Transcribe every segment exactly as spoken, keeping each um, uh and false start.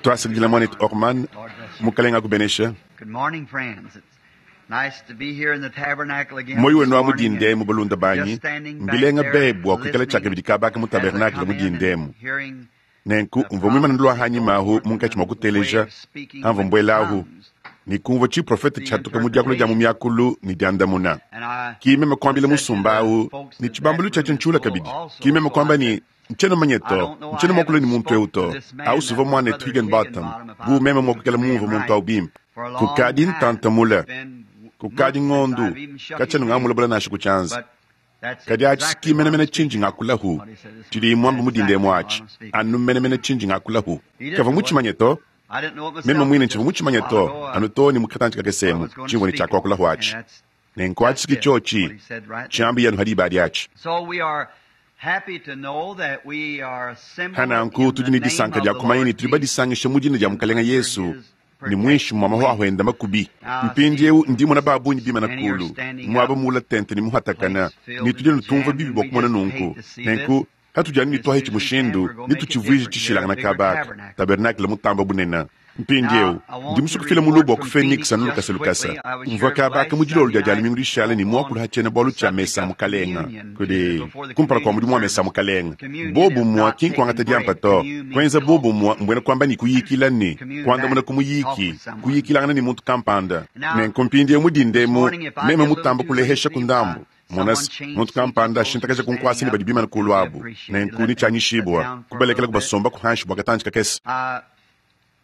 Twasakidila mwanetu Orman, mukalenga akubenesha. Good morning, friends. It's nice to be here in the tabernacle again Moyo this wenu wa morning mudindemu and balunda banyi just standing back mbilenga there bebwa kuikala listening tshakabidi kabaka mu as I tabernakele come in and mudindemu hearing nenku the mvua mwimana ndulwa prophecy hanyi go mahu forth and munkatshi mua the way kuteleja of speaking amvua with mbuelahu tongues, ni kumvua tshiprofete the tshiatuka mu diakula dia mu interpretation. miakulu ni diandamuna And I kimeme kuambila said to musumba the awu folks ni in that tshibambalu room tshiatshi is ntshula full kabidi also, kimeme so I kuamba said, ni ntshiena mumanye I to don't know, I ntshiena muakula ni haven't muntu eu spoke to to this man, awu suvua that mwanetu brother Higginbotham Higginbotham, if bu I meme mua kuikala understand mumvua muntu right, awu bimpe for a long kukadi time. ntantamula It's been kukadi months since ng'ondu I've even shook his katshiena hand. ngamulabula nansha ku tshianza But that's kadi atshi exactly what I'm kimenemene speaking tshinji on. ngakulahu What he said this tshidi morning. muamba That's mudindemu exactly what atshi I'm speaking. anu menemene tshinji ngakulahu He didn't kavua know it. mutshimanye to I didn't know it meme myself mwine till ntshivua just a mutshimanye while to ago. I, anu to ni mukatantshi I kakesemu was going to tshimvua ni speak it. tshiakuakulahu And atshi that's nenku that's atshi it, kitshotshi what he said right there. tshiambi yanu hadi ibadi atshi So we are happy to know that we are assembled hananku in tudi the ni name disanka of dia the kumanya ni Lord tudi Jesus badisangisha mu dina dia and mukalenga under Yesu his ni protecting mwinshi mwa wing. mahwahwenda makubi Now I mpindi see eu ndimona babunyi bimana many are kulu standing mwaba up, mula tente ni muhatakana place filled ni tudi and nutumva jammed, bibi and bua we kumona just nunku hate to see this. nenku hatujani This nitwahe Susan chimushindu Camp, we're going to make it nituchivuije different here, a tshishilangana bigger kabaka tabernacle. tabernakele mutamba bunena mpindi eu Now, I ndi want to musukufila mulubu report wa ku from Phoenix Phoenix anu just lukasa lukasa quickly. I was mvua here kabaka last mu dilolo Sunday dia night lumingu lishale ni spoke muakulu on hatshiena bualu the tshia subject mesa of mukalenga communion kudi before the kumpala kua communion mudimu wa mesa service. mukalenga Communion bobu is mua not ki nkuangata taking diampa bread. to Commune means kuenza bobu talk. mua mbuena kuamba ni kuyikila ni Commune kuandamuna back, ku talk muyiki with someone. kuyikilangana ni muntu kampanda Now, nenku mpindi this mudindemu morning, if I meme get a little mutamba too kulehesha lengthy, ku if I, ndambu someone monasi change muntu seats with kampanda those who ashintakaja are kunkwasi standing ni up, badi bimana it'll kulu be abu appreciated. nenku Let ni them sit tshianyishibua down for a kubalekela little bit. kubasomba kuhanshi bua katantshi kakese Uh,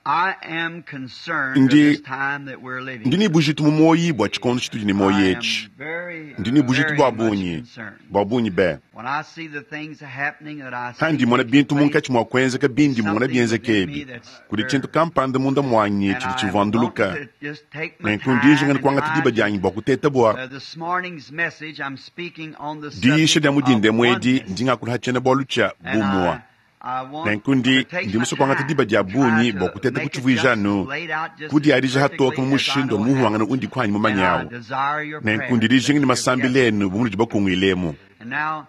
I am concerned of ndi this time that we're living ndi ni in. bujitu mu moyi bua tshikondo tshitudi ne moyi I etshi am very, ndi ni bujitu very bua much bungi concerned. bua bungi be When I see the things happening that I see handi mona taking bintu place, munkatshi mua kuenzeka there's bindi mona something bienzeka within me ebi that's kudi tshintu stirred. kampanda munda muanyi And tshidi I am wanting tshivuanduluka to just take my nenku ndijinga time ni and kuangata try diba to. dianyi bua kuteta bua Uh, this morning's message, I'm speaking on the diisha subject dia of mudindemu edi oneness. ndi ngakula tshiena bualu tshia And bumua I, I want nenku to ndi take ndi my musue kuangata diba time dia and try bungi bua to kuteta make it kutshivuija just anu laid out just as kudiadija hatoka perfectly mu as I mushindu know how. muhuangana undi kuanyi And I mumanyawu desire your nenku prayers ndi that dijinga ni you'll masambila gather. enu bu munudi bakungwilemu And now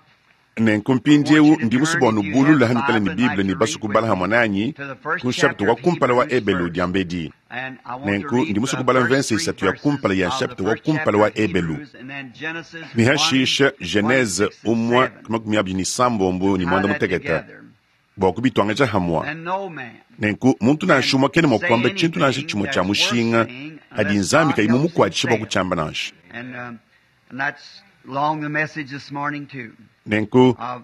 nenku I want mpindiewu you to ndi turn, musue bua if you have nubulula a hanukala Bible ni and like Bible ni to basu read with kubala me, hamwe nanyi to the first ku nshapita chapter wa of kumpala wa Hebrews Ebelu first. diambedi And I want to nenku read ndi musue the kubala first mvense three isatu ya verses kumpala ya of the nshapita wa first kumpala chapter wa of Ebelu Hebrews and then Genesis ni one, hashisha Genese twenty-six and umwa seven. makumi abiri ni sambombo ni Tie mwanda that muteketa together. bua kubitwangaja hamwa And no man nenku muntu can nansha umwe kene mua say kuamba tshintu nansha anything tshimue tshia that's worth mushinga saying adi unless nzambi God kayi helps him mumukuatshisha bua say it. kutshiamba nansha And, um, and that's along the message this morning too nenku of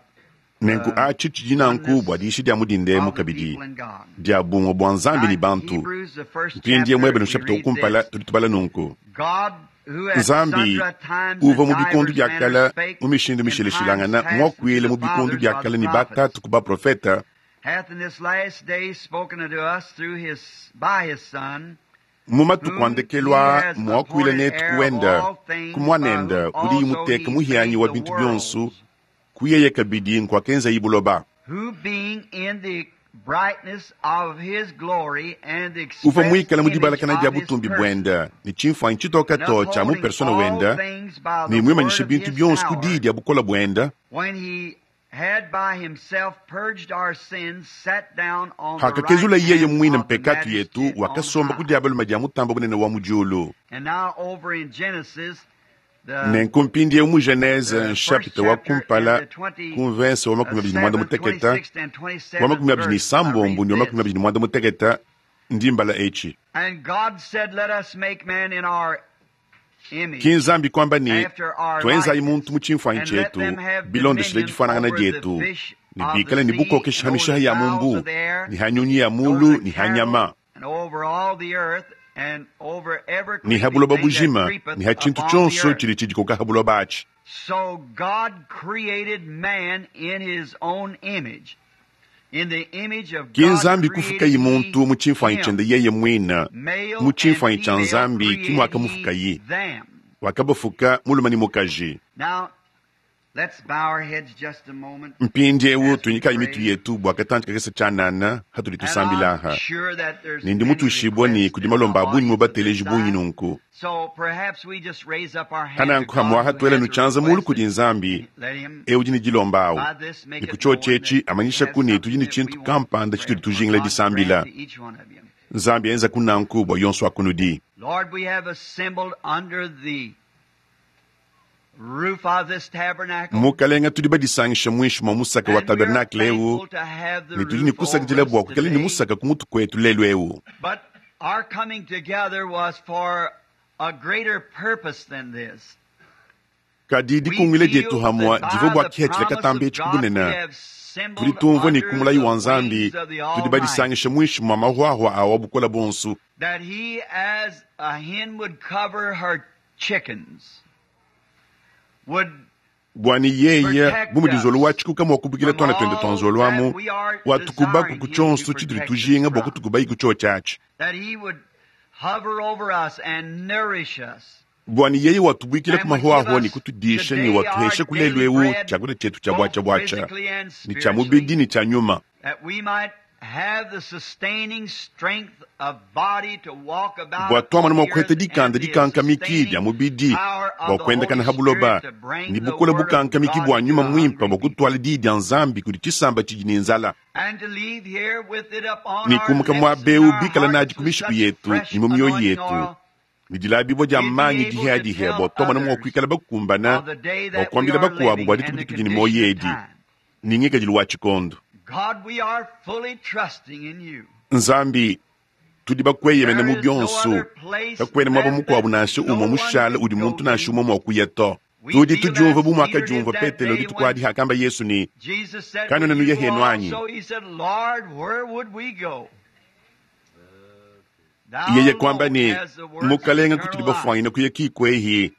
nenku uh, atshi tshidi nanku bua oneness diisha dia mudindemu of the kabidi people in God. dia bumue bua nzambi Now ni in bantu Hebrews, the first mpindie chapter, mwebele we nshapita read kumpala this. tudi tubala nunku God, who at nzambi sundry times uva and mu bikondu divers bia manners kala spake mu mishindu in times mishilashilangana past unto muakuile the mu bikondu fathers bia by the kala ni prophets, batatu ku baprofeta hath in this last day spoken unto us through his by his Son, mu matuku whom he andekelwa has muakuile appointed netu heir of kuwenda all things, by kumwanenda whom udi also muteka he muhianyi made wa the bintu bionso worlds, kuyeye kabidi nkuakenza ibuloba who being in the brightness of his glory and the uva express muikala mu image dibalakana dia of his butumbi person, buenda ni tshimfuanyi tshitoka and to tshia mu upholding persona all wenda things by ni the word mwimanyisha of bintu his bionso ku power, diyi dia bukola buenda when he had by himself purged our sins, sat down on the right hakakezula yeye hand mwine of the mpekatu yetu majesty on wakasomba ku high. diabaluma dia mutamba bunene wa mu diulu And now over in Genesis, the nenku mpindiewu mu Genese the first nshapita wa chapter and kumpala the twenty ku mvense wa makumi abiri ni mwanda seventh, muteketa twenty-sixth, and wa twenty-seventh makumi abiri ni verse, I read sambombo ni wa makumi this. abiri ni mwanda muteketa ndi mbala etshi And God said, Let us make man in our image, kinzambi kwamba ni after our twenzayi likeness, muntu mu tshimfuanyi and let tshietu them have bilondeshele dominion difuanangana over the dietu fish ni of the bikale ni sea, bukokesha and over hamishaha the ya fowls mumbu of the air, ni hanyunyi ya and over mulu the ni cattle, hanyama and over all the earth, and over every ni creeping habuloba thing that bujima creepeth ni ha tshintu upon the tshonso earth. tshili tshidikoka habuloba atshi So God created man in his own image. In the image of ki God nzambi kufukayi created he muntu mu tshimfuanyi him. tshende yeye mwina Male mu and tshimfuanyi tshia female nzambi created he kimwakamufukayi them. wakabafuka mulume ni mukaji Now, Let's bow our heads just a moment. Mpindiewu tunyikayi mitu yetu bua katanji kakese tshianana hatudi And I'm tusambilaha sure that there's ne ndi many mutuishibua ne requests kudi in the malomba a bungi mu audience at bateleji this bungi time. nunku. So perhaps we just raise up our hand to Kananku God hamwaha who tuela has a nutshianza mulu request kudi and Nzambi let him ewu udi ne dilomba awu. by this make Ne it ku known tshiotshi that we amanyisha have ku ne something tudi ne that we tshintu want kampanda prayer tshitudi for tujingila God grant disambila. to each one of you. Nzambi enza kunanku bua yonso akunudi. Lord, we have assembled under the roof of this tabernacle. Mukalenga tudi badisangisha muinshi mua musaka wa And we are tabernakle ewu thankful to have the ne tudi ne roof over kusakidila us bua kuikala ne today. musaka ku mutu kuetu lelu ewu. But our coming together was for a greater purpose than this. Kadi We dikungile dietu feel hamwa that divua by bua the kihethila promise katamba of etshi God we kubunene. have Tudi assembled tumvua ne under kumulayi the wa Nzambi wings of the tudi Almighty. badisangisha muinshi mua mahwahwa awa bukola bonsu. That he, as a hen would cover her chickens, would Bua ne yeye protect bu mudizolo wa us tshikuka mua kubukila from tuana tuende all tuanzoluamu that we are watukubaku desiring ku him to tshionso tshitudi protect us tujinga bua from. kutukubayi ku tshiotshi atshi. That he would hover over us and nourish us. Bua ne yeye watubuikila ku And would give mahwahwa ne us kutudisha ne today our watuhesha ku lelu daily ewu bread, tshiakudia tshietu tshia both bwacha bwacha physically and ne tshia mubidi spiritually, ne tshia nyuma. that we might have the sustaining strength of body to walk about Bua twamana upon mua the kuheta earth dikanda and the dikankamiki dia sustaining mubidi power bua of the kuendakana Holy ha buloba Spirit to bring ne the bukola Word of bukankamiki God bua to nyuma the muimpe hungry bua people. kutuala diyi dia Nzambi kudi tshisamba tshidi ne nzala. And to leave here with it upon Ne our kumuka lips mua and bewu our bikala hearts nadi ku with mishiku such yetu fresh ne mu mioyo anointing yetu oil, ne dilabibua dia we'd be manyi able to dihadihe tell bua twamana mua others kuikala bakumbana of the day bua that we kuambila are bakuabu living bua and dituku the ditudi ne moyo condition of edi time. ne ngikadilu wa tshikondo. God, we are fully trusting in you. Nzambi tudi bakweyemena There mu is no bionso other place kakwena mwaba left mukuabu that nansha no umwe one mushala could udi go muntu nansha to. umwe mua kuya to. We Tudi feel tudiumva as bu Peter did mwakadiumva that Petelo day dituku when adi hakamba Yesu ne Jesus said, kanwena Would you nuye go henu anyi. also? He said, Lord, where would we go? Thou Yeye kwamba alone ne has the words of mukalenga eternal kutudi life. bafwanyina kuya kikwehi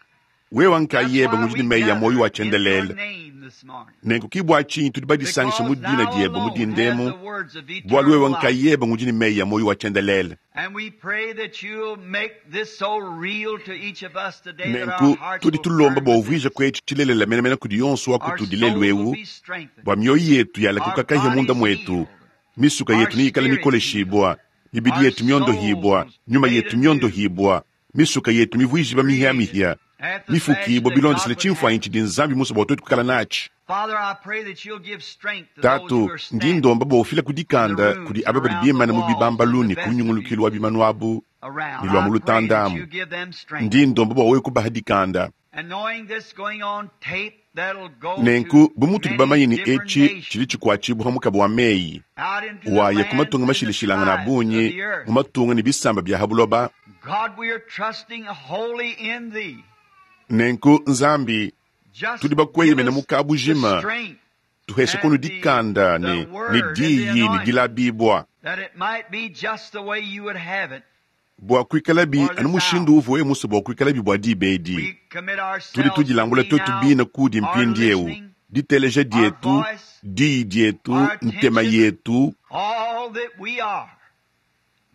wewa That's nkayeba why ngudi we ne meyi ya moyo gather wa in your tshiendelele. name this morning. Nenku kibua tshinyi tudi badisangisha mu Because dina thou diebe mu alone has dindemu the words of bualu eternal wewe life. nkayeba ngudi ne meyi ya moyo wa tshiendelele. And we pray that you'll make this so real to each of us today that our Nenku hearts tudi will tulomba burn bua within uvuije us. kwetu tshilelela menemene kudi yonso wa Our kutudi lelu souls will ewu be strengthened. bua mioyo yetu yala Our kukakahya munda bodies mwetu healed. misuka Our yetu niyikala spirits healed. mikoleshibwa mibidi Our yetu myondohibwa souls nyuma made yetu anew. myondohibwa misuka yetu mivuijiba Created mihya-mihya after the fashion mifukibwa that God bilondesele would have tshimfuanyi it. tshidi Nzambi musa bua twetu kukala natshi. Father, I pray that you'll give strength to those who Tatu are ndi standing ndomba bua ufila in the kudikanda kudi rooms aba badi around the bimana mu walls and the bibambalu ne ku nyungulukilu wa vestibules bimanu abu around. ne lua I mu pray that lutandamu. you give them strength. Ndi ndomba bua wewe kubaha dikanda. And knowing this going on tape that'll go to Nenku bu mutudi many bamanye ne different etshi tshidi nations, tshikuatshibua mukaba wa meyi out into the waya ku lands matunga and the mashilashilangana a tribes of bungi the earth. mu matunga ne bisamba bia ha buloba. God, we are trusting wholly in thee. Nenku Nzambi Just tudi give bakweyemena us mu the kabujima strength tuheshe kunu and the, dikanda the ne ne word and the diyi ne anointing dilabibwa that it might be just the way you would have it bua kuikalabi for anu this mushindu hour. uvuwe musa bua kuikalabi bua diba edi. We commit Tudi ourselves to tudilangula thee twetu now, bina kudi our mpindi ewu listening, diteleja our dietu voice, diyi dietu our ntema attention, yetu all that we are.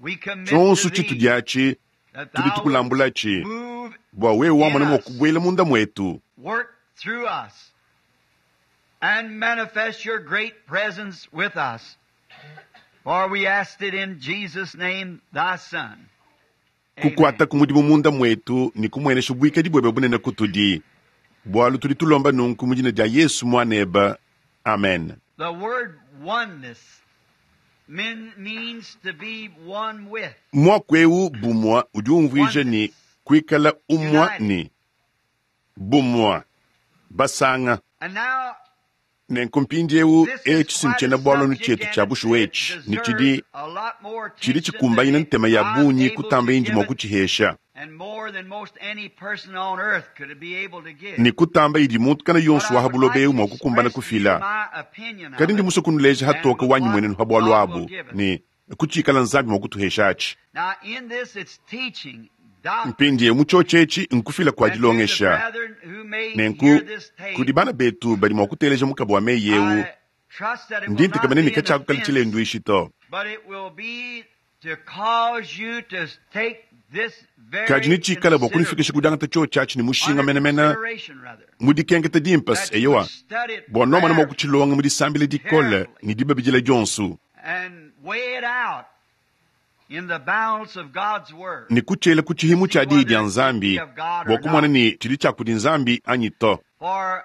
We commit to tshonso thee tshitudi atshi that tudi thou would tukulambulatshi move bua wewe in wamona mua us, kubuela munda mwetu work through us, and manifest your great presence with us. For we asked it in Jesus' name, thy Son. Amen. kukuata ku mudimu munda mwetu ne kumuenesha buikadi bwebe bunene kutudi bualu tudi tulomba nunku mu dina dia Yesu mwaneba. Amen. The word oneness mean, means to be one with. Mwaku ewu bumwa udi umvuija ne Oneness. kuikala umwa United. ne bumwa basanga. And now Nenku mpindiewu this is etshi quite a sintshiena bualu subject tshietu and tshia it, bushuwa it etshi ne deserves tshidi a lot more tshidi attention than tshikumbanyina it, ntema ya I'm bungi able to kutamba indi give mua it kuchihesha and more than most any person on earth could be able to give. ne kutamba idi muntu kana But yonso I wa would habuloba like ewu to mua kukumbana express to you kufila. my opinion Kadi of ndi it musa kunuleja and hatoka wanyi what mwenenu ha bualu God will abu give us. ne kuchikala Nzambi mua kutuhesha atshi. Now, in this, it's teaching, doctrine, Mpindiewu mu tshiotshi etshi nkufila kua and to the dilongesha. brethren who may hear Nenku this tape, kudi bana betu badi mua kuteleja mukaba wa meyi ewu I trust that it will ndi not ntekamene be ne an katshiakukala offense, tshilenduishi to. but it will be to cause you to take this very Kadi nitshikala bua kunifikisha considerably. ku diangata tshiotshi atshi ne mushinga Under menemene consideration, rather, mu dikenketa dimpe that you eyowa would study it bua nomana mua prayerfully kutshilonga mu disambila dikole carefully ne dibabidila dionso and weigh it out in the balance of God's Word. ne kutshiela ku tshihimu See tshia diyi whether dia it be Nzambi of God bua or kumona not. ne tshidi tshia kudi Nzambi anyi to. For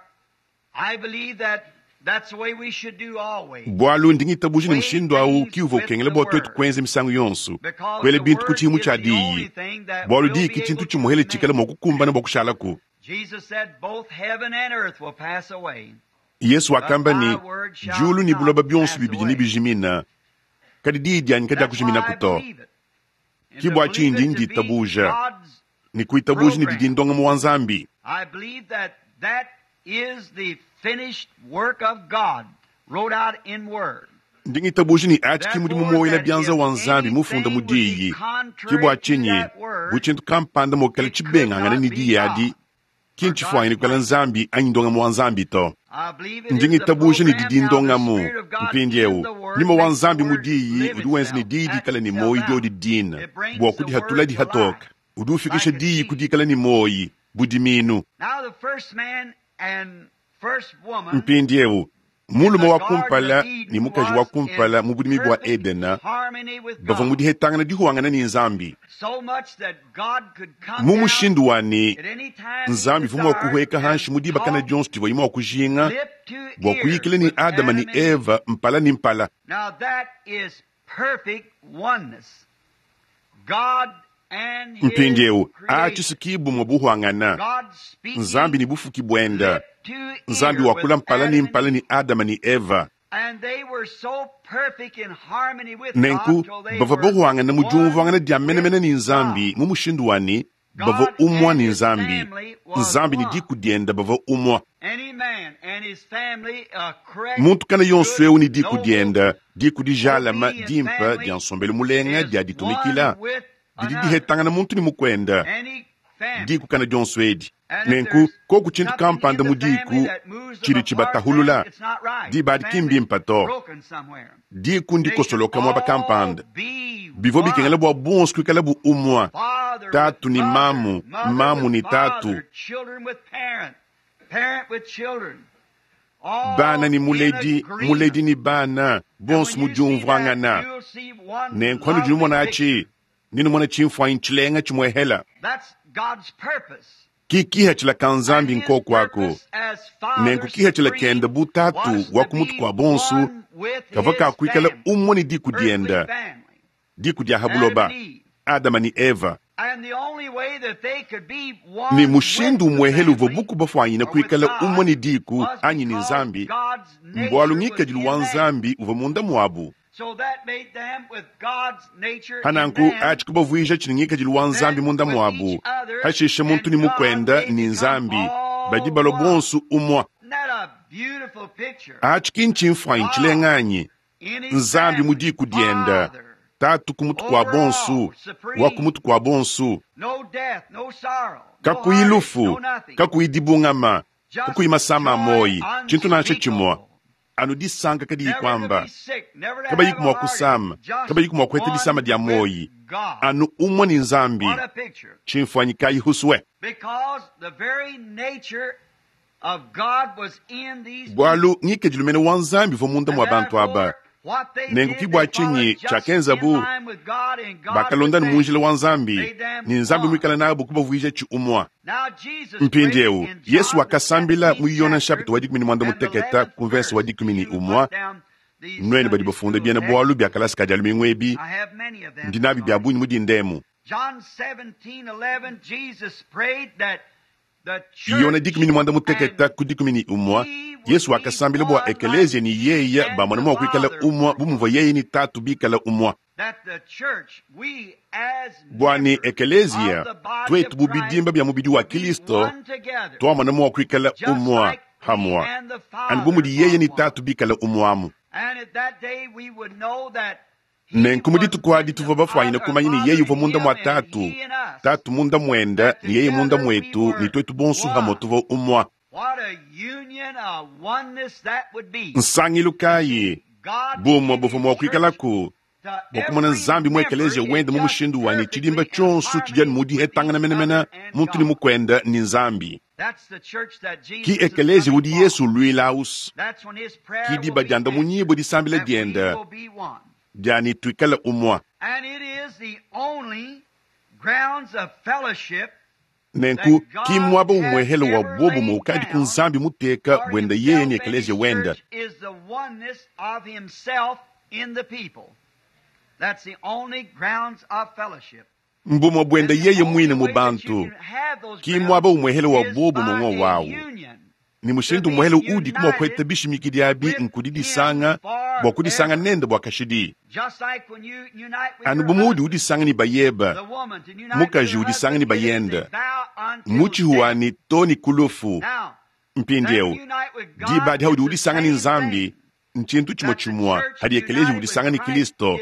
I believe that that's the way we should do always. Bualu ndi ngitabuja ne Weigh mushindu awu things ki uvua with ukengela the bua tuetu Word. kuenza misangu yonso Because kuela the bintu ku Word tshihimu is tshia the only diyi thing that bualu will diyi be ki tshintu able to tshimuhele tshikala remain. mua kukumbana bua kushalaku. Jesus said, both heaven and earth will pass away, Yesu but wakamba my ne word shall diulu ne not buloba bionso pass bibidi ne away. bijimina kadi diyi dianyi That's why kadiakujiminaku I to. believe it. And Ki to bua believe tshindi it to be nditabuja God's ne kuitabuja ne didi program. ndongamu wa Nzambi. I believe that that is the finished work of God wrote out in Word. Ndi ngitabuja ne atshi ki mudimu Therefore, muoyela that bianza if wa Nzambi mufunda anything mu would be diyi ki contrary bua to tshinyi that bu Word, tshintu kampanda mokala it could tshibengangana not ne be diyi adi God ki or God's ntshifuanyine kuikala plan. Nzambi anyi ndongamu wa Nzambi to. I believe it Ndi is the ngitabuja ne program didi now the ndongamu Spirit of God in mpindiewu the Word nyuma wa makes the Nzambi mu Word diyi live udi wenza ne itself, diyi act dikala ne itself moyi out. diodi dina It brings bua the kudihatula Word to dihatoka life udi ufikisha like a diyi seed. kudikala ne moyi budiminu. Now the first man and first woman Mpindiewu in mulume the wa Garden of kumpala ne Eden mukaji wa was in kumpala mu budimi bua perfect Edena harmony with bavua mu God. dihetangana dihuangana ne Nzambi So much that God could come mu down mushindu wa ne at any time he Nzambi vua mua desired kuhueka and hanshi mu dibakana talk dionso divua mua kujinga lip to bua ear kuyikila ne with Adama ne Adam and Eve. Eva mpala ne mpala. Now that is perfect oneness. God and His Mpindiewu creation. atshi bumue buhuangana God Nzambi speaking ne bufuki buenda lip to Nzambi ear with wakula mpala ne Adam and mpala Eve. ne Adama ne Eva. And they were so perfect in harmony with God Nenku till they bavua were bahuangana mu one diumvuangana dia with menemene ne God. Nzambi mu mushindu wa ne bavua God umua and ne His Nzambi. family was Nzambi ne one. diku dienda bavua umua. Any man and his family, a correct, Muntu kana yonso good, eu ne diku noble, dienda diku dijalama obedient dimpa family dia nsombelu mulenga is dia one ditumikila with didi another. dihetangana muntu ne mukwenda Any family. diku kana dionso edi. And if Nenku there's koku tshintu something in kampanda the mu family diku that moves them tshidi apart, then tshibatahulula it's not right. The diba adi ki family's mbimpa to broken somewhere. diku They should ndikosoloka muaba all kampanda be bivua bikengela one. bua bonso kuikala bu umua Father with tatu ne mother, mamu mother mamu with ne tatu father, children with parent, parent with children, bana all ne in muledi muledi agreement. ne bana And bonso when mu you see that, diumvuangana. you'll see one Nenku anu lovely dinumona picture. atshi ninumona tshimfuanyi tshilenga tshimuehela That's God's purpose. ki kihatshila ka And Nzambi His nkoku aku. purpose as Nenku Father kihatshila kenda Supreme bu tatu was wa to ku mutu be kua bonso one with kavua His kakuikala family, umue ne diku earthly dienda family, diku dia Adam habuloba and Eve. Adama ne Eva. And the only way that they could be Ne one with mushindu the umuehele uvua family buku bafuanyine or with kuikala umue God ne diku was anyi ne because Nzambi God's mbualu nature was ngikadilu in wa them. Nzambi uvua munda muabu. So that made them with God's nature in Hananku them, atshi kubavuija tshini ngikadilu wa Nzambi then munda with each muabu other hashishe muntu and ne God mukwenda they ne become Nzambi badi all balua one. bonso umua. Isn't that a beautiful picture? Atshi ki ntshimfuanyi God tshilenga anyi in His Nzambi mu family, diku dienda Father, tatu ku mutu kua over bonso all, wa ku supreme, mutu kua bonso no death, no sorrow, no kakuyi heartache, lufu no nothing. kakuyi dibungama Just kakuyi masama a joy moyi tshintu nansha tshimua unspeakable. anu disanka kadiyi Never to kuamba be sick, never to kabayi have a kumua heartache, kusama just kabayi kumua kuheta disama one dia with moyi God. anu umue ne Nzambi What a picture. tshimfuanyi kayi huswe. Because the very nature of God was in these people. Bualu ngikadilu mene wa Nzambi uvua munda And mua bantu aba. therefore, what they Nenku did, ki bua they tshinyi followed just in tshiakenzabu line with God and God with bakalonda ne them. mu njila wa Nzambi Made them ne Nzambi one. muikala nabu kubavuija tshi umua. Now Jesus prayed Mpindiewu in Yesu John the wakasambila mu seventeenth Yona chapter nshapita wa dikumi ne muanda and the muteketa eleventh ku mvese wa verse. dikumi ne You umua put down these nuenu badi Sunday bafunda school biena texts. bualu bia kalasa ka dia lumingu ebi I have many of them ndi this nabi bia morning. bungi mu dindemu. John seventeen eleven, Jesus prayed that the Yona church dikumi ne muanda muteketa and ku dikumi ne umua he would Yesu be wakasambila bua one like ekelezia ne he yeya and bamona the mua kuikala Father umua were bu one. muvua yeye ne tatu bikala umua. That the church, we as Bua ne members of ekelezia the body tuetu of bu Christ bidimba bia mubidi wa would be Kristo one together, twamona mua kuikala just umua like he hamua and the anu bu Father mudi yeye are ne one. tatu bikala umuamu. And at that day we would know that he Nenku mu was dituku adi in the tuvua bafuanyine Father, kumanya ne Father yeye uvua in munda him mua and tatu he in us. tatu munda muenda That ne yeye munda together we muetu ne were tuetu bonso hamua one. tuvua umua. What a union, a oneness that would be. Nsangilu To kayi see God bumue in buvua His mua church kuikalaku Bua kumona Nzambi mu ekeleziya wende mu mushindu wa ne tshidimba tshionso tshidi anu mu dihetangana menemene muntu ne mukwenda ne Nzambi. Ki ekeleziya udi Yesu uluila ausu. Ki diba diandamunyibua disambila diende dia ne tuikale umue. Nenku ki muaba umwehele wa bobumue ukadi ku Nzambi muteka buenda yeye ne ekeleziya wende. Mbumue buenda yeye muine mu bantu. Ki muaba umwehele wa bobumue ngo wawu. Ni mushindu umuhele udi kumua kuheta bishimikidi abi nkudi disanga bua kudisanga nende bua kashidi. Anu bu muudi udisanga ne bayeba, mukaji udisanga ne bayende, mutshihuani to ne kulufu. Mpindieu diba adi haudi udisanga ne Nzambi, ntshintu tshimue tshimue hadi ekeleziya udisanga ne Kristo,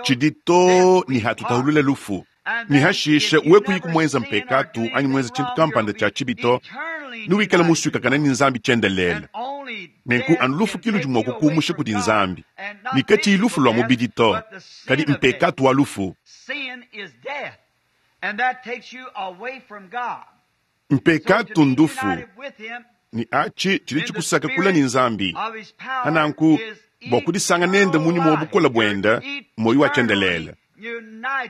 tshidi to ne hatutahulula lufu. Ni hashishe we kuyi kumwenza mpekatu anyi mwenza tshintu kampanda tshia tshibito, nuwikale musuikakana ne Nzambi tshiendelele. Nenku anu lufu ki ludi mua kukumusha kudi Nzambi. Ni katshiyi lufu lua mubidi to, kadi mpekatu wa lufu. Mpekatu ndufu, ni achi tshidi tshikusaka kula ne Nzambi. Hananku bua kudisanga nende munyuma wa bukola buenda, moyo wa tshiendelele.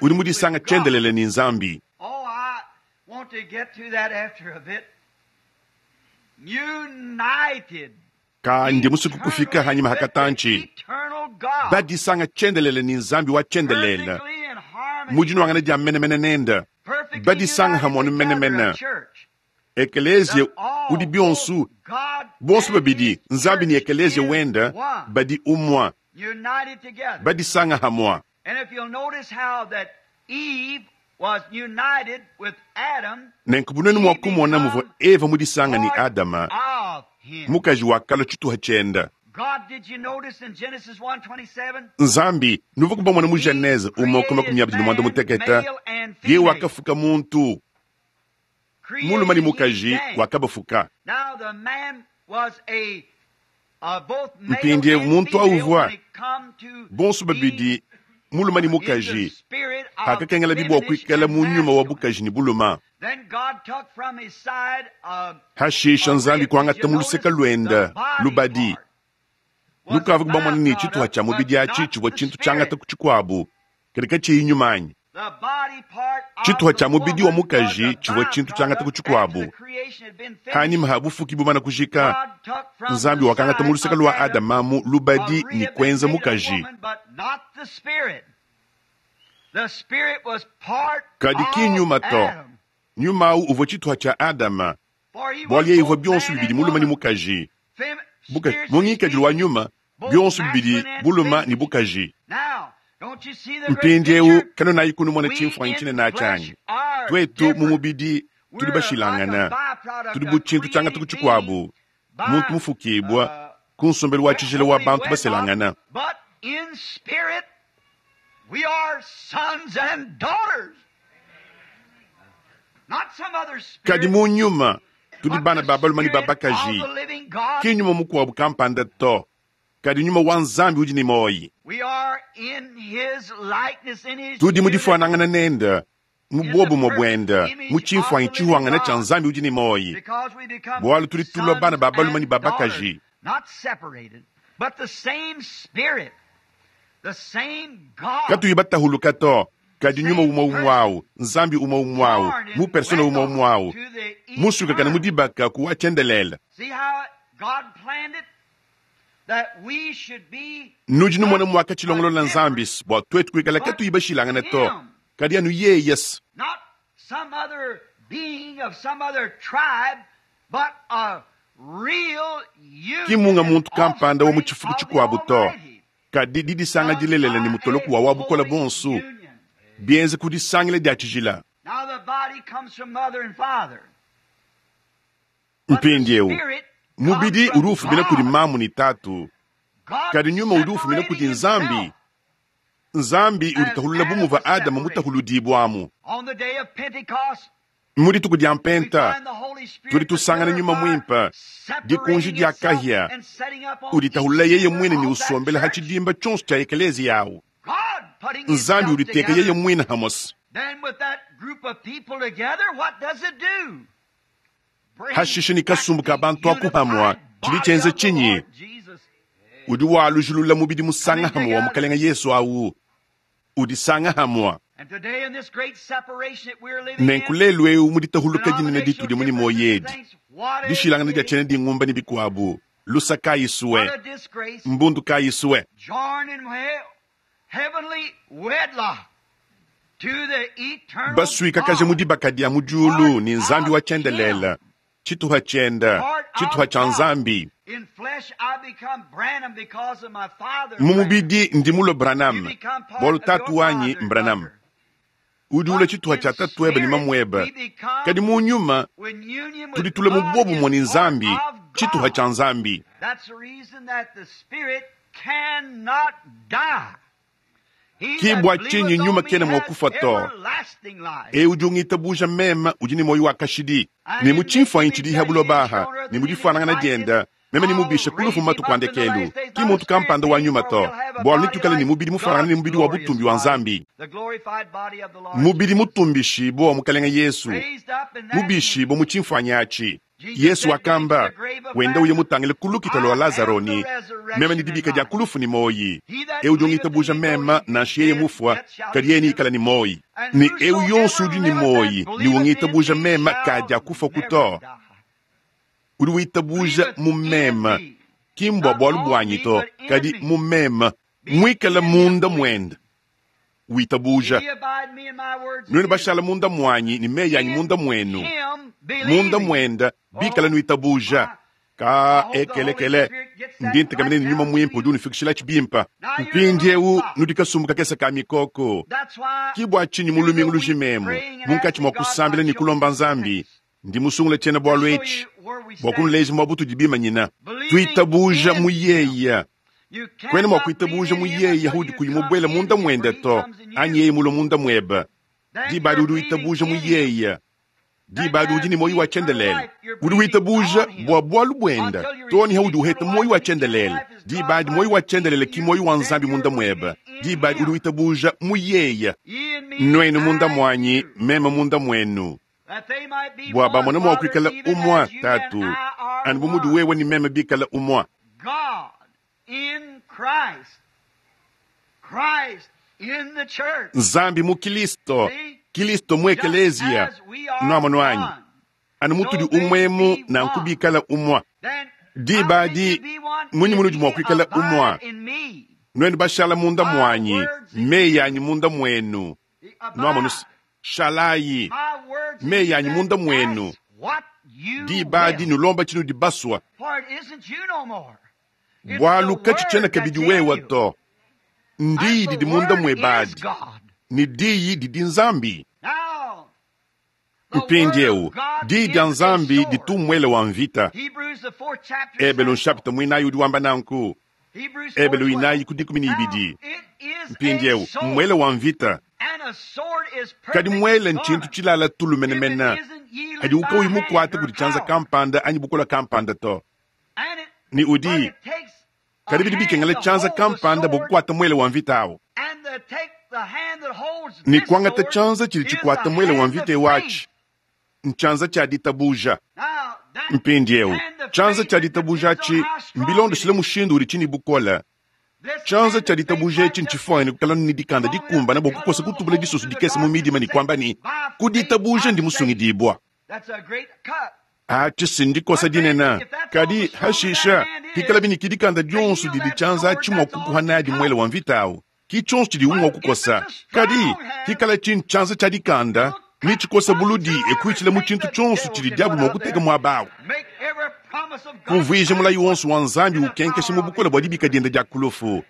Udi mudisanga tshiendelele ne Nzambi. Ka ndi musuku kufika hanyima hakatanchi. Badisanga tshiendelele ne Nzambi wa tshiendelele. Mudinwangana dia menemene nende. Badisanga hamonu menemene. Ekeleziya udi bionsu, bonsu babidi, Nzambi ne ekeleziya wenda, badi umwa. Badisanga hamwa. Nenku bunene mua kumona muvua Eva mudisanga ne Adama, mukaji wakala tshituha tshienda. Nzambi nuvua kubamona mu Genese umue kuma makumi abidi ne muanda mutekete, ye wakafuka muntu mulume ne mukaji wakabafuka. Mpindiewu muntu auvua bonso babidi mulume ne mukaji akakengela bibua kuikala mu nyuma wa bukaji ne buluma. Hashisha Nzambi kuangata mu luseke luenda lubadi. Lukavua kubamona ne tshituha tshia mubidi atshi tshivua tshintu tshiangata ku tshikuabu, kadi katshiyi nyuma anyi. Tshituha tshia mubidi wa mukaji tshivua tshintu tshiangata ku tshikuabu. Hanyima ha bufuki bumana kujika, Nzambi wakangata mu luseke lua Adama mu lubadi ne kuenza mukaji. Kadi ki nyuma to. Nyuma au uvua tshituha tshia Adama, bualu yeye uvua bionso bibidi mulume ne mukaji. Bukaji mu ngikadilu wa nyuma, bionso bibidi buluma ne bukaji. Mpindiewu kanonayi kunumona tshimfuanyi tshinene atshanyi. Twetu mu mubidi tudi bashilangana, tudi bu tshintu tshiangata ku tshikuabu, muntu mufukibua ku nsombelu wa tshijila wa bantu baselangana. Kadi mu nyuma tudi bana ba balume ne ba bakaji, ki nyuma mukuabu kampanda to, kadi nyuma wa Nzambi udi ne moyi. Tudi mu difuanangana nende, mu bobumue buende, mu tshimfuanyi tshihuangana tshia Nzambi udi ne moyi, bualu tudi tulua bana ba balume ne ba bakaji. Katuyi batahuluka to, kadi nyuma umue umue awu, Nzambi umue umue awu, mu persona umue umue awu, musukakana mu dibaka ku wa tshiendelele. Nudi numona mwaka tshilongolola Nzambi bua twetu kuikala katuyi bashilangana to, kadi anu yeye. Ki munga muntu kampanda wa mu tshifuku tshikuabu to, kadi didisanga dilelela ne mutoloku wa wa bukola bonsu, bienze kudisangila dia tshijila. Mpindiewu mubidi udi ufumina kudi mamu ne tatu, kadi nyuma udi ufumina kudi Nzambi. Nzambi udi tahulula bu muvua Adama mutahuludibwamu. Mu dituku dia mpenta tudi tusangana nyuma mwimpe, dikunji dia kahia, udi tahulula yeye mwine ne usombela ha tshidimba tshionso tshia ekeleziya awu. Nzambi uditeka yeye mwine hamosi. Hashishe ni kasumbu ka bantu akuhamwa chili chenze chinyi udi walujulula mubidi musanga hamwa wa mukalenga Yesu awu udisanga hamwa. Nenku lelu eu muditahuluka dinene ditudi muni moyedi dishilangana dia chene dingumba ni bikwabu lusa kayiswe mbundu kayiswe baswika kaje mudibaka dia mujulu ni nzambi wa chendelela chituha chenda chituha cha nzambi. Mumubidi ndimulo Branham bwalu tatu wanyi Branham udi ule chituha cha tatu ebe ni mamweba kadi mu nyuma tuditule mubobu mwani nzambi chituha cha nzambi. Kibwa chinyi nyuma kena mwakufa to e udi ungitabuja mema udi ni moyo wa kashidi ni muchimfwanyi chidi habulobaha ni mudifanangana dienda meme ni mubisha kulufu matu kwandekelu ki muntu kampanda wa nyuma to bwalu nitukale ni mubidi mufanangana ni mubidi wa butumbi wa nzambi mubidi mutumbishi bo mukalenga Yesu mubishi bo muchimfwanyi achi Yesu wakamba wenda uye mutangile kulukita lwa Lazaro ni meme ni dibika dia kulufu ni moyi eu jongitabuja mema na shiyeye mufwa kadieni ikala ni moyi ni eu yonsu udi ni moyi ni wongitabuja mema kadia kufa kuto udi witabuja mumema kimbwa bwalu bwanyi to kadi mumema mwikala munda mwenda witabuja nwenu bashala munda mwanyi ni meyanyi munda mwenu munda mwenda bikala nwitabuja ka ekelekele ndi ntekamene ni nyuma mwimpe udi unifikishila chibimpa mpindi eu nudikasumbuka kesa ka mikoko kibwa chinyi mulumingu lujimemu munkatshi mwa kusambila ni kulomba nzambi ndi musungula chena bwalu echi bwa kunuleja mwa butudi bimanyina tuitabuja muyeya kwene mwa kuitabuja muyeya hudi kuyimubwela munda mwenda to anyi yeye mulo munda mweba dibadi udi uitabuja muyeya dibadi udi ni moyi wa chendelele udi witabuja bwa bwalu bwenda toni haudi uheta moyi wa chendelele dibadi moyi wa chendelele ki moyi wa nzambi munda mweba dibadi udi witabuja muyeya nwenu munda mwanyi mema munda mwenu bwa bamona mwa kuikala umwa tatu anu bumudi wewe ni meme bikala umwa. Nzambi mu Kilisto Kilisto mu ekelezia nwamo nwanyi anu mutudi umwemu na nkubikala umwa dibadi munyi munudi mwa kuikala umwa nwenu bashala munda mwanyi meyanyi munda mwenu nwamo shalayi meyanyi munda mwenu dibadi nulomba chinu dibaswa bwalu kachichena kabidi wewa to ndiyi didi munda mwebadi ni diyi didi nzambi. Mpindi eu diyi dia nzambi ditumwele wa mvita ebelu nshapita mwinayi udi wamba nanku ebelu inayi ku dikumi ni ibidi mpindi eu mwele wa mvita kadi mwele nchintu chilala tulumenemena hadi ukauyi mukwate kudi chanza kampanda anyi bukola kampanda to ni udi kadi bidi bikengela chanza kampanda bokukwata mwele wa mvita awo ni kwangata chanza chili chikwata mwele wa mvita ewachi nchanza cha ditabuja mpindi eu chanza cha ditabuja achi mbilondeshele mushindu udi chini bukola chanza cha ditabuja echi nchifwani kukala ni dikanda dikumbana bokukosa kutubula disusu dikese mu midima ni kwamba ni kuditabuja ndi musungidibwa achi sindikosa dinena kadi hashisha hikala biniki dikanda dionso didi chanza achi mwa kukuha nadi mwele wa mvita awo ki chonso chidi umwa kukosa kadi hikala chini chanza cha dikanda ni chikosa buludi ekuichila mu chintu chonso chidi diabu mwa kuteka mwabawo kumvuija mulayi wonso wa nzambi ukenkesha mu bukola bwa dibika dienda dia kulufu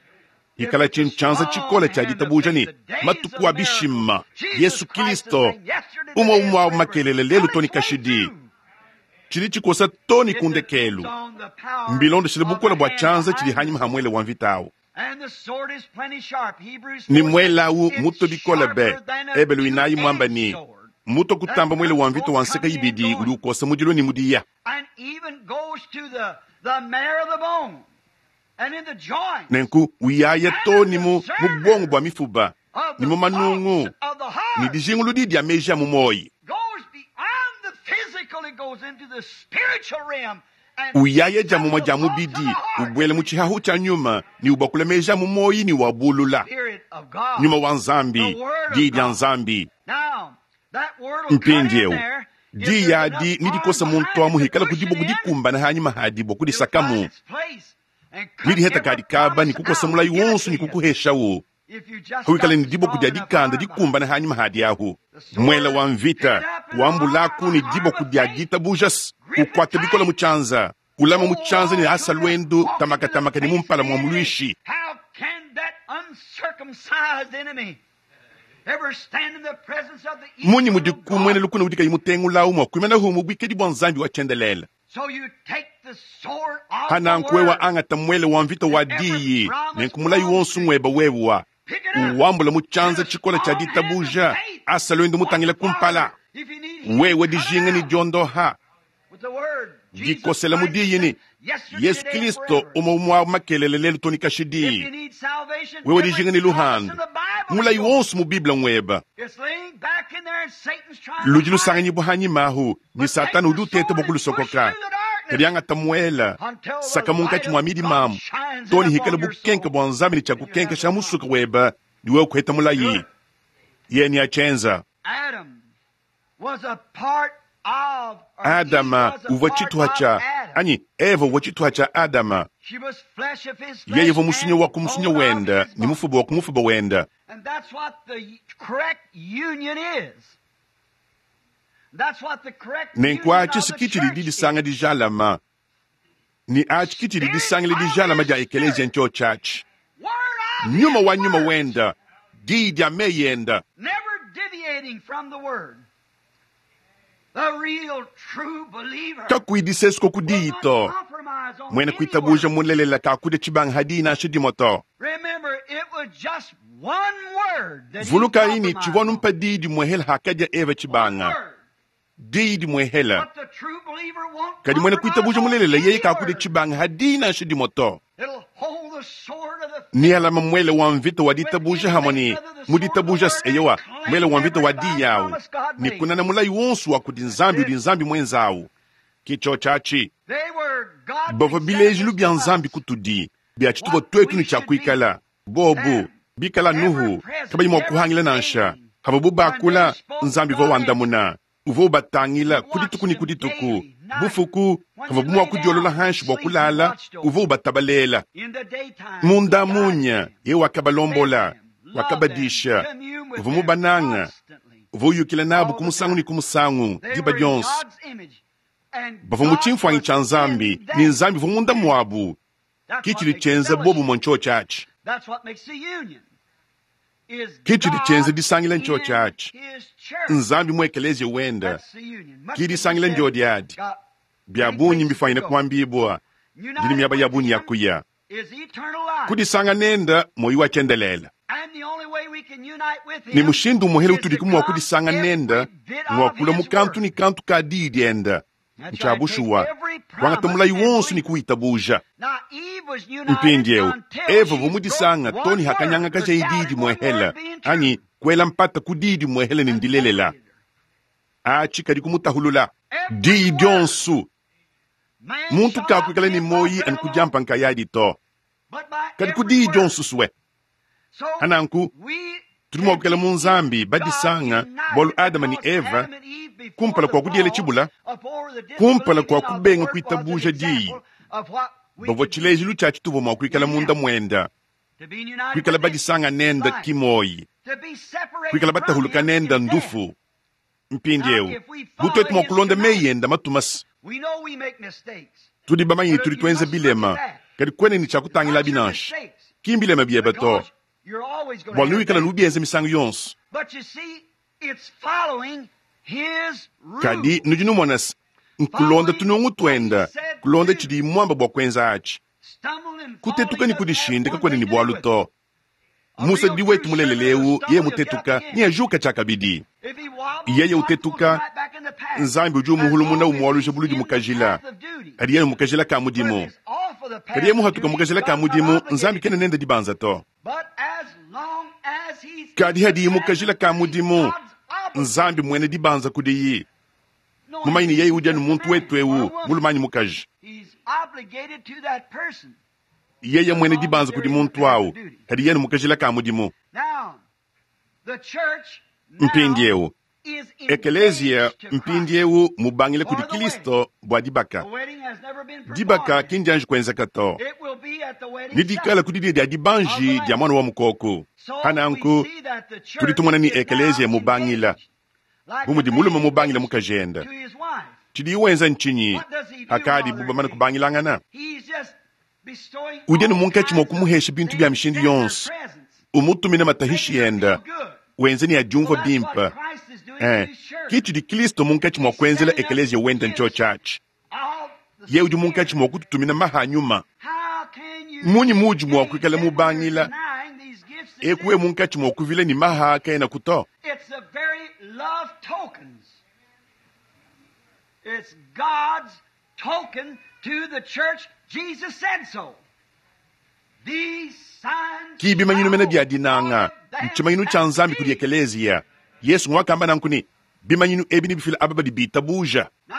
hikala chini chanza chikola cha ditabuja ni matuku abishima Yesu Kristo umwa umwa makelele lelu toni kashidi chili chikosa toni kundekelu mbilondeshele bukola bwa chanza chili hanyuma hamwele wa mvitawo ni mwelau muto bikola be ebelu inayi mwamba ni muto kutamba mwele wa mvita wa nseka ibidi uli ukosa mudilo ni mudiya nenku uyaya toni mu mubongo bwa mifuba ne mu manungu ne dijinguludi dia meji a mu muoyi. Uyaya dia mumue dia mubidi, ubuela mu tshihahu tshia nyuma ne ubakula meji a mu muoyi ne wabulula. Nyuma wa Nzambi, diyi dia Nzambi. Mpindieu diyi adi nidikosa muntu amu hikala kudibo kudikumbana hanyima hadibo kudisakamu. Nidiheta kadi kaba ni kukosa mulayi wonso ni kukuheshawo. Huikala ni diboko dia dikanda dikumbana hanyima hadi ahu. Mwela wa mvita wambulaku ni diboko dia ditabuja ukwata bikola mu chanza ulama mu chanza ni asa lwendo tamakatamaka ni mumpala mwa mulwishi. Munyi mudikumwene lukuna udika imutengulawu mwa kuimana humu bwikedi bwa Nzambi wa chendelela. Hanankuwe wa angata mwele wa mvita wa diyi nenkumulayi wonso ngweba wewa uwambula mu chanza chikola cha ditabuja asa lwendo mutangila kumpala wewe dijinga ni diondoha dikosela mu diyi ni Yesu Kristo uma umwa makelele lelu tonika shidi wewe dijinga ni luhandu mulayi wonso mu Biblia ngweba ludi lusanganyi buhanyi mahu ni Satana udi uteta bokulusokoka kadiangata muela saka munkatshi mwa midi mamu toni hikala bukenke bwa Nzambi ni tshakukenke sha musuka weba ni wewe kuheta mulayi yeni achenza Adama uvua tshituha tsha anyi Eva uvua tshituha tsha Adama yeye uvua musunyo wa kumusunyo wenda ni mufuba wa kumufuba wenda. Nenku atshi sikitshidi didisanga dijalama ni atshi kitshidi disangile dijalama dia ekelezia ncho tshatshi nyuma wa nyuma wenda diyi dia meyenda kakuidisesuko kudiyi to mwene kuitabuja mulelela kakudia tshibanga hadi nansha dimue to. Vuluka ini tshivua numpa diyi dimuehela hakadia Eva tshibanga diyi dimuehela kadi mwene kuitabuja mulelela yeye kakudia tshibanga hadi nansha dimue to. Ni alama mwele wa mvita wa ditabuja hamwe mu ditabuja eyowa mwele wa mvita wa diyi yawu ni kunana mulayi wonso wa kudi Nzambi udi Nzambi mwenzawu kicho tshatshi bavua bilejilu bia Nzambi kutudi bia tshitupa twetu ni tshakuikala bobu bikala Nuhu kabayi mua kuhangila nansha hava bubakula Nzambi uvua wandamuna uvua ubatangila kudituku ni kudituku bufuku hava bumua kudiolola hanshi bua kulala uvua ubatabalela munda munya ye wakabalombola wakabadisha uvua mubananga uvua uyukila nabu kumusangu ni kumusangu diba dionso bavua mu tshimfuanyi tshia Nzambi ni Nzambi uvua munda muabu kitshidi tshienza bobu mwa ncho tshatshi kitshidi tshienza disangila ncho tshatshi Nzambi mu ekelezia wenda kidisangila ndio diadi bia bunyi mbifanyine kuambibwa ndini miaba ya bunyi yakuya kudisanga nenda moyi wa chendelela ni mushindu muhele utudi kumwa kudisanga nenda mwakula mukantu ni kantu ka diyi dienda ntshabushuwa kwangata mulayi wonso ni kuitabuja. Mpindieu Eva vumudisanga toni hakanyanga kaja diyi dimuehela anyi kuela mpata ku diyi dimuehela ni ndilelela atshi kadi kumutahulula diyi dionso muntu kakuikala ni moyi ani kudiampa nkayadi to kadi ku diyi dionso suwe hananku tudi mua kukela mu Nzambi badisanga bualu Adama ni Eva kumpala kua kudiela tshibula kumpala kua kubenga kuitabuja diyi bavua tshilejilu tshia tshituvua mua kuikala munda muenda kuikala badisanga nenda kimoyi kuikala batahuluka nenda ndufu. Mpindieu butwetu mua kulonda meyi enda matumasi tudi bamanyi tudi tuenza bilema kadi kwene ni tshakutangila binansha kimbilema bieba to bua nuikala nubienza misangu yonso kadi nudi numona nkulonda tunungu twenda kulonda tshidi mwamba bua kuenza atshi kutetuka ni kudishindika kwene ni bwalu to Musa di wetu mulelelewu ye mutetuka ni ajuka tshakabidi yeye utetuka Nzambi udi umuhulumuna umuwaluja buludi mukajila kadi yeye mukajila ka mudimu kadi yeye muhatuka mukajila ka mudimu Nzambi kene nenda dibanza to. Kadi hadiyi mu kajila ka mudimu, Nzambi mwene dibanza kudiyi. Mumanyi ne yeye udi anu muntu wetu eu, mulume anyi mukaji. Yeye mwene dibanza kudi muntu awu, kadi yeye mu kajila ka mudimu. Mpindieu, ekeleziya mpindieu mubangile kudi Kristo bua dibaka. Dibaka ki ndianji kuenzeka to. Ni dikala ku didia dia dibanji dia mwana wa mukoko. Pananku, tudi tumona ni ekeleziya mubangila bu mudi mulume mubangile mukajende. Tshidiye wenza ntshinyi hakadi bu bamane kubangilangana? Udi anu munkatshi mua kumuhesha bintu bia mishindu yonso, umutumina matahishi ende, wenze ne adiumvua bimpe. Eh, ki tshidi Kristo munkatshi mua kuenzela ekeleziya wende ntsho tshiatshi. Ye udi munkatshi mua kututumina maha nyuma. Munyi muudi mua kuikala mubangila eku we munkatshi mua kuvila ne maha kaena kuto? It's the very love tokens. It's God's token to the church. Jesus said so. These signs Ki bimanyinu mene bia shall dinanga, follow them ntshimanyinu tshia that Nzambi kudi believe. ekeleziya. Yesu ngwakamba nanku ne bimanyinu ebi nibifila aba badi bitabuja. Now,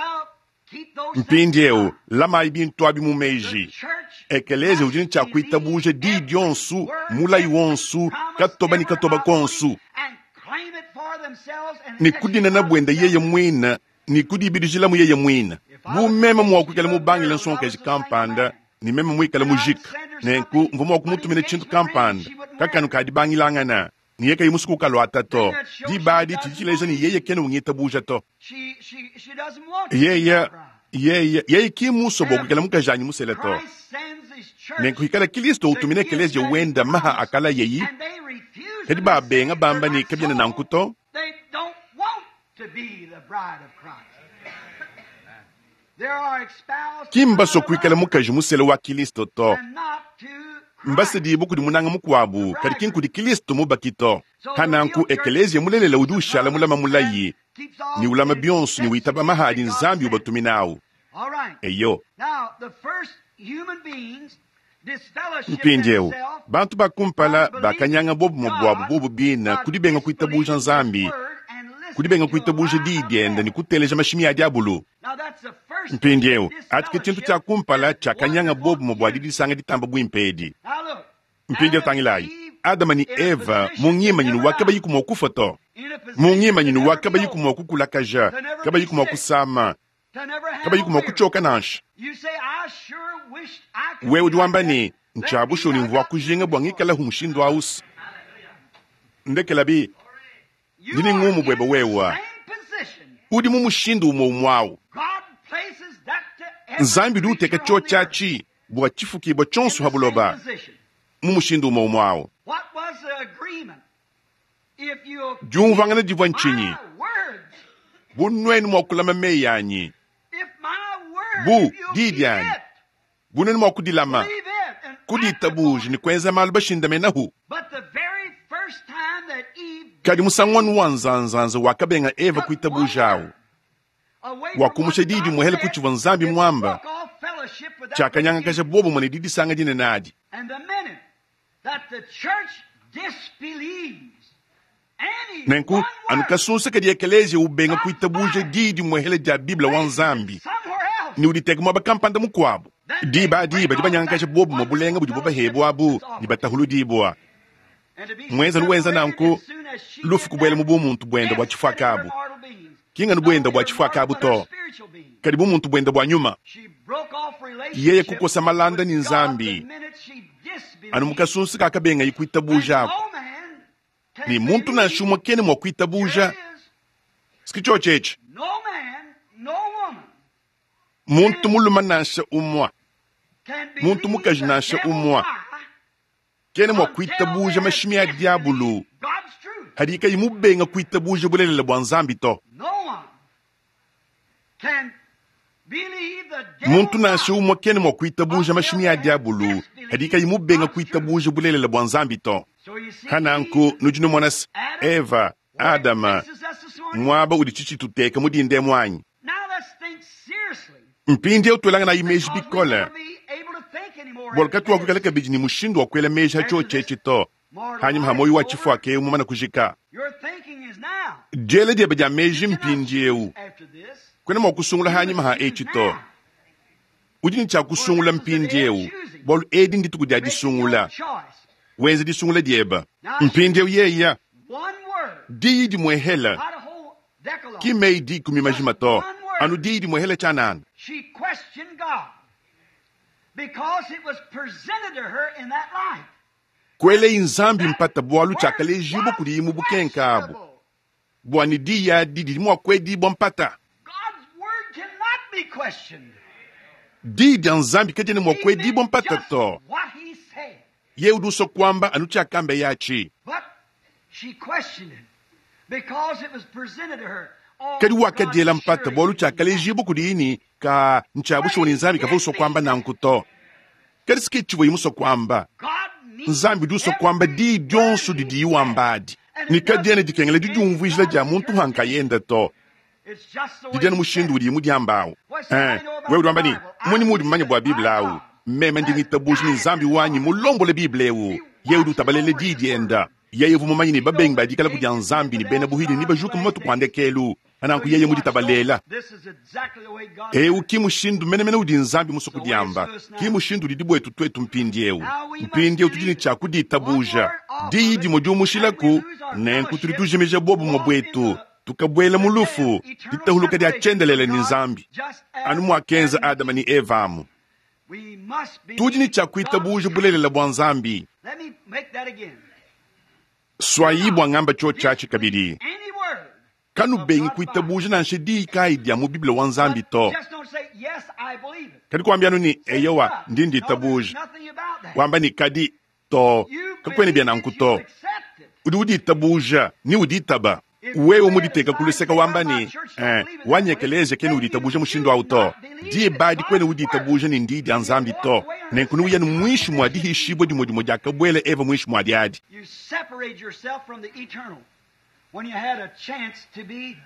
keep those things in Mpindieu mind. lamayi bintu abi mu The meji. church Ekeleziya udi ne must tshia believe kuitabuja di every dionsu, word, mulayi every wonsu, promise, katoba ne every katoba prophecy, konsu. and claim it for themselves and Ne kudinana exercise bwende yeye themselves. mwina, ne kudibidijilamu yeye mwina. If I Bu was meme mua engaged kuikala to a mubangile girl and I nsonkaji was a single kampanda, man, ne meme muikale and I'd mujika. send her Nenku something mvua mua for the kumutumina tshintu engagement ring and kampanda, she wouldn't wear kakanu it. kadibangilangana. Niye kayi musuku kalwata Then to. that shows she Dibadi doesn't tshidi ne believe. yeye kena ungitabuja to. She, she, she doesn't want to be my Yeye bride. yeye yeye ki muso bua And kuikala mukajanyi musele to. Christ sends his church Nenku ikala Kristo the utumina gifts ekeleziya that he wenda maha promised, akala yeyi, and they refuse kadi them and say babenga they're bamba ne not kabiena so. nanku to. They don't want to be the bride of Christ. They are espoused to Ki mbaso another kuikala lover mukaji musele wa Kristo to. and not to Christ, Mbasedibu kudi munanga the mukuabu, kadi ki bridegroom. nkudi Kristo mubaki to. So the Pananku real church ekeleziya mulelela udi keeps the ushala promise mulama and mulayi, keeps all ni ulama and bionso ne accepts the witaba gifts mahadi that God Nzambi sends. ubatuminawu. All right. Eyo. Now, the first human beings disfellowship Mpindieu, themselves bantu bakumpala by believing bakanyanga bobu buabu God bobu bina by kudibenga kuitabuja disbelieving His Nzambi, word and listening kudibenga to a kuitabuja lie diyi of diende ne devil. kuteleja mashimi a diabulu. Now that's the first thing. Mpindieu, ati ke tshintu Disfellowship tshia kumpala is what tshiakanyanga they bobu want bua you. didisanga ditamba buimpe edi. Now look, Mpindieu Adam and tangilayi, Eve Adama ne in a Eva position mu to ngimanyinu never wa die, kabayi kumua kufa to. in a Mu position to ngimanyinu wa never be kabayi old, kumua kukulakaja, to never be kabayi kumua sick, kusama, to never have kabayi a kumua weary. kuchoka nansha. You say, I sure wished I could Wewe be udi like wamba that. ne Let me, ntshiabushoni I mvua got too kujinga bua much for ngikala it. hu mushindu ausi. Ndekelabi, You ndini are ngumu bwebe in the wewa. same position. Udi mu mushindu umwe umwawu. God places that to every Nzambi udi uteka creature on cho the earth tshiatshi bua tshifukibwa in tshionso the ha same buloba position. mu mushindu umwe umwawu. What was the agreement? If you'll keep Diumvangana divua ntshinyi? my words, Bu nuenu mua kulama meyi anyi, if my word, bu if you'll diyi keep dianyi, it, bu nuenu mua kudilama, believe it and act upon kudiitabuja it. ne kuenza malu bashindamenahu. But the very first time that Eve Kadi musangu wanu wa disbelieved, nzanzanza wakabenga Eva took one kuitabuja awu, word away from what wakumusha diyi God dimuhele said, kutshivua Nzambi it mwamba, broke off fellowship with that great tshiakanyangakaja union. bobo mune didisanga dinene adi. And the minute that the church disbelieves any Nenku one anu word, kasunsa kadi ekeleziya ubenga God's kuitabuja Bible diyi dimuhele dia Biblia wa places it Nzambi, somewhere else, ne uditeka muaba kampanda mukuabu. then they Diba adi break badi off banyangakaja that bobo wonderful bulenga budi fellowship bubahebwa abu that's ne offered. batahuludibwa. And to be Mwenza nuwenza separated nanku as soon as she lufu did kubuela that, mu bumuntu bwenda bua death set in her tshifuakabu. mortal beings. Kinganu Not bwenda only bua her mortal, tshifuakabu but her to, spiritual being. kadi bumuntu bwenda bua nyuma. She broke off Yeye relationship kukosa malanda with ni God the Nzambi, minute she anu disbelieved. mukasunsa kakabenga And ikuitabuja ako. no man can Ni muntu believe. nansha umwe kene mua Here kuitabuja. it is. Sikicho tshetshe. No man, no woman Muntu can, muluma nansha umwa, can muntu believe mukaji the nansha devil's umwa, lie kene mua until they kuitabuja have mashimi a diabulu. disbelieved God's truth. Hadi kayi mubenga kuitabuja bulelela bua Nzambi to. No one can believe the Muntu devil's nansha lie umwe kene mua kuitabuja until mashimi they a have diabulu. Hadi disbelieved kayi mubenga God's truth. kuitabuja bulelela bua Nzambi to. So you see, Hananku Eve, nudi numona se Adam, Eva, where it Adama, places us this morning. muaba udi tshitshituteka mudinde mwanyi. Now let's think seriously Mpindieu twelangana imeji because we bikole. never be able to think anymore Bua after katuakuikala this. kabidi ni mushindu wa kuela meji After hatshio this tshetshe to. Hanyima ha moyo wa tshifuaka eu mumana kujika. Diela diebe dia meji mpindieu. Kwena mua kusungula hanyima ha etshi to. Udi ne tshia kusungula mpindieu. Bualu edi ndituku dia disungula. Wenze disungula diebe. Mpindieu yeya. Diyi dimwehela. Ki meyi dikumi majima to. Anu diyi dimwehela tshianana. She questioned God because it was presented to her in that light. Kwele nzambi mpata bualu tshiakalejibu kudi mu bukenka abu. Bua ne diyi adi didi mua kuedibua mpata. God's word cannot be questioned. Diyi dia nzambi kadiena mua He kuedibua meant mpata just to. what he said. Ye udi usua kuamba anu tshiakamba yatshi. But she questioned it because it was presented to her. Oh, Kadi wakadiela God mpata surely bualu did not. tshiakalejibu kudi ni ka ntshiabushuwa ne nzambi kavua usua kuamba nanku to. Kadi sike tshivua imusua kuamba. God means Nzambi udi usua kuamba every diyi dionso word he didiyi wamba adi. And Ne it doesn't kadiena dikengela need didiumvuijila dia muntu interpretation. hankayenda to. It's just the way Didiana he mushindu said it. udi mudiambawu. What's that Eh, I know about wewe udi wamba the ni Bible? I muni mudi believe mumanye that bua my Bible awu. God Meme ndi has ngitabuja ni guided nzambi his wanyi heart. mulombole Bible ewu. He Ye udi watches utabalele over diyi his dienda. word. Yeye uvua mumanye ne He knows babengi the badikala kudia atheists, nzambi ne bena infidels, buhidi ne gods, bajuka mu last matuku days. andekelu. So Ananku you yeye watch muditabalela. those. This is exactly the way God Eu said it. ki mushindu menemene udi nzambi musu So it's kudiamba. to us Ki now. mushindu udi dibwetu twetu mpindieu. Now we must Mpindieu tudi ne believe it. tshia One kuditabuja. word off of Diyi it, dimwe and we diumushilaku lose our nenku tudi fellowship, tujimija bobu walk in bwetu. the, Tukabwela the mu death, lufu eternal ditahuluka dia separation from tshiendelele ne God, nzambi. just Anu as muakenza Adam and Adama Eve. ne Eva amu. We must Tudi ne believe tshia God's kuitabuja truth. bulelela bua nzambi. Let me make that again. Do Swayi not bua ngamba tshio tshiatshi disbelieve kabidi. any word Kanu of bengi God's Bible. kuitabuja nansha diyi kayi dia mu Bible wa nzambi But to. just don't say, yes, I believe it. Kadi kuambia anu ni Say, eyowa but. ndi No, there's nditabuja. nothing about that. Wamba ni kadi to You kakwene bia believe nanku it, you to. accept it. Udi uditabuja ni uditaba. If you Wewe lay it muditeka aside and kuluseka say, well, wamba my ni church don't eh, believe it that way, wanyekeleze kene then you uditabuja mushindu do awu to. not believe Diye it's badi kwene God's word. uditabuja ni ndi dia And you nzambi walk to. away under the Nenku nuya same mwishi mwa condemnation Eve dihishibwa dimwe dimwe diakabwela Eva mwishi mwa diadi. You separate yourself from the eternal when you had a chance to be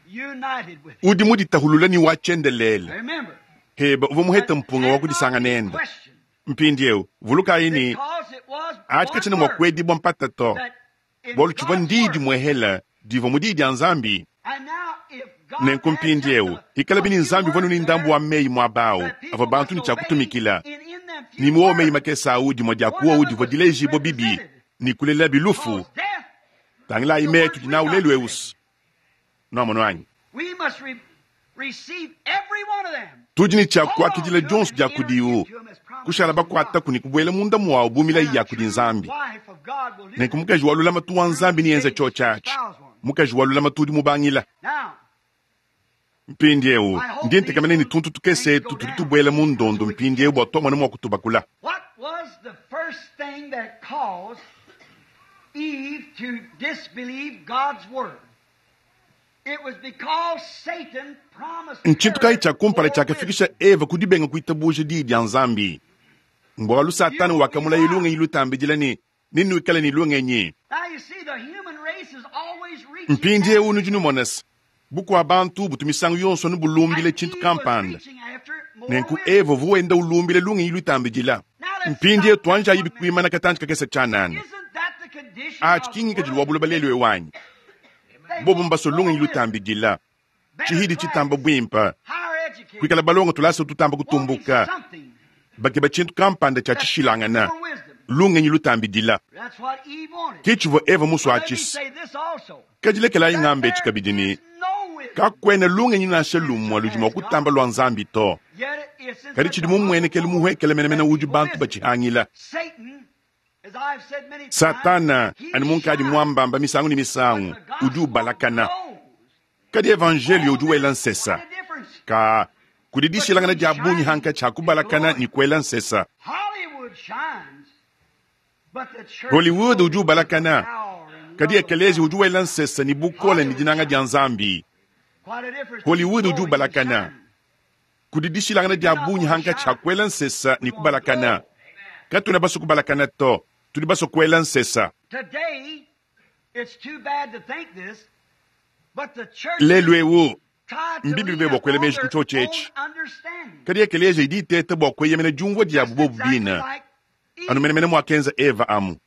united with Him. Udi muditahulula ni wachendelele. Remember, Heba uva muheta that mpunga wa cannot kudisanga be nenda. questioned Mpindieu vulukayi ni because it was ati one kachina mwa word kuedibwa mpata to. that in Bualu tshivua God's ndidi word. mwehela diva mu diyi dia nzambi. And now, if God Nenku had just mpindieu a, ikala a bini few nzambi vanu words ni ndambu there wa meyi mwabawu that ava people bantu must ni obey, tshiakutumikila. and in them Ni few muwo meyi words, makesa awu dimwe dia one kuwa of udi it vua was dilejibwa bibi represented. ni kulela bilufu. Cause death, Tangilayi the meyi words tudi we nawu got lelu today. eusi. Nwamonu anyi. We must re- receive every one of them. Tudi ne tshia Hold on kuakidila to 'em dionso and dia enter kudiwu. into 'em as promises Kushala from bakuata God. kuni kubwela munda mwawu bumila And ya a kudi true nzambi. wife of God will do Nenku that. mukaji wa lulamatu wa Through nzambi niyenza David's tshio tshiatshi. espoused one. Mukaji wa lulamatu udi mubangila. Now, Mpindieu I hope ndi these ntekamene ni little tuntu tukese things etu go tudi down tubwela mu so ndondo we can mpindieu catch bua it. twamona mua kutubakula. What was the first thing that caused Eve to disbelieve God's word? It was because Satan promised Nchintu kayi her tshia kumpala more tshiakafikisha wisdom. Eva kudibenga kuitabuja diyi dia nzambi. Mbualu Satana You will be wakamulaye lungenyi wise. lutambidila ni ninuikale ni lungenyi. Now you see, the human race is always reaching Mpindieu after nudi numonesa bukua bantu butu misangu yonso nubulumbile And tshintu Eve was kampanda. reaching after more Nenku wisdom. Eva vuwenda ulumbile lungenyi lutambidila. Now let's Mpindieu stop just tuanjayi one minute. bikuimana katanji kakese tshianana. Isn't that the condition Achi of the kingikadili world wa buloba today? lelu ewanyi. They Bobo want mbaso more lungenyi wisdom, lutambidila. better Chihidi chitamba classes, bwimpa. higher education, Kuikala balonga tulasa tutamba wanting kutumbuka. something Bakeba tshintu kampanda tshia that's tshishilangana. more wisdom. Lungenyi lutambidila. That's what Eve wanted. Ke tshivua Eva But let me muswatshisa. say this also, Kadilekelayi that ng'ambe there tshikabidi ni is no wisdom kakwena lungenyi nansha that lumwe ludi mua surpasses God. kutamba lwa nzambi to. Yet it's in Kadi such tshidi a humble mumuenekele form muhwekele menemene that udi people bantu miss it. batshihangila. Satan, as I've said many times, Satana he ani munkadi shines, mwambamba misangu ni but misangu the udi gospel ubalakana. grows. Kadi evangelio Oh, udi wela there's quite nsesa. a difference Ka kudi dishilangana between dia bungi hanka shining tshia and kubalakana glowing. ni kuela nsesa. Hollywood shines, but the church Hollywood udi glows with the ubalakana. power and Kadi love of ekelezi God. udi wela nsesa ni bukola ni Hollywood dinanga dia shines. nzambi. Quite a difference between Hollywood udi glowing and ubalakana. shining. Kudi dishilangana We do dia not bungi want to hanka tshia shine. kuela nsesa We ni want to kubalakana. glow. Katuna baso kubalakana to. Tudi baso kuela nsesa. Today, it's too bad to think this, but the churches Lelu ewu try to mbibi lean be bua kuela upon meji their ku tshio own tshietshi. understanding. Kadi ekelezi idi iteta bua kueyemena diumvua diabu Just bobu exactly bina. like Anu menemene mwakenza Eva amu.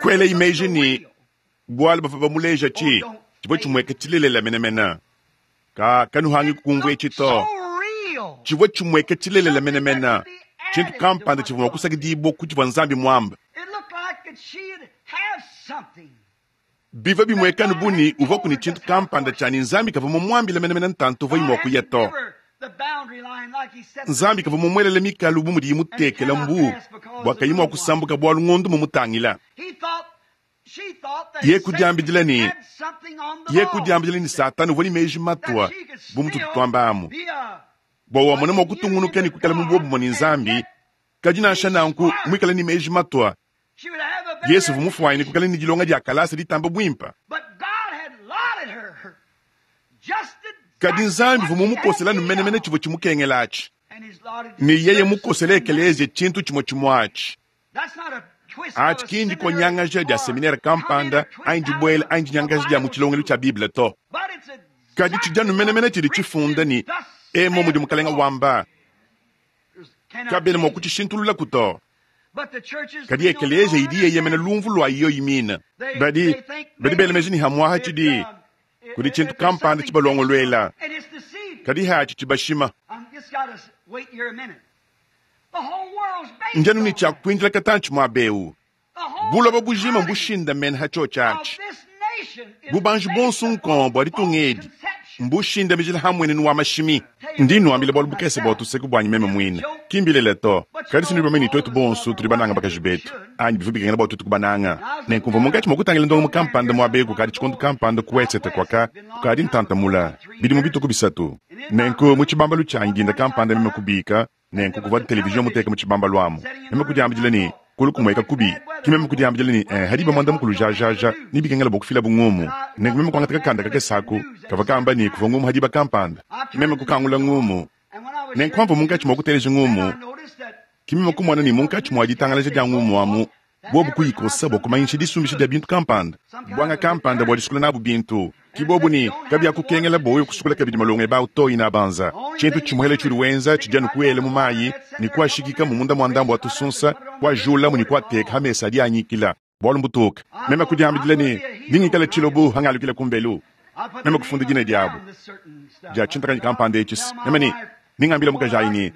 Kwela imeji ni bwalu bavua bamuleja chi chivua chimweka chilelela menemene. Ka kanuhangi kukumvua etshi to. Chivua chimweka chilelela menemene. Tshintu kampanda tshivua mua kusakidibua ku tshivua Nzambi muambe. Bivua bimweka anu bu ne uvuaku ne tshintu kampanda tshia ne Nzambi kavua mumuambile menemene ntantu uvuaye mua kuya to. Nzambi kavua mumuelele mikalu bu mudiye mutekela mbu bua kayi mua kusambuka bualu ngondo mumutangila. Ye kudiambidila ne, ye kudiambidila ne Satana uvua ne meji matua bu mututu tuamba amu bua wamona mua kutungunuka ne kuikala mu buobumue ne Nzambi, kadi nansha nanku muikale ne meji matua. Yesu uvua mufuanyine kuikala ne dilonga dia kalasa ditamba buimpe. Kadi Nzambi uvua mumukosela anu menemene tshivua tshimukengela atshi. Ne yeye mukosela ekeleziya tshintu tshimue tshimue atshi. Atshi ki ndikonyangaja dia seminere kampanda anyi dibuela anyi dinyangaja dia mu tshilongelu tshia Bible to. Kadi tshidi anu menemene tshidi tshifunda ne, Emu mudi Mukalenga wamba. Kabena mua kutshishintululaku to. Kadi ekeleziya idi yeyemena lumvu lua yoyi mine. Badi, badi bela meji ne hamuaha tshidi kudi tshintu kampanda tshibalongoluela, kadi hatshi tshibashima. Ndianu ne tshia kuindila katantshi muaba eu. Buloba bujima mbushindamene ha tshiotshi atshi. Bubanji buonso nkombo bua ditunga edi mbushindamijila ha mmuenenu wa mashimi. Ndi nnuambila bualu bukese bua tuseku buanyi meme muine. Ki mbilele to. Kadi si nudi bamanye ne tuetu bonso tudi bananga bakaji betu, anyi bivua bikengela bua tuetu kubananga. Nenku mvua munkatshi mua kutangila ndongamu kampanda muaba eu kukadi tshikondo kampanda ku wesete kuaka kukadi ntantamula bidimu bitue ku bisatu. Nenku mu tshibambalu tshianyi dinda kampanda meme kubika, nenku kuvua televizion muteka mu tshibambalu amu. Meme kudiambidila ne, kulu kumueka kubi. Ki meme kudiambidila ne, eh, hadi ba muanda mukulu jajaja ne bikengela bua kufila bungumu. Nenku meme kuangata kakanda kakese aku, kavua kamba ne kuvua ngumu hadi ba kampanda. Meme kukangula ngumu. Nenku amvua munkatshi mua kuteleja ngumu, ki meme kumona ne munkatshi mua ditangalaja dia ngumu amu, bobu kuyikosa bua kumanyisha disumbisha dia bintu kampanda, buanga kampanda bua disukula nabu bintu. Ki bobu ne kabiakukengela bua wewe kusukula kabidi malongo ebe au to inabanza. Tshintu tshimuele tshiudi wenza tshidi anu kuela mu mayi ne kuashikika mu munda mua ndambu wa tusunsa, kuajulamu ne kuateka ha mesa adi anyikila. Bualu mbutuka. Meme kudiambidila ne, ningikala tshilobu hangalukila kumbelu. Meme kufunda dina diabu dia tshintakanyi kampanda etshi. Meme ne, ningambila mukaji ayi ne,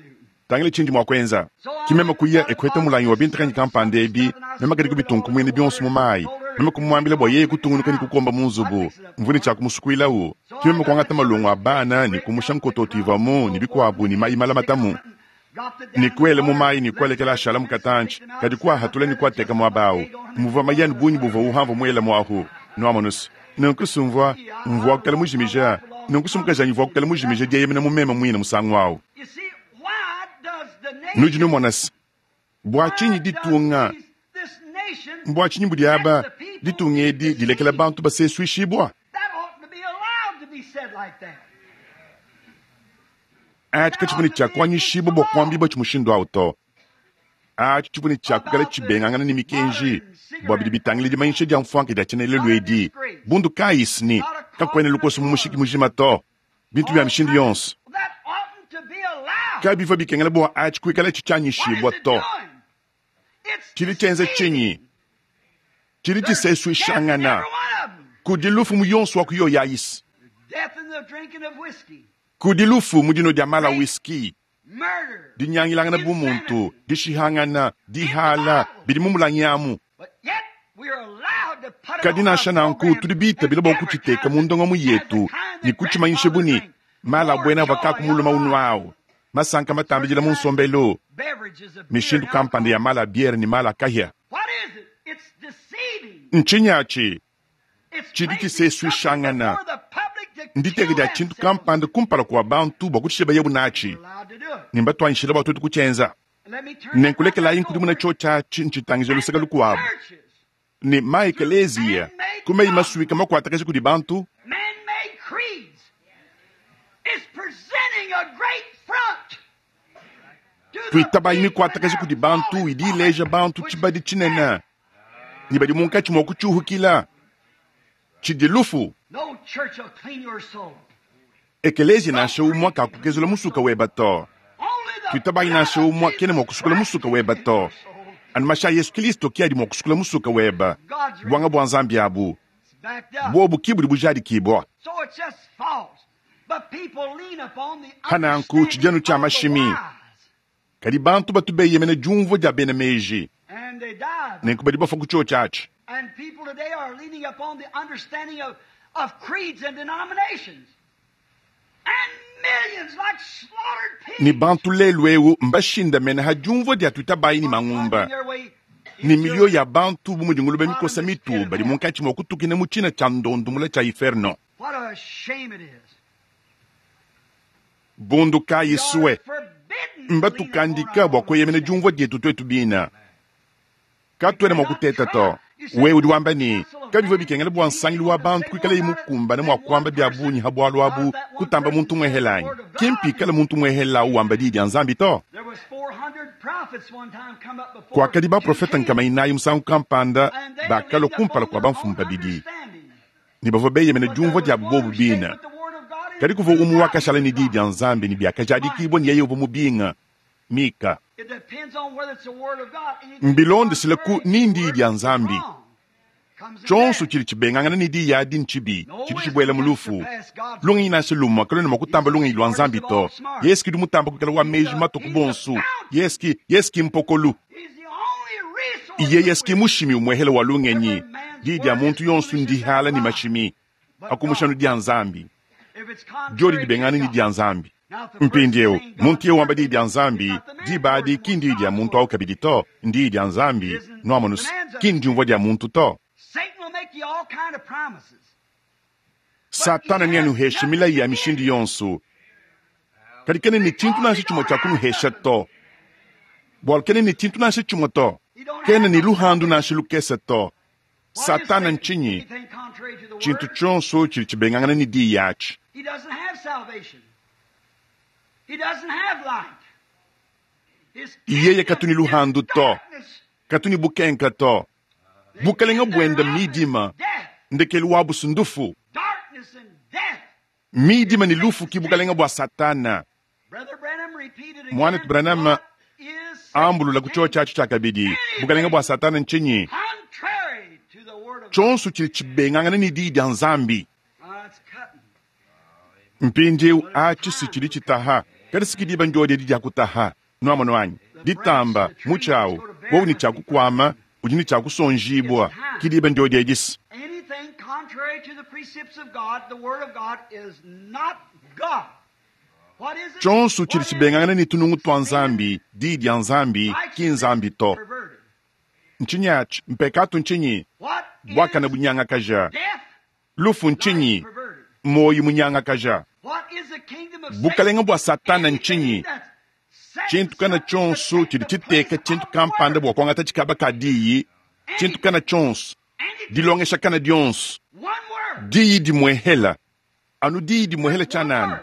tangila tshindi mua kuenza. Ki meme kuya ekueta mulangi wa bintakanyi kampanda ebi, meme kadi kubitunkumwina bionso mu mayi. Meme kumuambila bua yeye kutungunuka ne kukomba mu nzubu, mvua ne tshia kumusukuilawu. Ki meme kuangata malongo a bana ne kumusha nkototo ivuamu ne bikuabu ne mayi malamatamu, ne kuela mu mayi ne kualekela ashala mu katantshi, kadi kuahatula ne kuateka muaba awu. Muvua mayi anu bungi buvua uhamvua muela muahu. Nuamonusu. Nenku sumvua mvua kukala mujimija, nenku sumukajanyi mvua kukala mujimija dieyemena mu meme muine musangu awu. Nudi numona se, bua tshinyi ditunga, bua tshinyi budi aba ditunga edi dilekela bantu basesuishibua? Atshi katshivua ne tshia kuanyishibua bua kuambibua tshi mushindu awu to. Atshi tshivua ne tshia kuikala tshibengangana ne mikenji bua bidi bitangila dimanyisha dia mfuanka dia tshienelelu edi. Bundu kayi ne kakuena lukoso mu mushiki mujima to. Bintu bia mishindu yonso kabivua bikengela bua atshi kuikala tshitshianyishibua to. Tshidi tshienza tshinyi? Tshidi tshisesuishangana. Kudi lufu mu yonso wa ku yoyi ayisi. Kudi lufu mu dinua dia mala whisky, dinyangilangana bu muntu, dishihangana, dihala, bidi mu mulangi amu. Kadi nansha nanku tudi bitabila bua kutshiteka mu ndongamu yetu ne kutshimanyisha bu ne mala abuena avua kakumuluma unuawu, masanka matambidila mu nsombelu, mishindu kampanda ya mala a biere ne mala a kahia. Ntshinyi atshi? Tshidi tshisesuishangana. Nditeka dia tshintu kampanda kumpala kua bantu bua kutshisha bayebu natshi, ne mbatuanyishila bua tuetu kutshienza. Nenkulekelayi nkudimuna tshiotshi atshi ntshitangija luseke lukuabu ne ma ekeleziya ku meyi masuika makuatakaja kudi bantu. Tuitabayi mikuatakaja kudi bantu idi ileja bantu tshibadi tshinene ne badi munkatshi mua kutshiuhukila tshidi lufu. Ekeleziya nansha umue kakukezula musuka weba to. Tuitabayi nansha umue kena mua kusukula musuka weba to. Anu mashi a Yesu Kristo ke adi mua kusukula musuka weba. Buanga bua Nzambi abu bobu ki budi bujadikibua. Pananku tshidianu tshia mashimi, kadi bantu batu beyemena diumvua dia bena meji, nenku badi bafua ku tshiotshi atshi. Ne bantu lelu eu mbashindamene ha diumvua dia tuitabayi ne mangumba, ne miliyo ya bantu bu mudi ngulube mikosa mitu badi munkatshi mua kutukina mu tshina tshia ndondu mule tshia inferno. Bundu kayi sue mbatukandika bua kueyemena diumvua dietu tuetu bina. Katuena mua kuteta to. Wewe udi wamba ne kabivua bikengela bua nsangilu wa bantu kuikalaye mukumbane mua kuamba bia bungi ha bualu abu kutamba muntu muehelanyi. Ki mpikale muntu muehela wamba diyi dia Nzambi to. Kuakadi baprofeta nkama inayi musangu kampanda bakalua kumpala kua bamfumu babidi ne bavua beyemena diumvua dia bobu bina. Kadi kuvua umue wakashala ne diyi dia Nzambi ne biakajadikibua ne yeye uvua mubinga. Mika. Mbilondeshile ku ni ndiyi dia Nzambi. Tshionso tshidi tshibengangana ne diyi adi ntshibi, tshidi tshibuela mu lufu. Lungenyi nansha lumue kaluena mua kutamba lungenyi lua Nzambi to. Yesu ki mutamba kuikala wa meji matuku bonso. Yesu ki Yesu ki mpokolu. Iye Yesu ki mushimi umuehela wa lungenyi. Diyi dia muntu yonso ndihala ne mashimi. Akumushanu dia Nzambi. Diodi dibengana ne dia Nzambi. Mpindieu muntu yeye wamba diyi dia Nzambi, diba adi ki ndiyi dia muntu au kabidi to, ndiyi dia Nzambi. Nuamonus ki ndiumvua dia muntu to. Satana neanuheshe milayi ya mishindu yonso, kadi kena ne tshintu nansha tshimue tshia kunuhesha to. Bualu kena ne tshintu nansha tshimue to, kena ne luhandu nansha lukese to. Satana ntshinyi? Tshintu tshionso tshidi tshibengangana ne diyi atshi. Yeye katu ne luhandu to, katu ne bukenka to. Bukalenga buenda midima, ndekelu wa busundufu. Midima ne lufu ki bukalenga bua Satana. Mwanetu Branham ambulula ku chio tshiatshi tshia kabidi. Bukalenga bua Satana ntshinyi? Tshionso tshidi tshibengangana ne diyi dia Nzambi. Mpindieu atshi si tshidi tshitaha, kadi si kidiba ndiodi edi dia kutaha. Nuamono anyi? Ditamba mutshi awu, wowu ne tshia kukuama, udi ne tshia kusonjibua. Kidiba ndiodi edi si. Anything contrary to the precepts of God, the Word of God, is not God. What is it? Tshionso tshidi tshibengangana ne tunungu tua Nzambi, diyi dia Nzambi, ki Nzambi to. Perverted. Ntshinyi atshi? Mpekatu ntshinyi? What is Bwakana bunyangakaja. death? Lufu ntshinyi? Perverted. Moyo munyangakaja. What is the kingdom of Satan? Bukalenga bua Satana ntshinyi? Anything that's set Tshintu kana tshionso tshidi tshiteka tshintu kampanda bua kuangata tshikaba ka diyi, tshintu kana tshionso, Anything. dilongesha kana dionso, One word. diyi dimuehela, anu diyi dimuehela tshianana.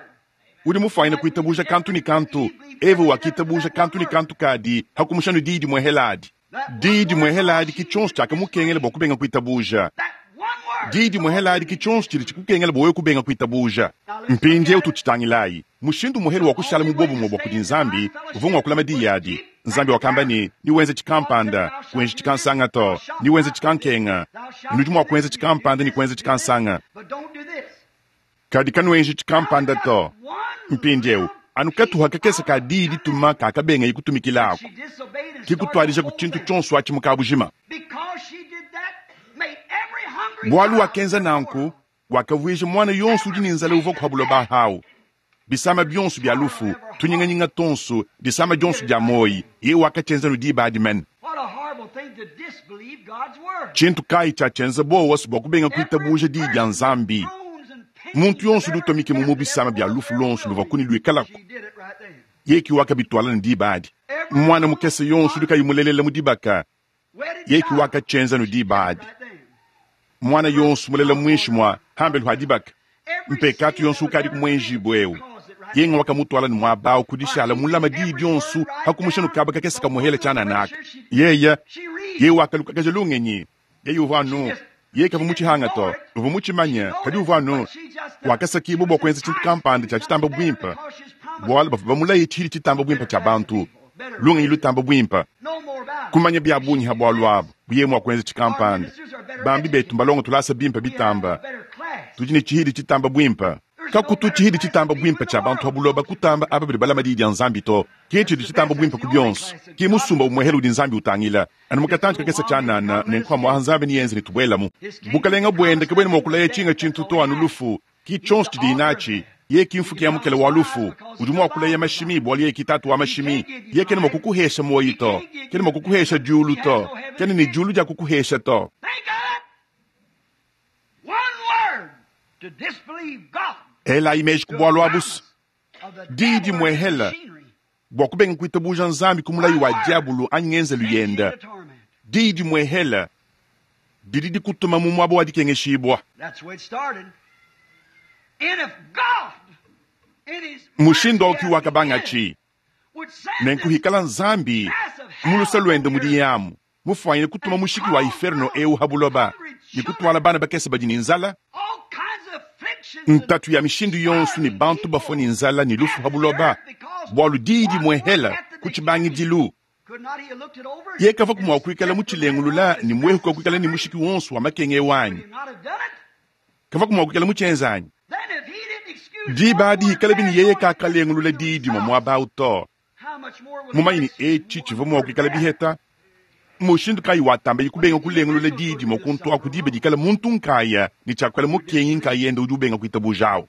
Udi mufuanyine kuitabuja kantu ne kantu, Eva wakitabuja kantu ne kantu kadi hakumushanu diyi dimuehela adi. Diyi dimuehela adi ki tshionso tshiakamukengela bua kubenga kuitabuja. That one word. Diyi dimuehela adi ki tshionso tshidi tshikukengela bua wewe kubenga kuitabuja. Mpindieu tutshitangilayi. Mushindu muhelu wa kushala mu bobumue bua kudi Nzambi uvua mua kulama diyi adi. Nzambi wakamba ne, niwenze tshikampanda, kuenji tshikansanga to, niwenze tshikankenga. Nudi mua kuenza tshikampanda ne kuenza tshikansanga. But don't do this. Kadi kanuenji tshikampanda to. Mpindieu anu katuha kakese ka diyi dituma kakabenga kutumikila ako. She disobeyed and started Kikutwalija the ku whole tshintu thing. tshionso atshi mukabujima. Because she did that, made every hungry Bualu child wakenza in the nanku, world wakavuija mwana yonso udi ne nzala uvua kuhabuloba hawu. Bisama bionso bia lufu, tunyinganyinga tonso, disama dionso dia moyi, yeye wakatshenzanu diba adi mene. What a horrible thing to disbelieve God's word. Tshintu kayi tshiatshenzela bowa bua kubenga kuitabuja diyi dia Nzambi. Muntu yonso udi utomike mu bisama bia lufu lonso luvua kuni luikalako, She did it right then. yeye wakabitwala ne diba adi. Mwana mukese yonso udi kayi mulelela mu dibaka, Wedded yeye child. wakatshenzanu diba adi. Right then. Mwana yonso mulela mwinshi mwa hambelu ha dibaka, Every mpekatu sin yonso that was ukadi ever kumwenjibwa eu. caused it right Yenga wakamutwala ne mwabawu kudishala mulama diyi dionso hakumushanu kaba kakese kamuhela tshiananaka. Yeye She reads. yeye wakalukakaja lungenyi. Yeye uvua anu yeye kavua mutshihanga to, uvua mutshimanya kadi uvua anu wakasakibwa bua kuenza tshintu kampanda tshia tshitamba bwimpe. Bwalu bavwa bamulaye tshidi tshitamba bwimpa tshia bantu, lungenyi lutamba bwimpa, kumanya bya bungi ha bwalu abu buye mwa kuenza tshikampanda. Bambi betu mbalongo tulasa bimpa bitamba, tudi ne tshihidi tshitamba bwimpa. Kakutu tshihidi tshitamba bwimpa tshia bantu ha buloba kutamba aba badi balama diyi dia Nzambi to. Ke tshidi tshitamba bwimpa ku bionso, ke musumba umwehela udi Nzambi utangila. Anu mukatanji kakesa tshianana ne nkuamwa mwaha Nzambi niyenze ne tubwelamu. Bukalenga bwende kabwena mwa kulaya tshinga tshintu to anu lufu, ki tshionso tshidi natshi. Ye ki mfuki ya mukele wa lufu, udi mwa kulaya mashimi bwali ye ki tatu wa mashimi. Ye kene mwa kukuhesha moyi to, kene mwa kukuhesha diulu to, kene ni diulu dia kukuhesha to. Ela imeji kubwalwa abusu didi mwehela bwa kubenga kuitabuja Nzambi kumulayi wa diabulu anyi ngenzelu yenda. Didi mwehela didi dikutuma mu mwabo wa dikengeshibwa. Mushindo auki wakabangachi nenkuhikala Nzambi mulusa lwende mudi yamu mufwanyine kutuma mushiki wa inferno eu habuloba ni kutwala bana bakese badi ni nzala. Ntatu ya mishindu yonso ni bantu bafo ni nzala ni lufu habuloba bwalu didi mwehela kuchibangidilu. Ye kava kumwa kuikala muchilengulula ni mwehu kwa kuikala ni mushiki wonso wa makenge wanyi. Kava kumwa kuikala muchenzanyi. Diba adi ikala bini yeye kakalengulula didi mwa mwaba uto. Mumanyi ni echi chiva mwa kuikala biheta. Mushindu kayi watamba ikubenga kulengulula didi mwa kuntu akudibe dikala muntu nkaya ni chakwela mukengi nkaya enda udi ubenga kuitabujawo.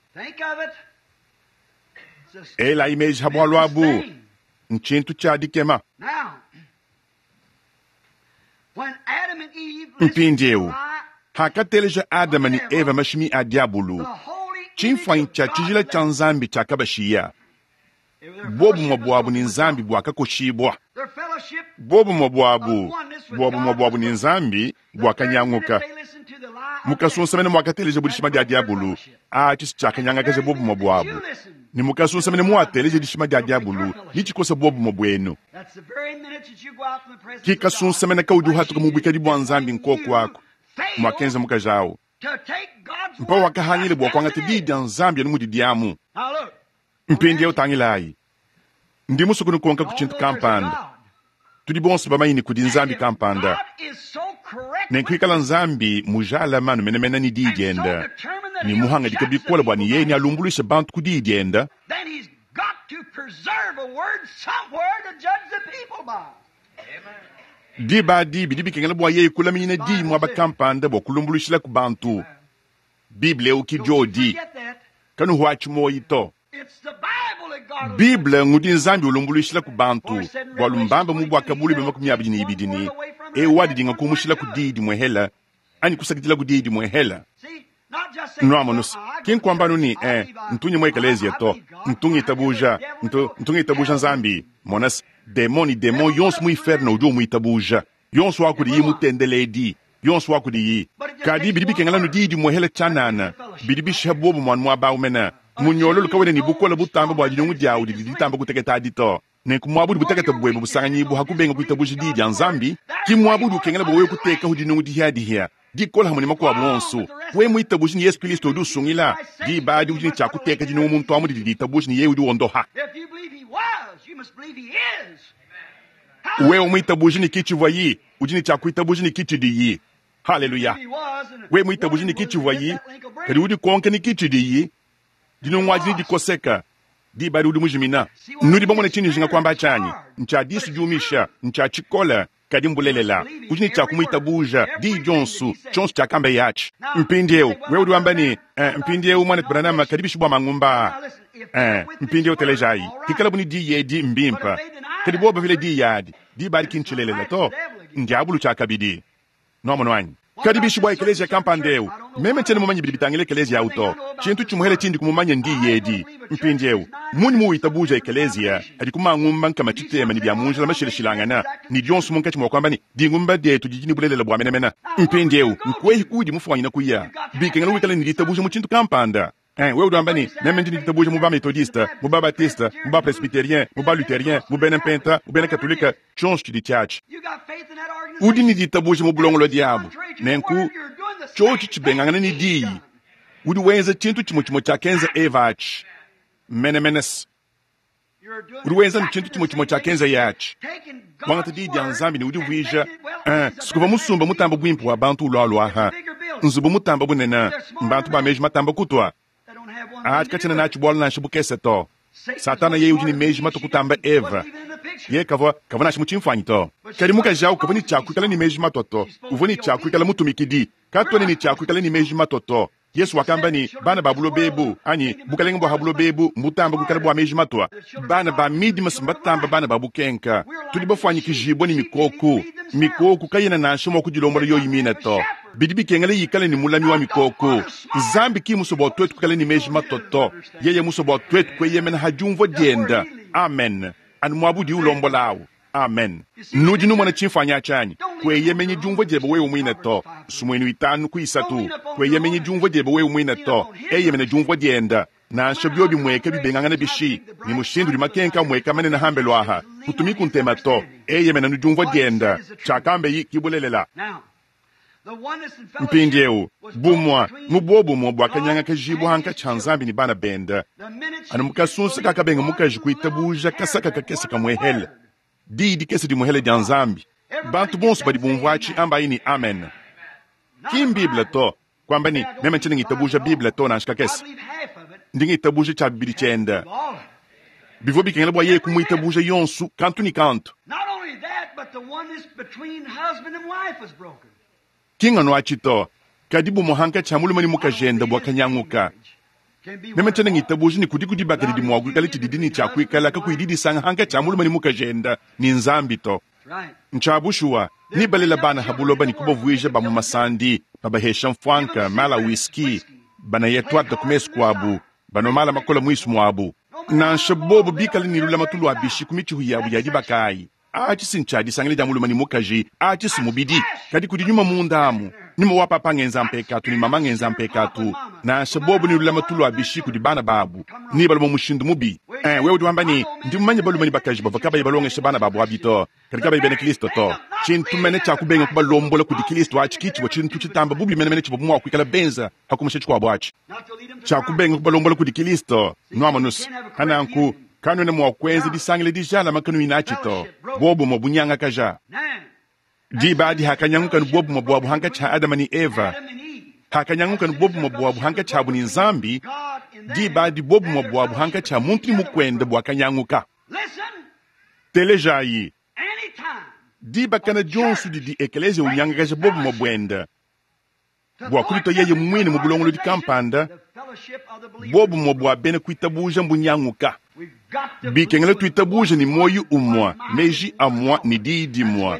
Ela imeji habwalu abu nchintu cha dikema. Mpindiewu hakateleja Adama ni Eva mashimi a diabulu chimfwanyi cha chijila cha Nzambi cha kabashiya. Bobu mwa bwabu ni Nzambi bwakakoshibwa. Bobu mwa bwabu, bwabu mwa bwabu ni Nzambi bwakanyanguka. Mukasunsamene mwakateleja budishima dia diabulu, a chisi chakanyangakaja bobu mwa bwabu. Ni mukasunsamene mwateleja dishima dia diabulu, ni chikosa bobu mwa bwenu. Kikasunsamene kaudi uhatuka mubwikadi bwa Nzambi nkoko wako, mwakenza mukajawo. Mpa wakahangile bwa kwangata didi dia Nzambi anu mudi diamu. Mpindi utangilayi. Ndi musuku nukonka ku chintu kampanda. Tudi bonso bamanyi kudi Nzambi kampanda. Nenkuikala Nzambi mujala manu menemene ni diyi dienda. Ni muhanga dikabikola bwa ni yeye ni alumbuluisha bantu ku diyi dienda. Diba dibi dibikengela bwa yeye kulaminyina diyi mwaba kampanda bwa kulumbuluishila ku bantu. Bible uki jodi. Kanu huachi moyi to. Bible ngudi Nzambi ulumbuluishila ku bantu bwa lumbamba mu bwa kabuli bema makumi abidi ni ibidi ni e wadi dinga kumushila ku didi mwehela anyi kusakidila ku didi mwehela. Nwamonus kinkwambanu ni eh ntunyi mwe eklezia to ntungi tabuja ntu ntungi tabuja Nzambi monas demoni demon yonso mu inferno udi muitabuja yonso wakudi yi mutendeledi yonso wakudi yi kadi bidi bikengela nu didi mwehela chanana bidi bisha bobu mwana mwa baumena. Munyolo lukawene ni bukola butamba bwa dinungu diawu didi ditamba kuteketa adito. Nenku mwabudu buteketa bwembe busanganyibu hakubenga kuitabuja didi dia Nzambi, ki mwabudu ukengela bwa wewe kuteka hu dinungu dihia dihia. Dikola hamwe ni makuabu onso. We muitabuja ni Yesu Kristo udi usungila. Diba adi udi ni tshia kuteka dinungu muntu amu didi ditabuja ni yeye udi wondoha. Wewe muitabuja ni kichivwa yi, udi ni tshia kuitabuja ni kichidiyi. Haleluya. We muitabuja ni kichivwa yi, kadi udi konke ni kichidiyi. Dinungu adi dikoseka. Diba udi mujimina. Nudi bamone chini jinga kwamba chanyi. Ncha disu jumisha, ncha chikola, kadi mbulelela. Udi ni cha kumuitabuja, di jonsu, chonsu cha kamba yachi. Mpindiewu, wewe udi wamba ni, eh, mpindiewu mwana Branham kadi bishibwa mangumba. Eh, mpindiewu telejai. Kikala buni di yedi mbimpa. Kadi boba vile di yadi. Diba adi kinchilelela to. Ndiabulu cha kabidi. Nomo wanyi. Kadi bishibwa eklezia kampandeu. Meme tena mumanyi bidi bitangile eklezia auto. Chintu chimuhele chindi kumumanya ndi yedi. Mpindiewu. Muni muitabuja eklezia. Adi kumangumba nkama chitema ni bya munjila mashilishilangana. Ni dionso munkachi mwa kwamba ni dingumba detu jijini bulelela bwa menemena. Mpindiewu. Nkwehi kudi mufwanyina kuya. Bikengela wikala ni ditabuja mu chintu kampanda. Eh, wewe udamba ni meme ndi ditabuja mu ba methodiste, mu ba baptiste, mu ba presbytérien, mu ba luthérien, mu bena mpenta, mu bena katolika, chonso chidi chachi. Udi ni ditabuja mu bulongolo diabo. Nenku chochi chibengangana ni diyi. Udi wenza chintu chimwe chimwe cha kenza evachi. Menemenes. Udi wenza ne tshintu tshimue tshimue tshiakenza atshi. Wangata diyi dia Nzambi ne udivuija eh, sikuva musumba mutamba buimpe wa bantu ulwalwa aha. Nzubu mutamba bunene, mbantu ba meji matamba kutwa. Atshi katshiena natshi bualu nansha bukese to. Satana yeye udi ne meji matwa kutamba Eva. Ye kavua kavua nansha mu tshimfuanyi to. Kadi mukaji awu kavua ne tshiakuikala ne meji matwa to. Uvua ne tshiakuikala mutumikidi. Katuena ne tshiakuikala ne meji matwa to. Yesu wakamba ne bana ba buloba ebu anyi bukalenge bua ha buloba ebu mbutamba kuikala bua meji matwa. Bana ba midima mbatamba bana ba bukenka. Tudi bafuanyikijibwa ne mikoko. Mikoko kayena nansha mua kudilombola yoyi mine to. Bidi bikengela yikale ne mulami wa mikoko. Nzambi ki musue bua tuetu kuikala ne meji matwa to. Yeye musue bua tuetu kueyemena ha diumvua dienda. Amen. Anu muabu udi ulombola awu. Amen. Nudi numona tshimfuanyi atshi kueyemenyi diumvua diebe wewe muine to. Sumuinu itanu ku isatu. Kueyemenyi diumvua diebe wewe muine to. Eyemena diumvua dienda. Nansha biobi mweke bibengangana bishi. Ni mushindu udi makenka mweka manene hambelu aha. Kutumiku ntema to. Eyemena nu diumvua dienda. Tshiakambe kibulelela. Mpindieu bumwa mu bobumwe bwakanyangakajibwa hankatshi nzambi ne bana benda. Anu mukasunsa kakabenga mukaji kuitabuja kasaka kakese kamwehele. Diyi dikese dimuhele dia nzambi. Bantu bonso badi bumvua atshi ambayi ni amen. Ki mbible to. Kwamba ni meme ntshiena ngitabuja bible to nansha kakese. Ndi ngitabuja tshia bibidi tshienda. Bivua bikengela bua yeye kumuitabuja yonso kantu ni kantu. Ki nganu atshi to. Kadi bumue hankatshi ha mulume ne mukajende bwakanyanguka. Meme ntshiena ngitabuja ne kudi kudibaka didi mua kuikala tshididi ne tshiakuikala kakuyi didisanga hankatshi ha mulume ne mukajende ne nzambi to. Ntshiabushuwa ni balela bana ha buloba ne kubavuija ba mu masandi, babahesha mfwanka, mala whisky, banayetwata ku mesu kuabu, banomala makola muisu muabu. Nansha bobo bikale ne lulamatu lua bishi ku mitshihu yabu ya dibakayi. Atshi si ntshiadisangile dia mulume ne mukaji, atshi si mubidi. Kadi kudi nyuma munda amu. Nyuma wa papa ngenza mpekatu ne mama ngenza mpekatu. Nansha bobo ne lulamatu lua bishi kudi bana babu. Ni balume mushindu mubi. Eh, wewe udi wamba ne ndi mumanye balume ne bakaji bavua kabayi balongesha bana babu abi to. Kadi kabayi bena Kristo to. Tshintu mene tshiakubenga kubalombola kudi Kristo atshi kitshivua tshintu tshitamba bubi menemene tshivua mua kuikala benza hakumusha tshikuabu atshi. Tshiakubenga kubalombola kudi Kristo. Nuamanus. Hananku kanuena mua kuenza disangila dijalama kanuyi atshi to. Bobumwe bunyangakaja. Diba adi hakanyanguka ne bobumwe bwabu hankatshi ha Adama ne Eva. Hakanyanguka ne bobumwe bwabu hankatshi habu ne Nzambi. Diba adi bobumwe bwabu hankatshi ha muntu ne mukwende bwakanyanguka. Telejayi. Diba kana dionso didi ekelezia unyangakaja bobumwe bwenda. Bwa kulita yeye mwine mu bulongolodi kampanda, bobumwe bwa bena kuitabuja mbunyanguka. Bikengela tuitabuja ni moyo umwa, meji amwa ni diyi dimwa.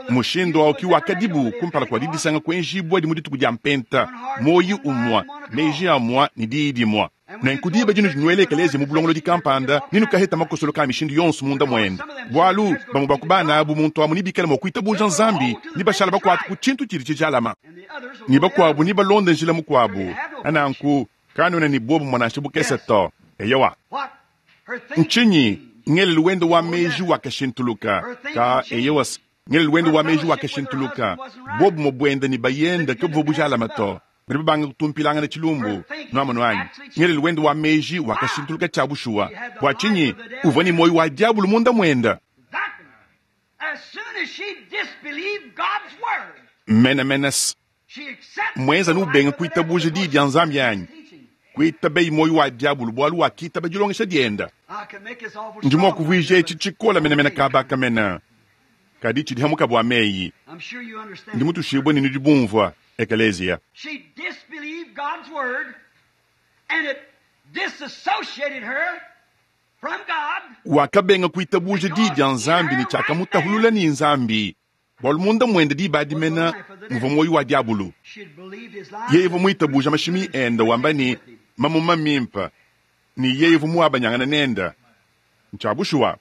Mushindu awu ki wakadibu kumpala kua didisanga kuenjibwa dimu dituku dia mpenta. Moyo umwa, meji amwa ni diyi dimwa. Nenku diba dinu dinuele ekelezia mu bulongolodi kampanda, ninu kaheta makosolo ka mishindu yonso munda mwenda. Bualu bamwe bakubana abu muntu amu nibikala mua kuitabuja nzambi, nibashala bakuata ku tshintu tshidi tshijalama. Ni bakuabu nibalonda njila mukuabu. Ananku kanuena ni bobu mwanansha bukese to. Eyowa. Ntshinyi ngelelu wende wa meji wakashintuluka. Ka eyowas ngelelu wende wa meji wakashintuluka. Bobu mubwenda ni bayenda ke buvua bujalama to. Badi babanga kutumpilangana tshilumbu. Nuamonu anyi. Ngelelu wende wa meji wakashintuluka tshiabushuwa. Bua tshinyi uvua ne moyo wa diabulu munda mwenda. Mena menes. Mwenza nubenga kuitabuja diyi dia nzambi anyi. Kuitabeyi moyo wa diabulu bualu wakitaba dilongesha dienda. Ndi mua kuvuija etshi tshikola menemene kabaka mena. Kadi tshidi hamuka bua meyi. Ndi mutushibwe ne nudi bumvua ekelezia. Wakabenga kuitabuja diyi dia nzambi ne tshiakamutahulula ne nzambi. Bualu munda mwende diba dimena muvua moyo wa diabulu. Yeye uvua muitabuja mashimi enda wamba ne mamuma mimpa. Ni yeye uvua muabanyangana nenda. Ntshiabushuwa.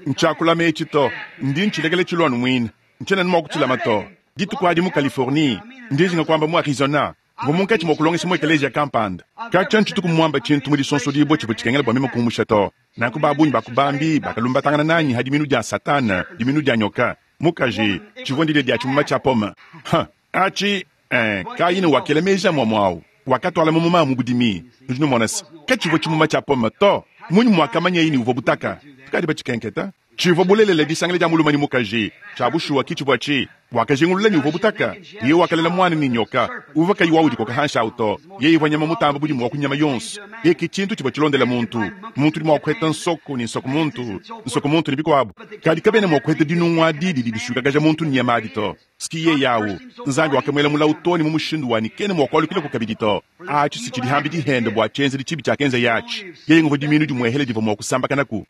Ntshiakulama etshi to. Ndi ntshilekele tshilwanu mwina. Ntshiena mua kutshilama to. Dituku adi mu Californie, ndi njinga kuamba mu Arizona. Mvua munkatshi mua kulongesha mu ekelezia kampanda. Katshia ntshituku muamba tshintu mu disonso dibua tshivua tshikengela bua meme kumusha to. Nanku babunyi bakubambi bakalumbatangana nanyi ha diminu dia Satana, diminu dia nyoka. Mukaji, tshivua ndidia dia tshimuma tshia pome. Ha, atshi, eh, Kaini wakela meji amua muawu. Wakatwala mamuma mu budimi. Nudi numona se, katshivua tshimuma tshia pome to. Mmunyi mwakamanyaye ne uvwa butaka? Tukaadi bacikenketa. Civwa bulelela disangila dya mulume ne mukaji. Cya bushuwa ki civwa ci. Wakajingulula ne uvwa butaka. Yeye wakalela mwana ne nyoka. Uvwa kayi wa udikoka hanshi awu to. Yeye uvwa nyama mutamba budimu wa ku nyama yonso. Yeye ki cintu civwa cilondela muntu. Muntu udi mwa kuheta nsoko ne nsoko muntu, nsoko muntu ne bikwabo. Kadi kabena mwa kuheta dinungu adi didi diswikakaja muntu ne nyama adi to. S'ki yeye awu. Nzambi wakamwela mulawu too ne mu mushindu wa ne kena mwa kwalukilaku kabidi to. Aci si cidi hambi dihende bwa cyenzedi cibi cyakenza aci. Yeye nguvwa dimiinu dimwehele divwa mwa kusambakanaku.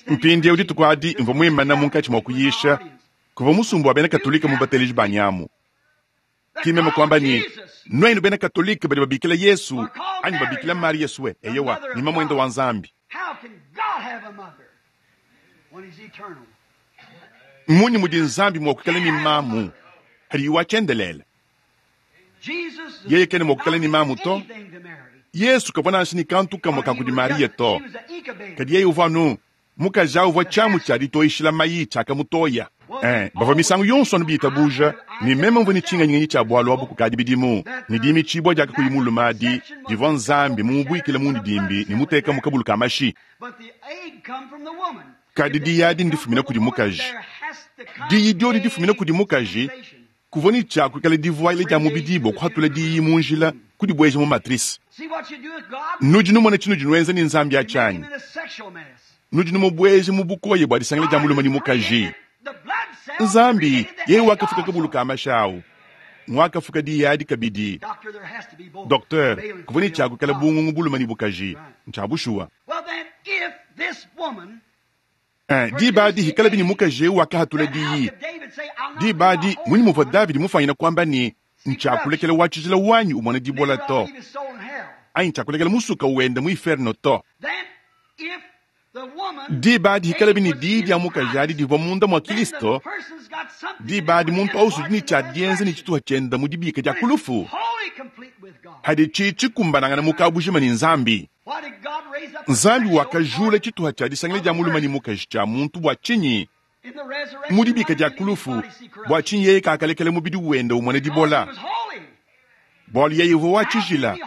Mpindyewu dituku adi mvwa mwimana munkaci mwa kuyisha, kuvwa musumba wa bena Katolika mu bateleji banyi amu. Ki meme kwamba ne, Nwenu bena Katolika badi babikila Yesu anyi babikila Mariya swe, eyowa, ne mamwende wa Nzambi. Mmunyi mudi Nzambi mwa kwikala ne mamu hadiye wa cyendeleele? Yeye kena mwa kwikala ne mamu to. Yesu kavwa nansha ne kantu kamwe ka kudi Mariya to. Kadi yeye uvwa anu mukaji awu uvwa cyamu cya ditoyishila mayi cyakamutoya. Ee, bavwa misangu yonso anu biitabuuja ne meme mvwa ne cinganyinganyi cya bwalu abu kukaadi bidimu, ne diimiciibwa dya kakuyi mulume adi divwa Nzambi mumubwikile mundidimbi ne muteeka mu kabulu ka mashi. Kadi diyi adi ndifumina kudi mukaji. Diyi dyodi difumina kudi mukaji, kuvwa ne cya kwikala divwayila dya mubidi bwa kuhatula diyi mu njila kudibweja mu matrice. Nudi numona cinudi nwenza ne Nzambi aci anyi? Nudi numubweja mu bukoya bwa disangila dya mulume ne mukaji. Nzambi, yeye wakafuka kabulu ka mashi awu, ngwakafuka diyi adi kabidi. Docteur, kuvwa ne cya kwikala bungungu bulume ne bukaji. Ncya bushuwa. Eh, diba adi hikalabi ne mukaji ewu wakahatula diyi. Diba adi munyi muvwa Davidi mufwanyina kwamba ne, Ncyakulekela wa cijila wanyi umona dibola to, anyi ncyakulekela musuka wenda mu iferno to. Diba adi hikalabi ne diyi dya mukaji adi divwa munda mwa Kilisto, diba adi muntu awusu udi ne cya dyenza ne cituha cyenda mu dibika dya ku lufu, hadi ci cikumbanangana mu kabujima ne Nzambi. Nzambi wakajula cituha cya disangila dya mulume ne mukaji cya muntu bwa cinyi? Mu dibika dya ku lufu, bwa cinyi yeye kakalekela mubidi wenda umona dibola? Bwalu yeye uvwa wa cijila.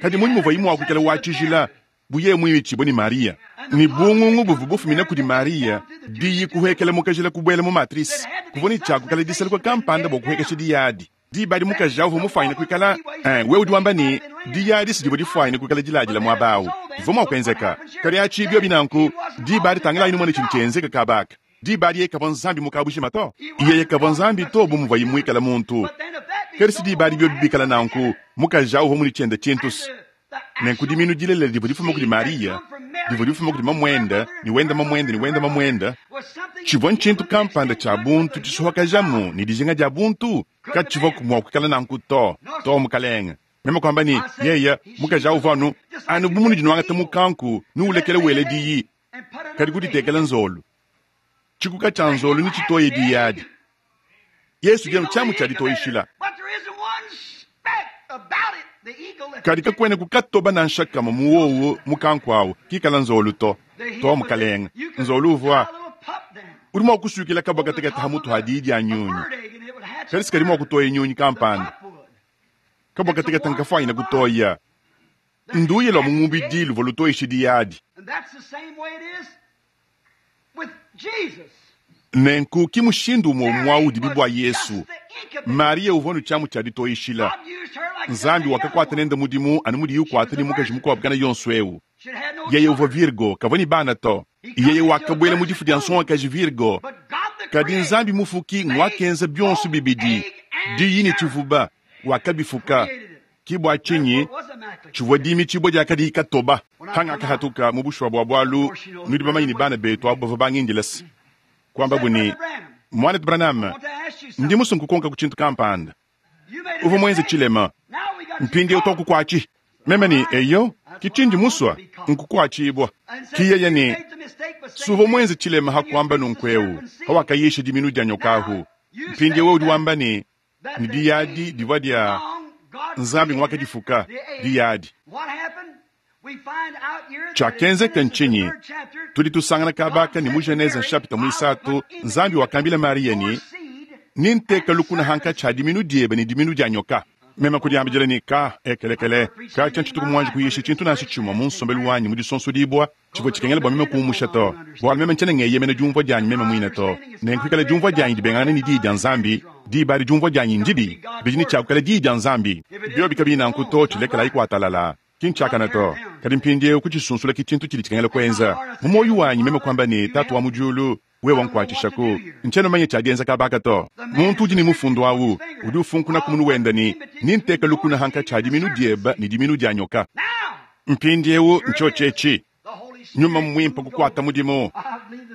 Kadi munyi muvwaye mwa kwikala wa cijila bu yeye mwimicibwe ne Mariya? Ne bungungu buvwa bufumina kudi Mariya, diyi kuhwekela mu kajila kubwela mu matrice. Kuvwa ne cya kwikala disaluka kampanda bwa kuhwekesha diyi adi. Diba adi mukaji awu uvwa mufwanyine kwikala, eh, wewe udi wamba ne, diyi adi si divwa difwanyine kwikala diladila mwaba awu. Bivwa mwa kwenzeka. Kadi aci byobi nanku, diba adi tangilayi numone cidi cyenzeka kaba aka. Diba adi yeye kavwa Nzambi mu kabujima to. Yeye kavwa Nzambi to bu muvwaye mwikala muntu. Kadi si diba adi byobi bikala nanku, mukaji awu uvwa mudi cyenda cintu's. Nenku dimiinu dilelela divwa difuma kudi Mariya, divwa difuma kudi mamwenda, ne wenda mamwenda, ne wenda mamwenda, civwa ncintu kampanda cya buntu cisuhakajamu ne dijinga dya buntu, kacivwaku mwa kwikala nanku to, to mukalenge. Meme kwamba ne, yeye, mukaji awu uvwa anu, anu bu munudi nwangata mukanku, nuwulekela wela diyi, kadi kuditekela nzolu. Cikuka cya nzolu ne citoye diyi adi. Yesu udi anu cyamu cya ditoyishila. Kadi kakwena kukatoba nansha kamwe mu wowu mukanku awu kikala nzolu to. To mukalenge. Nzolu uvwa udi mwa kuswikila kabwa katekete ha mutu ha diyi dya nyunyi. Kadi si kadi mwa kutoya nyunyi kampanda. Kabwa katekete nkafwanyina kutoya. Nduye lwa mu mubidi luvwa lutoyisha diyi adi. Nenku ki mushindu umwe umwe awu udibi bwa Yesu. Mariya uvwa ne cyamu cya ditoyishila. Nzambi wakakwata nende mudimu anu mudiye ukwata ne mukaji mukwabo kana yonso ewu. Yeye uvwa Virgo, kavwa ne bana to. Yeye wakabwela mu difu dya nsongakaji Virgo. Kadi Nzambi mufuki ngwakenza byonso bibidi, diyi ne civuba, wakabifuka. Ki bwa cinyi civwa diimicibwa dyakadi katoba. Hangakahatuka mu bushuwa bwa bwalu, nudi bamanye ne bana betu abu bavwa bangindila se kwambabu ne, Mwanetu Branham, ndi musue nkukonka ku cintu kampanda. Uvwa mwenze cilema. Mpindyewu twakukwatshi. Meme ne, Eyo, ki cindi musua nkukwatshibwa. Ki yeye ne, Suvwa mwenze cilema ha kwamba nunku ewu, hawakayisha diminu dya nyoka ahu. Mpindyewu udi wamba ne, ne diyi adi divwa dya Nzambi ngwakadifuka, diyi adi. Cyakenzeka ncinyi? Tudi tusangana kabaka ne mu Genese nshapita mwisatu, Nzambi wakambila Mariya ne, Ninteka lukuna hankatshi ha diminu dyebe ne diminu dya nyoka. Meme kudiambidila ne, Ka, ekelekele, katshia ntshituku muanji kuyisha tshintu nansha tshimue mu nsombelu wanyi mu disonsodibua tshivua tshikengela bua meme kuumusha to, bualu meme ntshiena ngeyemena diumvua dianyi meme muine to. Nenku pikala diumvua dianyi dibengangana ne Diyi dia Nzambi, diba adi diumvua dianyi ndibi, bidi ne tshia kuikala Diyi dia Nzambi. Biobi kabiyi nanku to, tshilekelayi kuatalala. Ki ntshiakane to. Kadi mpindieu kutshisunsula ke tshintu tshidi tshikengela kuenza. Mu muoyo wanyi meme kuamba ne, Tatu wa mu diulu, wewe nkuatshishaku. Ntshiena mumanye tshia dienza kaba aka to. Muntu udi ne mufundu au udi ufunkuna ku munu wende ne, Nenteke lukuna hankatshi ha diminu diebe ne diminu dia nyoka. Mpindieu ntshiotshi etshi. Nyuma Muimpe kukuata mudimu.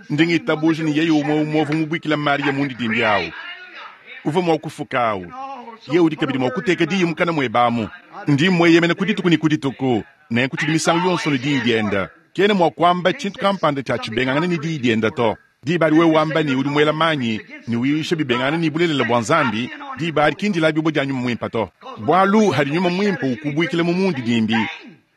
Ndi ngitabuja ne yeye umue umue uvua mubuikile Mariya mundidimbi au uvua mua kufuka au, yeye udi kabidi mua kuteka diyi mukana muebe amu. Ndi mmueyemena ku dituku ne ku dituku, nenku tshidi misangu yonso ne diyi diende. Kena mua kuamba tshintu kampanda tshia tshibengangana ne diyi diende to. Diba adi wewe wamba ne udi muela manyi ne uyisha bibengangana ne bulelela bua Nzambi, diba adi ki ndilabibua dia Nyuma Muimpe to. Bualu hadi Nyuma Muimpe ukubuikila mu mundidimbi,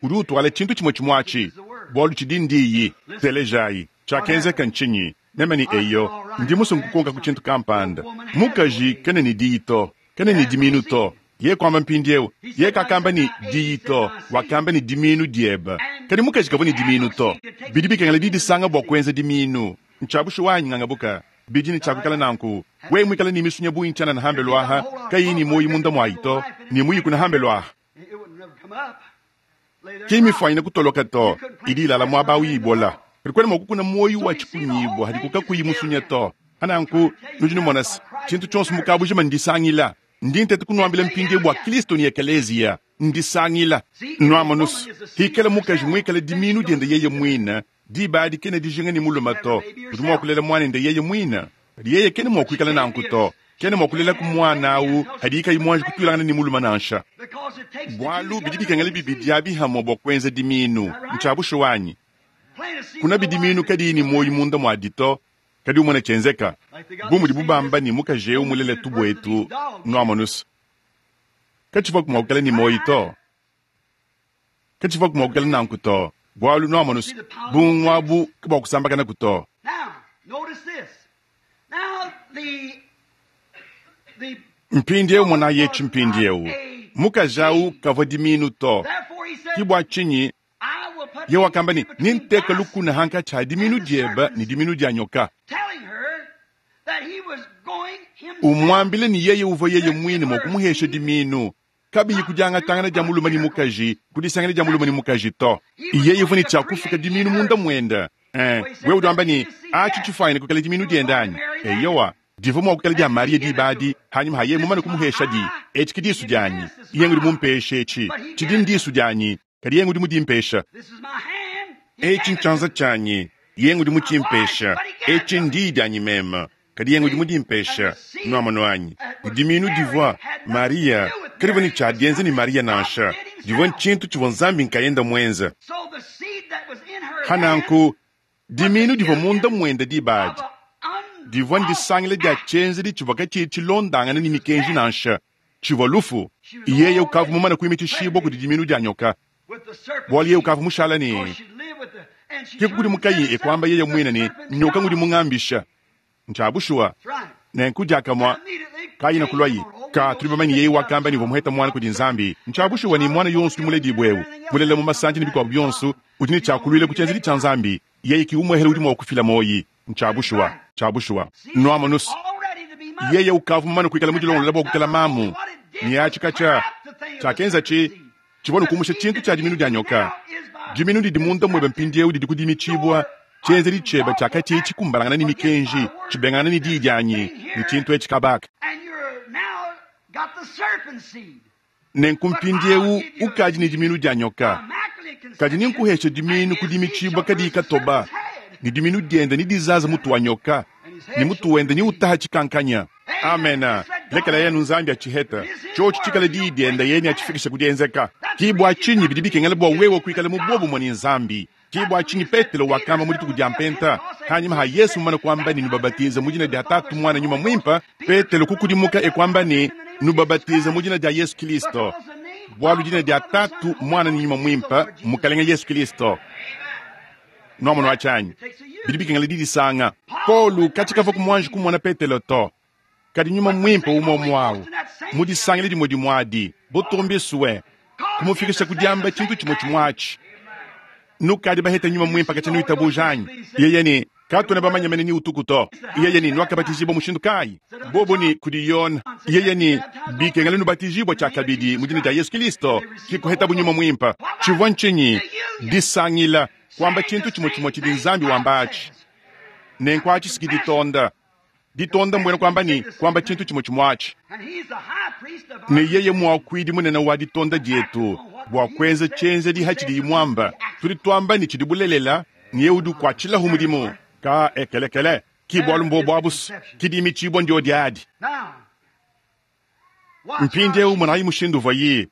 udi utuala tshintu tshimue tshimue atshi, bualu tshidi ndiyi. Telejayi, tshiakenzeka ntshinyi? Meme ne, Eyo, ndi musue nkukonkaku tshintu kampanda. Mukaji kena ne diyi to, kena ne dimiinu to. Yeye kuamba mpindieu, yeye kakamba ne diyi to, wakamba ne dimiinu diebe. Kadi mukaji kavua ne dimiinu to. Bidi bikengela didisanga bua kuenza dimiinu. Ntshia bushuwa anyi ngangabuka? Bidi ne tshia kuikala nanku. Wewe muikale ne misunya bungi tshianana hambelu aha, kayiyi ne muoyo munda muayi to, ne muyikuna hambelu aha. Ki mmifuanyine kutoloka to, idi ilala muaba awu ibola. Kadi kuena mua kukuna muoyo wa tshikunyibua hadiku kakuyi musunya to. Pa nanku, nudi numona se, tshintu tshionso mu kabujima ndisangila. Ndi nteta kunuambila mpindieu bua Kristo ne Ekeleziya, ndisangila. Nuamonus, hikala mukaji muikale dimiinu diende yeye muine, diba adi kena dijinga ne mulume to, udi mua kulela muanende yeye muine. Kadi yeye kena mua kuikala nanku to. Kena mua kulelaku muana au hadiye kayi muanji kutuilangana ne mulume nansha. Bualu bidi bikengela bibidi abi hamue bua kuenza dimiinu. Ntshia bushuwa anyi? Kuna bidimiinu kadiyi ne muoyo munda muadi to, kadi umone tshienzeka. Bu mudibu bamba ne mukaji eu mulele tubuetu, nuamonus, katshivuaku mua kuikala ne muoyo to. Katshivuaku mua kuikala nanku to, bualu nuamonus, bungu abu kabuakusambakanaku to. Mpindieu monayi etshi mpindieu, mukaji au kavua dimiinu to. Ke bua tshinyi Yeye wakamba ne, Nenteke lukuna hankatshi ha diminu diebe ne diminu dia nyoka. Umuambile ne yeye uvua yeye muine mua kumuhesha diminu, kabiyi ku diangatangana dia mulume ne mukaji, ku disangila dia mulume ne mukaji to. Yeye uvua ne tshia kufuka diminu munda muende. Eh, wewe udi wamba ne, Atshi tshifuanyine kuikala diminu diende anyi? Eyowa, divua mua kuikala dia Mariya diba adi, hanyima ha yeye mumane kumuheshadi. Etshi ke disu dianyi, yeye ngudi mumpeshe etshi. Tshidi ndisu dianyi, kadi yeye ngudi mudimpesha. Etshi ntshianza tshianyi, yeye ngudi mutshimpesha. Etshi ndiyi dianyi meme, kadi yeye ngudi mudimpesha. Nuamonu anyi? Dimiinu divua Mariya kadivua ne tshia dienza ne Mariya nansha, divua ntshintu tshivua Nzambi nkayende muenze. Pa nanku, dimiinu divua munda muende diba adi divua ndisangila dia tshienzedi tshivua katshiyi tshilondangana ne mikenji nansha, tshivua lufu. Yeye ukavua mumane kuimitshishibua kudi dimiinu dia nyoka, bualu yeye ukavua mushala ne ke kukudimukaye e kuamba yeye muine ne, nyoka ngudi mungambisha. Ntshia bushuwa. Nenku diakamue Kayina kuluaye. Ka tudi bamanye yeye wakamba ne uvua muheta muana kudi Nzambi. Ntshia bushuwa ne muana yonso udi muledibue eu, mulela mu masandi ne bikuabu bionso, udi ne tshia kuluila ku tshienzedi tshia Nzambi. Yeye ki umuehele udi mua kufila muoyi. Ntshia bushuwa. Ntshia bushuwa. Nuamonus, yeye ukavua mumane kuikala mudilongolola bua kuikala mamu. Ne atshi katshia tshiakenza tshi tshivua ne kumusha tshintu tshia diminu dia nyoka. Diminu didi munda muebe mpindieu didi kudimitshibua. Tshienzedi tshiebe tshiakatshiyi tshikumbanangana ne mikenji, tshibengangana ne diyi dianyi, ne tshintu etshi kabaka. Nenku mpindieu ukadi ne diminu dia nyoka, kadi nenkuheshe diminu ku dimitshibua kadiyi katoba, ne diminu diende nedizaze mutu wa nyoka, ne mutu wende neutaha tshikankanya. Amena. Lekela yenu Nzambi atshiheta, tshiotshi tshikale diyi diende, yeye neatshifikishe ku dienzeka. Ke bua tshinyi bidi bikengela bua wewe kuikala mu buobumue ne Nzambi. Ke bua tshinyi Petelo wakamba mu dituku dia Mpenta, hanyima ha Yesu mumane kuamba ne, Nubabatize mu dina dia Tatu, Muana, Nyuma Muimpe, Petelo kukudimuka e kuamba ne, Nubabatize mu dina dia Yesu Kilisto, bualu dina dia Tatu, Muana ne Nyuma Muimpe mMukalenge Yesu Kilisto. Nuamonu atshi anyi? Bidi bikengela didisanga. Paulo katshia kavua kumuanji kumona Petelo to, kadi Nyuma Muimpe umue umue au, mu disangila dimue dimue adi, Butumbiswe kumufikisha ku diamba tshintu tshimue tshimue atshi. Nukadi baheta nyuma muimpe katshia nuitabuja anyi? Yeye ne katuena bamanye mene ni utuku to. Yeye ne nuakabatijibua mushindu kayi? Bobo ni kudi Yona. Yeye ne bikengela nubatijibua tshiakabidi mu dina dia Yesu Kristo kikuheta bunyuma muimpe. Tshivua ntshinyi? Disangila kwamba tshintu tshimue tshimue tshidi Nzambi wamba atshi. Nenku atshi siki ditonda. Ditonda mbwena kwamba ni kwamba tshintu tshimue tshimue atshi. Ne yeye mwakuidi munene wa ditonda dietu bua kuenza tshienzedi hatshidi mwamba. Tudi tuamba ni tshidi bulelela ni udi ukwatshilahu mudimu. Ka ekelekele ki bwalu mbo abusu kidimi tshibwa ndio diadi. Mpindieu monayi mushindu uvuaye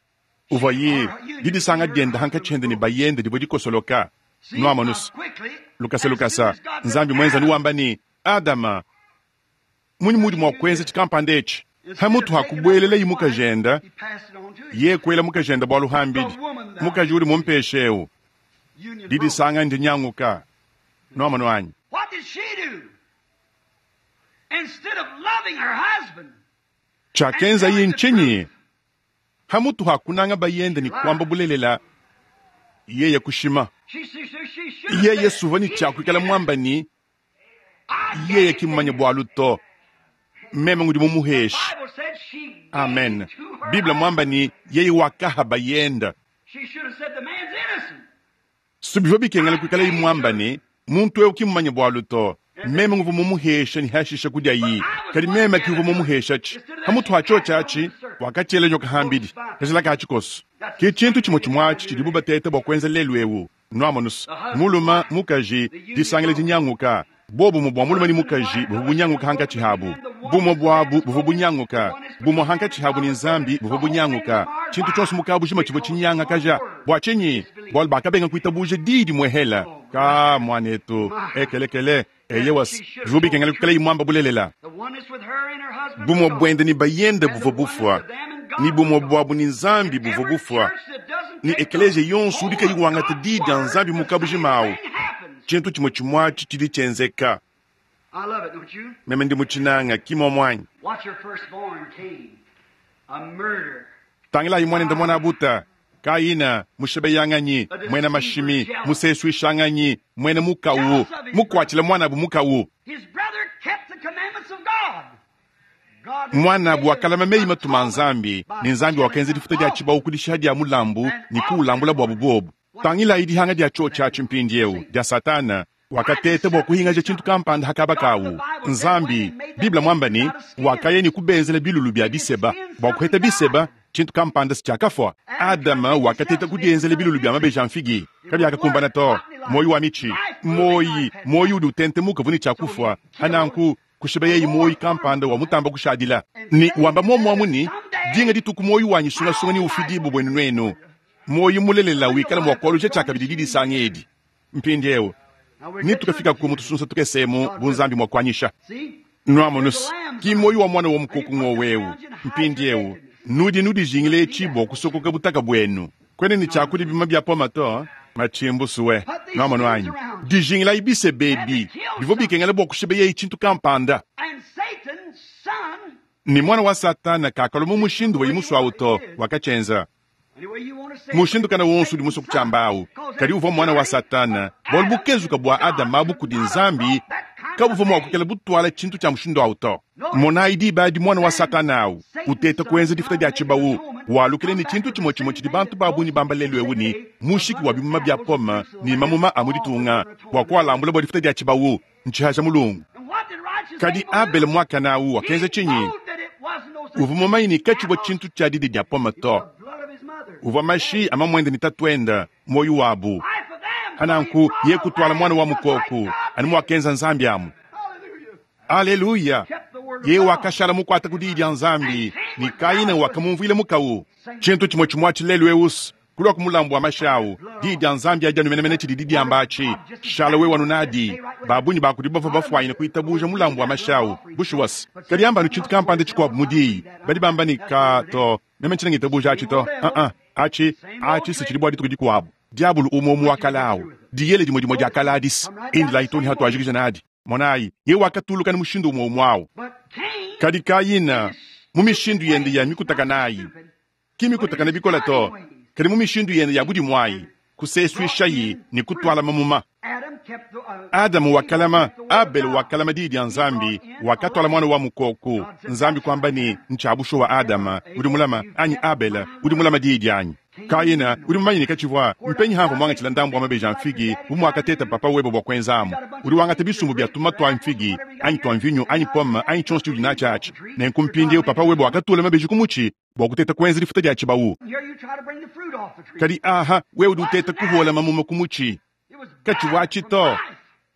uvuaye didisanga dienda hankatshende ne bayende dibua dikosoloka. Nuamonusu lukasa lukasa Nzambi mwenza nuwamba ni Adama munyi mudi mwa kuenza tshikampanda etshi hamutu hakubwelela yi mukajenda ye kwela mukajenda bwalu hambidi mukaji uli mumpeshewu didisanga ndinyanguka. Nuamono anyi? What did she do? Instead of loving her husband, Chakenza ye nchinyi hamutu hakunanga bayende ni kwamba bulelela yeye kushima she, she, she, she should yeye suva ni chakwikala mwamba ni yeye kimumanya bwalu to meme ngudi mumuheshi. Bible said she gave Amen. to her Biblia mwamba ni yeye wakaha bayenda She should have said the man's innocent. subivyo bikengela kwikala imwamba ni muntu eu kimumanya bwalu to meme nguvu mumuhesha ni hashisha kudya yi kadi meme kiuvu mumuhesha chi hamutu hacho chachi wakachela nyoka hambidi kachila kachikoso ki chintu chimwe chimwachi chilibu batete bwa kwenza lelu ewu nwamonusu muluma mukaji disangila dinyanguka bobu mubwa muluma ni mukaji buvu bunyanguka hankachi habu bumwe bwabu buvu bunyanguka bumwe hankachi habu ni nzambi buvu bunyanguka chintu chonse mukabu jima chivua chinyanga kaja bwa chinyi bwalu bakabenga kuitabuja didi mwehela ka mwanetu ekelekele eyewas bivu bikengela kukala imwamba bulelela The oneness with her and her husband. bumwe was gone. bwende ni bayende And the buvua oneness bufwa of them and God ni bumwe was gone. bwabu ni nzambi And buvua every bufwa church that doesn't ni take ekelesia the yonso udi whole of kayiwangata God's didi dia word, nzambi the mukabu same jimawu thing happens. tshintu tshimue tshimue tshidi tshienzeka I love it, don't you? meme ndi mutshinanga kimwa mwanyi Watch her firstborn, Cain, a murderer. tangilayi mwanende mwana abuta Kaina mushebeyanganyi mwena mashimi museswishanganyi mwena mukawu mukwatshila mwanabu mukawu His brother kept the commandments of God. God mwanabu wakalama meyi matuma nzambi ni nzambi wakenza difuta dia tshibawu kudisha dia mulambu ni kuulambula bwabu bobu tangilayi dihanga dia tshio tshiatshi mpindiewu dia satana wakateta bua kuhingaja tshintu kampanda hakaba kawu nzambi biblia mwamba ni wakaya ni kubenzela bilulu bia biseba bua kuheta biseba tshintu kampanda sichakafwa adama wakateta kudienzela bilulu bia mabeji a mfigi kabiakakumbana to moyi wa michi moyi moyi udi utentemuka vuni tshakufwa hananku kushiba yeyi moyi kampanda wa mutamba kushadila ni wamba momwamu ni dinga dituku moyi wanyi sungasunga ni ufidibu bwenu nwenu moyi mulelela wikala mwakwalujya tshakabidi didisanga edi mpindiewu ni tukafika ku mutusunsa tukesemu bunzambi mwakwanyisha See? nwamonusu ki moyi wa mwana wa mukoku ng'owewu mpindiewu nudi nudijingile etshibwa kusokoka butaka bwenu kwene ni tshakudi bima bya poma to machimbusuwe nwamono anyi dijingila ibise bebi bivua bikengela bua kushiba yeyi tshintu kampanda And Satan's son, ni mwana wa satana kakalo mu mushindu wa yimuswawu to wakachenza any way you want to say it, mushindu kana wonso udi muso kutshambawu kadi uvua mwana wa satana bwalu bukezuka bua adama abu kudi nzambi kabuvua mua kukela butwala tshintu tshia mushindu awu to monayi diba adi mwana wa satana awu uteta kuenza difuta dia tshibawu walukile ni tshintu tshimue tshimue tshidi bantu babunyi bamba lelu ewu ni mushiki wa bimuma bia poma ni mamuma a mu ditunga bua kualambula bua difuta dia tshibawu ntshihaja mulungu And what did righteous kadi Abel do? abele mwakana awu wakenza He tshinyi proved that it wasn't no such uvua mumanyi ni katshivua tshintu tshia didi dia poma It to was the blood of his mother. uvua mashi amamwende ni tatuenda moyi wabu Life of them, hananku so he ye kutwala mwana wa just like mukoku God ani did. mwakenza nzambi amu Hallelujah. aleluya Kept the word of ye God. wakashala mukwata kudi dia nzambi ni kaina wakamumvuile mukawu tshintu tshimue tshimue tshilelu ewusu kulwa kumulambu wa mashawu di dia nzambi adi anumenemene tshidi diamba atshi shala we wanu nadi babunyi bakudi bava bafwanyine kuitabuja mulambu wa mashawu bushuwasi kadi ambanu tshintu kampanda tshikuabu mudiyi badi bamba ni ka to meme ntshina ngitabuja atshi to uh-uh. atshi atshi si tshidi bua dituku dikuabu diabulu umwe wakalawu diyele dimue dimue diakaladisi indila itoni hatuajikija nadi monayi ye wakatuluka ni mushindu umwe umwe awu But Cain, kadi kayina mu mishindu yende ya mikutaka nayi Ki mikutakana bikole to, kadi mu mishindu yende ya budimu ayi, kusesuishayi ne kutuala mamuma. Adamu wakalama, Abele wakalama diyi dia Nzambi, wakatuala mwana wa mukoko. Nzambi kwamba ne, ntshia bushuwa Adama udi mulama anyi Abele udi mulama diyi dianyi. Kayina udi mumanye ne katshivua mpenyi hamvua muangatshila ndambu wa mabeji a mfigi bu muakateta papa webe bua kuenzamu. Udi wangata bisumbu bia tumuma tua mfigi anyi tua mvinyo anyi pome anyi tshionso tshiudi natshi atshi. Nenku mpindieu papa webe wakatula mabeji ku mutshi bua kuteta kuenza difuta dia tshibawu. Kadi aha, wewe udi uteta kuhuola mamuma ku mutshi. Katshivua atshi to,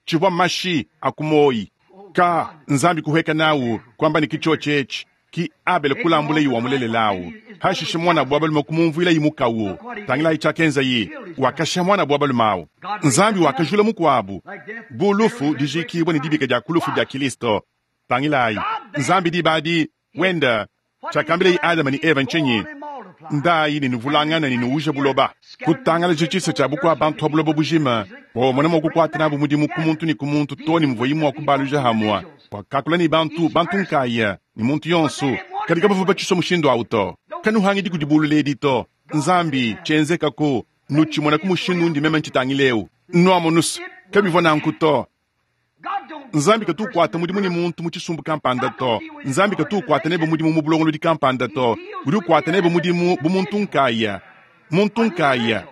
tshivua mashi a ku muoyi. Ka Nzambi kuheka nawu kwamba ne kitshiotshi etshi ki Abele kulambula yi wa mulelelawu. Hashishe mwana bwa balume kumumvuila yi mukawu. Tangilayi tshiakenza yi, wakasha mwana bwa balume awu. Nzambi wakajula mukuabu bu lufu dijikibwa ne dibika dia kulufu dia Kristo. Tangilayi Nzambi dibadi wenda tshiakambila yi Adama ne Eva ntshinyi? Ndayi ne nuvulangana ne nuuja buloba. Kutangalaje tshisa tshia bukua bantu ha buloba bujima, bua bamone mua kukuata nabu mudimu ku muntu ne ku muntu to ne muvua yi mua kubaluja hamua. Wakakula ne bantu, bantu nkaya ne muntu yonso, kadi kabavua batshisua mushindu awu to. Kanuhangidi kudi bululedi to. Nzambi tshienzekako nutshimona ku mushindu undi meme ntshitangileu. Nuamonusa kabivua nanku to. Nzambi katu ukuata mudimu ne muntu mu tshisumbu kampanda to. Nzambi katu ukuata nebe mudimu mu bulongolodi kampanda to. Udi ukuata nebe mudimu bu muntu nkaya. Muntu nkaya.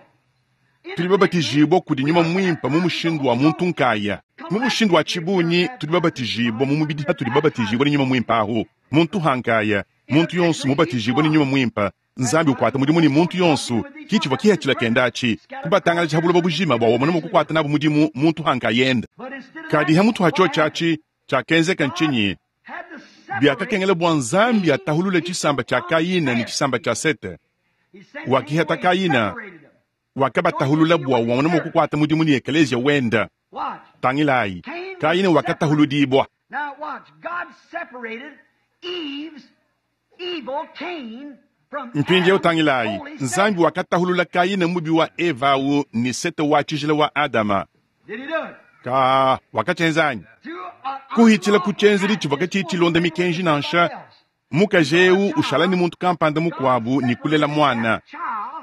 Tudi babatijibwa kudi nyuma mwimpe mu mushindu wa muntu nkaya. Mu mushindu wa tshibunyi tudi babatijibwa mu mubidi hatudi babatijibwa ne nyuma mwimpe ahu. Muntu hankaya, muntu yonso mubatijibwa ne nyuma mwimpe. Nzambi ukuata mudimu ne muntu yonso, kitshivua kihatshila kenda atshi. Kubatangalaja ha buloba bujima bua wamona mua kukuata nabu mudimu muntu hankayenda. Kadi ha mutu hatshiotshi atshi tshiakenzeka ntshinyi? Biakakengela bua Nzambi atahulule tshisamba tshia Kayina ne tshisamba tshia Sete. Wakihata Kayina, wakabatahulula bua wamona mua kukuata mudimu ne ekelezia wenda. Tangilayi, Kayina wakatahuludibwa. Mpindieu tangilayi, Nzambi wakatahulula Kayina mubi wa Eva awu ne Sete wa tshijila wa Adama. Ka wakatshienza anyi? Kuhitshila ku tshienzedi tshivua katshiyi tshilonda mikenji nansha. Mukaji eu ushala ne muntu kampanda mukuabu ne kulela mwana.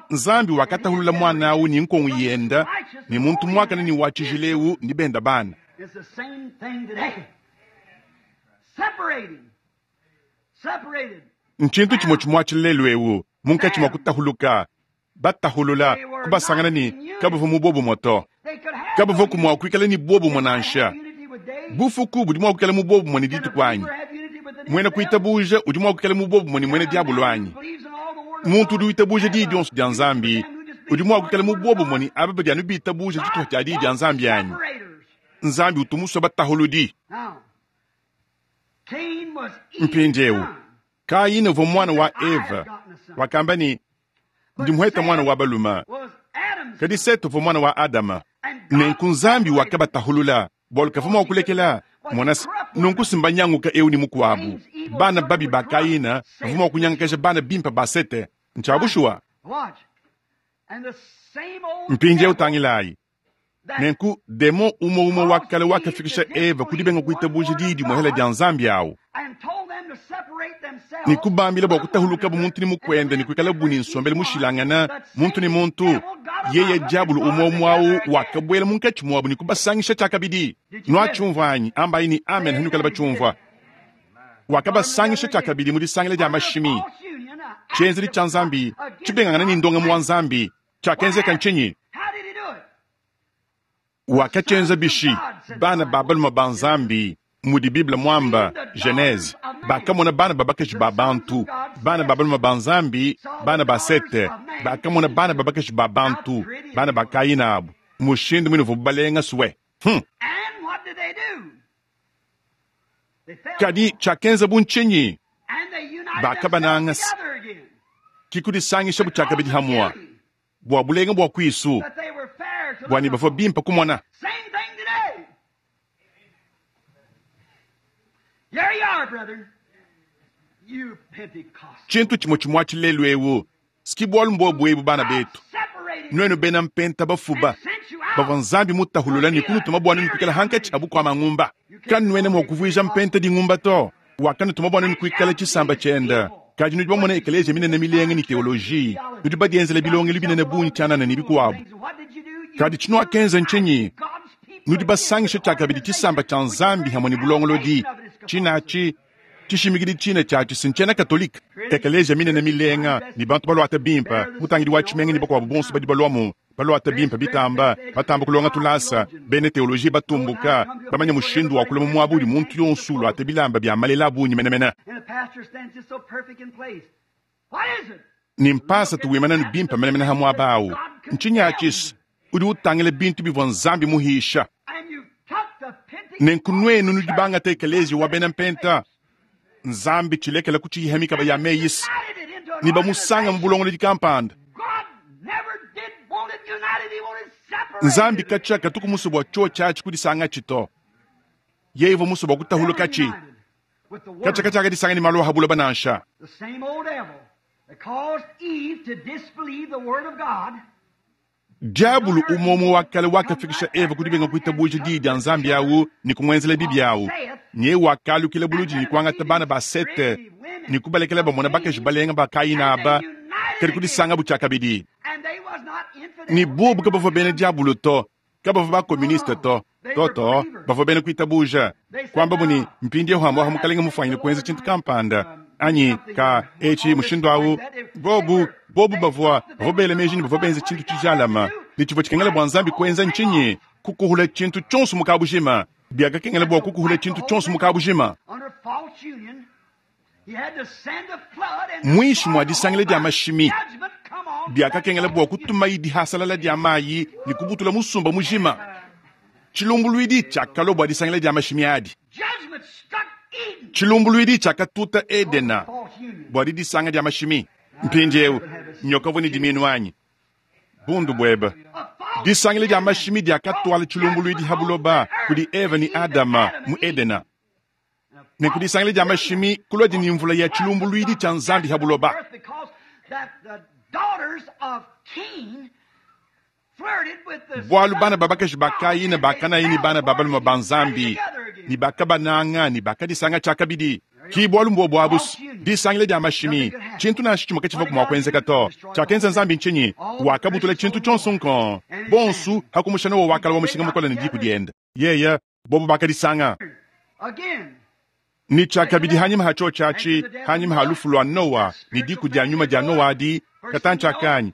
Nzambi wakatahulula mwana awu ne nkongo yenda ne muntu muakane ne wa tshijila eu ne benda bana. Ntshintu tshimue tshimue atshi lelu eu munkatshi mua kutahuluka batahulula kubasangana ne kabavua mu bobumue to. Kabavua mua kuikala ne bobumue nansha. Bufuku budi mua kuikala mu bobumue ne dituku anyi? Muena kuitabuja udi mua kuikala mu bobumue ne muena diabolo anyi? Muntu udi witabuja diyi dionso dia Nzambi udi mua kuikala mu bobumue ne aba badi anu bitabuja tshitupa tshia diyi dia Nzambi anyi? Nzambi utu musue batahuludi. Mpindieu Kayina uvua mwana wa Eva, wakamba ne ndi muheta mwana wa balume. Kadi Sete uvua mwana wa Adama. Nenku Nzambi wakabatahulula bualu kavua mua kulekela mona nunku simbanyanguka eu ne mukuabu. Bana babi ba Kayina bavua mua kunyangakaja bana bimpe ba Sete. Ntshia bushuwa. Mpindieu tangilayi. Nenku demo umue umue wa kale wakafikisha Eva ku dibenga kuitabuja diyi dimuhela dia Nzambi awu. Ne kubambila bua kutahuluka bu muntu ne mukuenda ne kuikala bu ne nsombelu mushilangana muntu ne muntu. Yeye diabulu umue umue awu wakabuela munkatshi muabu ne kubasangisha tshiakabidi. Nuatshiumvua anyi? Ambayi ne amen hanukala batshiumvua. Wakabasangisha tshiakabidi mu disangila dia mashimi. Tshienzedi tshia Nzambi tshibengangana ne ndongamu wa Nzambi tshiakenzeka ntshinyi? Wakatshienza bishi? Bana ba balume ba Nzambi mudi Bible mwamba Genese bakamona bana ba bakaji ba bantu, bana ba balume ba Nzambi, bana ba Sete bakamona bana ba bakaji ba bantu, bana ba Kayina abu mushindu mwine uvua balenga suwe. Hmm. Kadi tshiakenza bu ntshinyi? Bakabananga kikudisangisha bu tshiakabidi hamua bua bulenga bua kuisu bua ne bavua bimpe kumona. Tshintu tshimue tshimue atshi lelu eu siki bualu mbuobu ebu bana betu. Nuenu bena mpenta bafuba bavua Nzambi mutahulula ne kunutuma bua nuenu kuikala hankatshi abu kua mangumba. Kanuena mua kuvuija mpenta dingumba to. Wakanutuma bua nuenu kuikala tshisamba tshienda Kadi nudi bamona ekeleziya minene milenga ne teoloji, nudi badienzela bilongelu binene bungi tshianana ne bikuabu. Kadi tshinuakenza ntshinyi? Nudi basangishe tshiakabidi tshisamba tshia Nzambi hamwe ne bulongolodi. Tshinatshi tshishimikidi tshine tshiatshi si ntshiena Katolike. Ekeleziya minene milenga ne bantu baluata bimpe, mutangidi wa tshimenga ne bakuabu bonso badi baluamu baluata bimpe bitamba, batamba kulonga tulasa, bena teoloji batumbuka, bamanya mushindu wa kulama muaba udi muntu yonso uluata bilamba bia malela a bungi menemene. And the pastor stands just so perfect in place. What is it? Ni mpasa tuwimana ne bimpe menemene ha muaba awu. Ntshinyi atshisi udi utangila bintu bivua Nzambi muhisha. And you took the Pentecost Nenku nuenu nudi bangata ekeleziya wa bena mpenta. Nzambi tshilekela kutshiyiha mikaba ya meyisi united it into an ne bamusanga mu organization. bulongolodi kampanda. God never did want it united, he wanted separated. Nzambi katshia katuku musu bua chio tshiatshi kudisanga tshito. Yeye musu bua kutahuluka tshi. United with the word. Katshia katshia akadisanga ni malu a habuloba nansha. The same old devil that caused Eve to disbelieve the word of God Diabulu umomwe wa kale wakafikisha Eva kudibenga kuitabuja diyi dia Nzambi awu ne kumwenzela bibi awu. Nye wakalukila buludi ne kuangata bana ba Sete ne kubalekela bamona bakaji balenga ba Kaina aba kadi kudisanga butshiakabidi. and they was not infidels. Ni bobu kabavua bena diabulu to, kabavua bakomuniste to, toto bavua bena kuitabuja. Kwamba buni mpindieu hamwa mukalenge mufwanyine kuenza tshintu kampanda anyi ka etshi mushindu awu bobu bobu bavua bavua bela meji ne bavua benza tshintu tshijalama ne tshivua tshikengela bua Nzambi kuenza ntshinyi kukuhula tshintu tshionso mu kabujima biakakengela bua kukuhula tshintu tshionso mu kabujima. Under false union, he had to send a flood and Mwishi mwa disangila dia mashimi judgment come on. biakakengela bua kutuma idihasalala dia mayi ne kubutula musumba mujima. Tshilumbuluidi tshiakalua bua disangila dia mashimi adi. Judgment struck Eden. Tshilumbuluidi tshiakatuta Edena False union. bua didisanga dia mashimi. Mpindieu nyoka uvua ne diminu anyi bundu buebe. A false Disangila dia mashimi diakatwala tshilumbuluidi ha buloba kudi Eva ne Adama mu Edena. Ne kudisangila dia mashimi kulua dini mvula ya tshilumbuluidi tshia Nzambi ha buloba. earth because that the daughters of Cain flirted with the Bualu bana ba bakaji ba Kaina bakanayi ne bana ba balume ba Nzambi ne bakabananga ne bakadisanga tshiakabidi. Ki bualu mbua buabu disangila dia mashimi tshintu nansha tshimue katshivua mua kuenzeka to. Tshiakenza Nzambi ntshinyi? Wakabutula tshintu tshionso nko bonsu hakumusha Nowa wakala wa mushinga mukole ne diku diende. Yeye bobu bakadisanga again. ni tshiakabidi hanyima ha chio tshiatshi hanyima ha lufu lua Nowa ne diku dia nyuma dia Nowa adi katantshiakanyi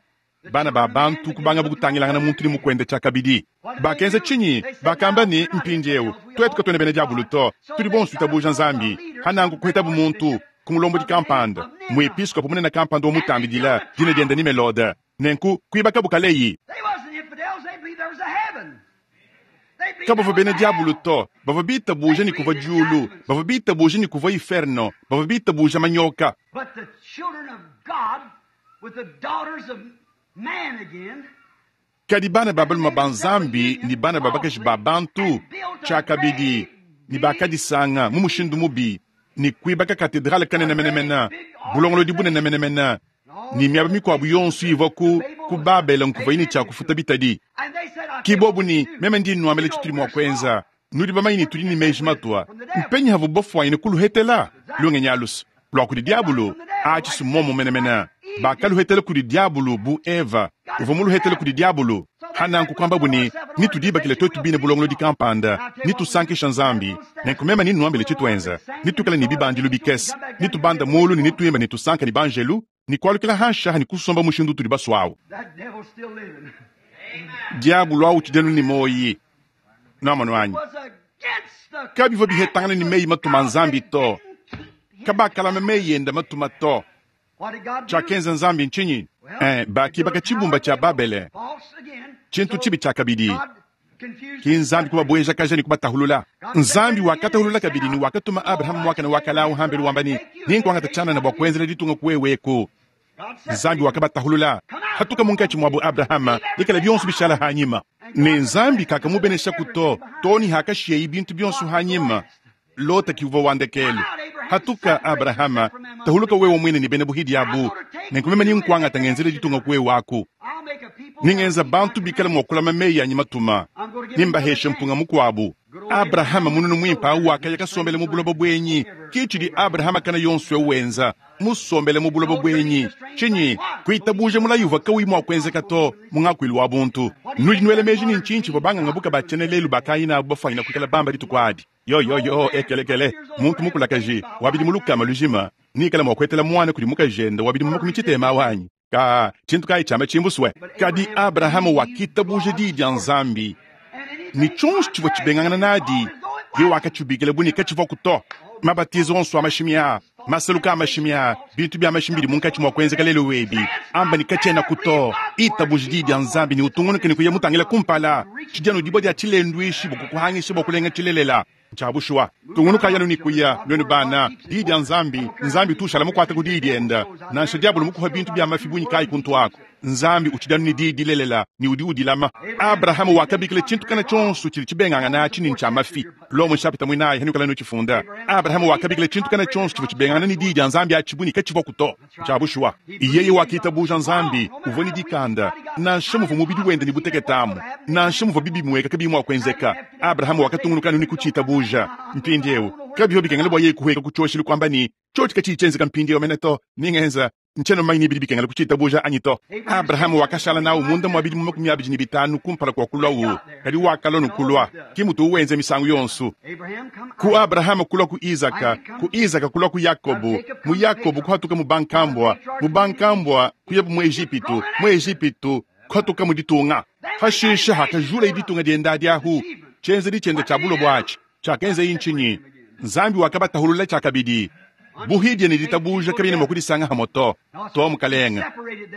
bana ba bantu kubanga bukutangilangana muntu ne mukwende tshiakabidi. Bakenza tshinyi? Bakamba ne mpindieu twetu katuena bena diabulu to, tudi bonso tuitabuja Nzambi. Hanangu kuhetabu muntu kumulombodi kampanda muepiskopo munene kampanda wa mutambidila dina diende ni Melode nenku kuibaka bukaleyi. They wasn't infidels, they believed there was a heaven. They believed Kabavua there bena was a diabulu hell. to, bavua bitabuja ni kuvua diulu, bavua bitabuja ni kuvua inferno, bavua bitabuja manyoka. But the children of God with the daughters of man again Kadi bana ba balume ba Nzambi ni bana ba bakaji ba bantu tshiakabidi ni bakadisanga mu mushindu mubi ni kuibaka katedrale kanene menemene bulongolodi bunene menemene ni miaba mikuabu yonso ivua ku ku Babele nkuvua yine tshiakufuta bitadi. and they said, I Ki tell you bobu what ni we do. meme ndi nnuambila You know tshitudi mua we're kuenza smart. nudi bamanyi ne tudi ne meji matua mpenyi havu bafwanyine kuluhetela lungenyi alusu lua kudi diabulu atshi momo menemene bakaluhetela kudi diabulu bu Eva uvua muluhetele kudi diabulu. Hananku kwamba buni nitudibakile twetu bine bulongolodi kampanda nitusankisha Nzambi nenku meme ninnuambile tshituenza nitukala ne bibandilu bikese nitubanda mulu ne nituimba nitusanka ne banjelu nikualukila hanshaha nikusomba mushindu tudi baswawu. That devil's still living. Diabulu awu tshidenu ni moyi namano anyi Was against the kabivua bihetangana ni meyi matuma Nzambi to Didn't keep his kabakalama meyi yenda matuma to. What did God do? Tshiakenza Nzambi ntshinyi? Eh, bakibaka tshibumba tshia Babele False again. tshintu So tshibi tshiakabidi. God confused Ki Nzambi kubabuejakaja ne kubatahulula. Nzambi wakatahulula kabidi ne wakatuma Abrahamu mwakana wakala uhambelu wamba ni ninkuangata tshianana bua kuenzela ditunga kuweweku. God said, Nzambi wakabatahulula hatuka munkatshi muabu Abrahama lekela bionso bishala hanyima ne Nzambi kakamubenesha kuto toni hakashiyeyi bintu bionso hanyima Lota kiuvua wandekelu hatuka Abrahama tahuluka wewe mwine ni bena buhidi abu nenkumema ninkuangata ngenzele ditunga kuwe waku I'll make a people ningenza bantu bikala mua kulama meyi anyi matuma nimbaheshe mpunga mukuabu. Abrahama mununu mwimpa awu wakaya kasombele mu buloba bwenyi Ke tshidi Abrahama kana yonso eu wenza, musombele mu buloba buenyi. Tshinyi? Kuitabuja mulayi uvua kauyi mua kuenzeka to mu ngakuilu wa buntu. Nudi nuela meji ne ntshinyi tshivua bangangabuka ba tshiena lelu bakayina abu bafuanyina kuikala bamba dituku adi? Yo yo yo, ekelekele, muntu mukulakaji wa bidimu lukama lujima nikala mua kuetela muana kudi mukajende wa bidimu makumi tshitema awu anyi? Ka tshintu kayi tshiamba tshimbusue. Kadi Abrahama wakitabuja diyi dia Nzambi ne tshionso tshivua tshibengangana nadi, ye wakatshibikila bu ne katshivuaku to. Mabatizo onso a mashimi aa, masaluka a mashimi aa, bintu bia mashimi bidi munkatshi mua kuenzeka lelu ebi, amba ne katshienaku to. Itabuja diyi dia Nzambi ne utungunuke ne kuya mutangila kumpala. Tshidi anu dibue dia tshilenduishi bua kukuhangisha bua kulenga tshilelela. Ntshia bushuwa. Tungunukayi anu ne kuya, nuenu bana. Diyi dia Nzambi, Nzambi utu ushala mukuate ku diyi diende. Nansha diabolo mukuha bintu bia mafi bungi kayi kuntu aku, Nzambi utshidi anu ne diyi dilelela ne udi udilama. Abrahama wakabikila tshintu kana tshionso tshidi tshibengangana atshi ne ntshia mafi. Lomo nshapita muinayi hanuikala nutshifunda. Abrahama wakabikila tshintu kana tshionso tshivua tshibengangana ne diyi dia Nzambi atshi bu ne katshivuaku to. Ntshia bushuwa. Yeye wakitabuja Nzambi, uvua ne dikanda, nansha muvua mubidi wende ne butekete amu, nansha muvua bibimueka kabiyi mua kuenzeka. Abrahama wakatungunuka anu ne kutshitabuja. Mpindieu kabivua bikengela bua yeye kuhueka ku tshioshelu kuamba ne, tshiotshi katshiyi tshienzeka mpindieu mene to, ningenza ntshiena mumanye ne bidi bikengela kutshitabuja anyi to. Abrahama wakashala nawu munda mua bidimu makumi abidi ne bitanu kumpala kua kuluawu, kadi wakalua ne kulua. Ke mutuwu wenza misangu yonso. Ku Abrahama kulua ku Izaka, ku Izaka kulua ku Yakobo, mu Yakobo kuhatuka mu bankambua, mu bankambua kuyabu mu Ejipitu, mu Ejipitu kuhatuka mu ditunga. Pashishe hakajulaye ditunga diende adi ahu, tshienzedi tshiende tshia bulobo atshi tshiakenzeyi ntshinyi? Nzambi wakabatahulula tshiakabidi. Buhidia ne ditabuja kabiena mua kudisanga hamue to. To mukalenge,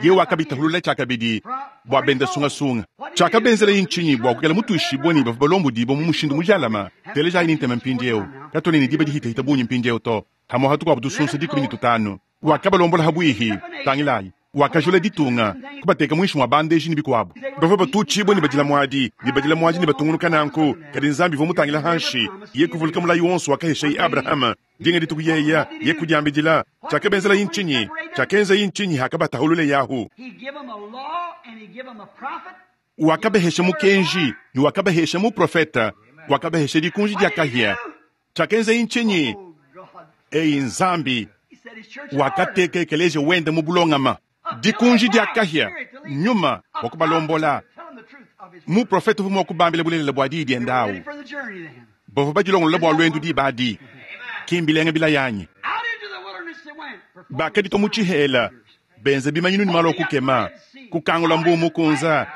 ye wakabitahulula tshiakabidi bua benda sungasunga. Tshiakabenzelayi ntshinyi bua kuikala mutuishibue ne bavua balombodibue mu mushindu mujalame? Telejayi ne ntema mpindieu, katuena ne diba dihitahita bungi mpindieu to. Hamue hatukuabu tusunsa dikumi ne tutanu. Wakabalombola habuihi. Tangilayi, wakajula ditunga, kubateka muinshi mua bandeji ne bikuabu. Bavua batutshibue ne badila muadi, ne badila muadi ne batungunuka nanku. Kadi Nzambi uvua mutangila hanshi, ye kuvuluka mulayi wonso wakaheshayi Abrahama. Dinga dituku yeya, ye kudiambidila. Tshiakabenzelayi ntshinyi? Tshiakenzayi ntshinyi hakabatahulule yahu? He give 'em a law and he give 'em a prophet. Wakabahesha mukenji ne wakabahesha muprofeta, wakabahesha dikunji dia kahia. Tshiakenzayi ntshinyi? Oh God. Eyi Nzambi He set his church in order. wakateka ekeleziya wende mu bulongama. Dikunji dia kahia, nyuma wa kubalombola. Tell 'em the truth of his Muprofeta uvua mua kubambila bulelela bua diyi diende awu. Ready for the journey then. Bavua badilongolola bua luendu diba adi. Kimbilenga bilayanyi. Out into the wilderness they went. performing Bakaditua mu tshihela, benza bimanyinu ne malu a kukema, kukangula mbu mukunza,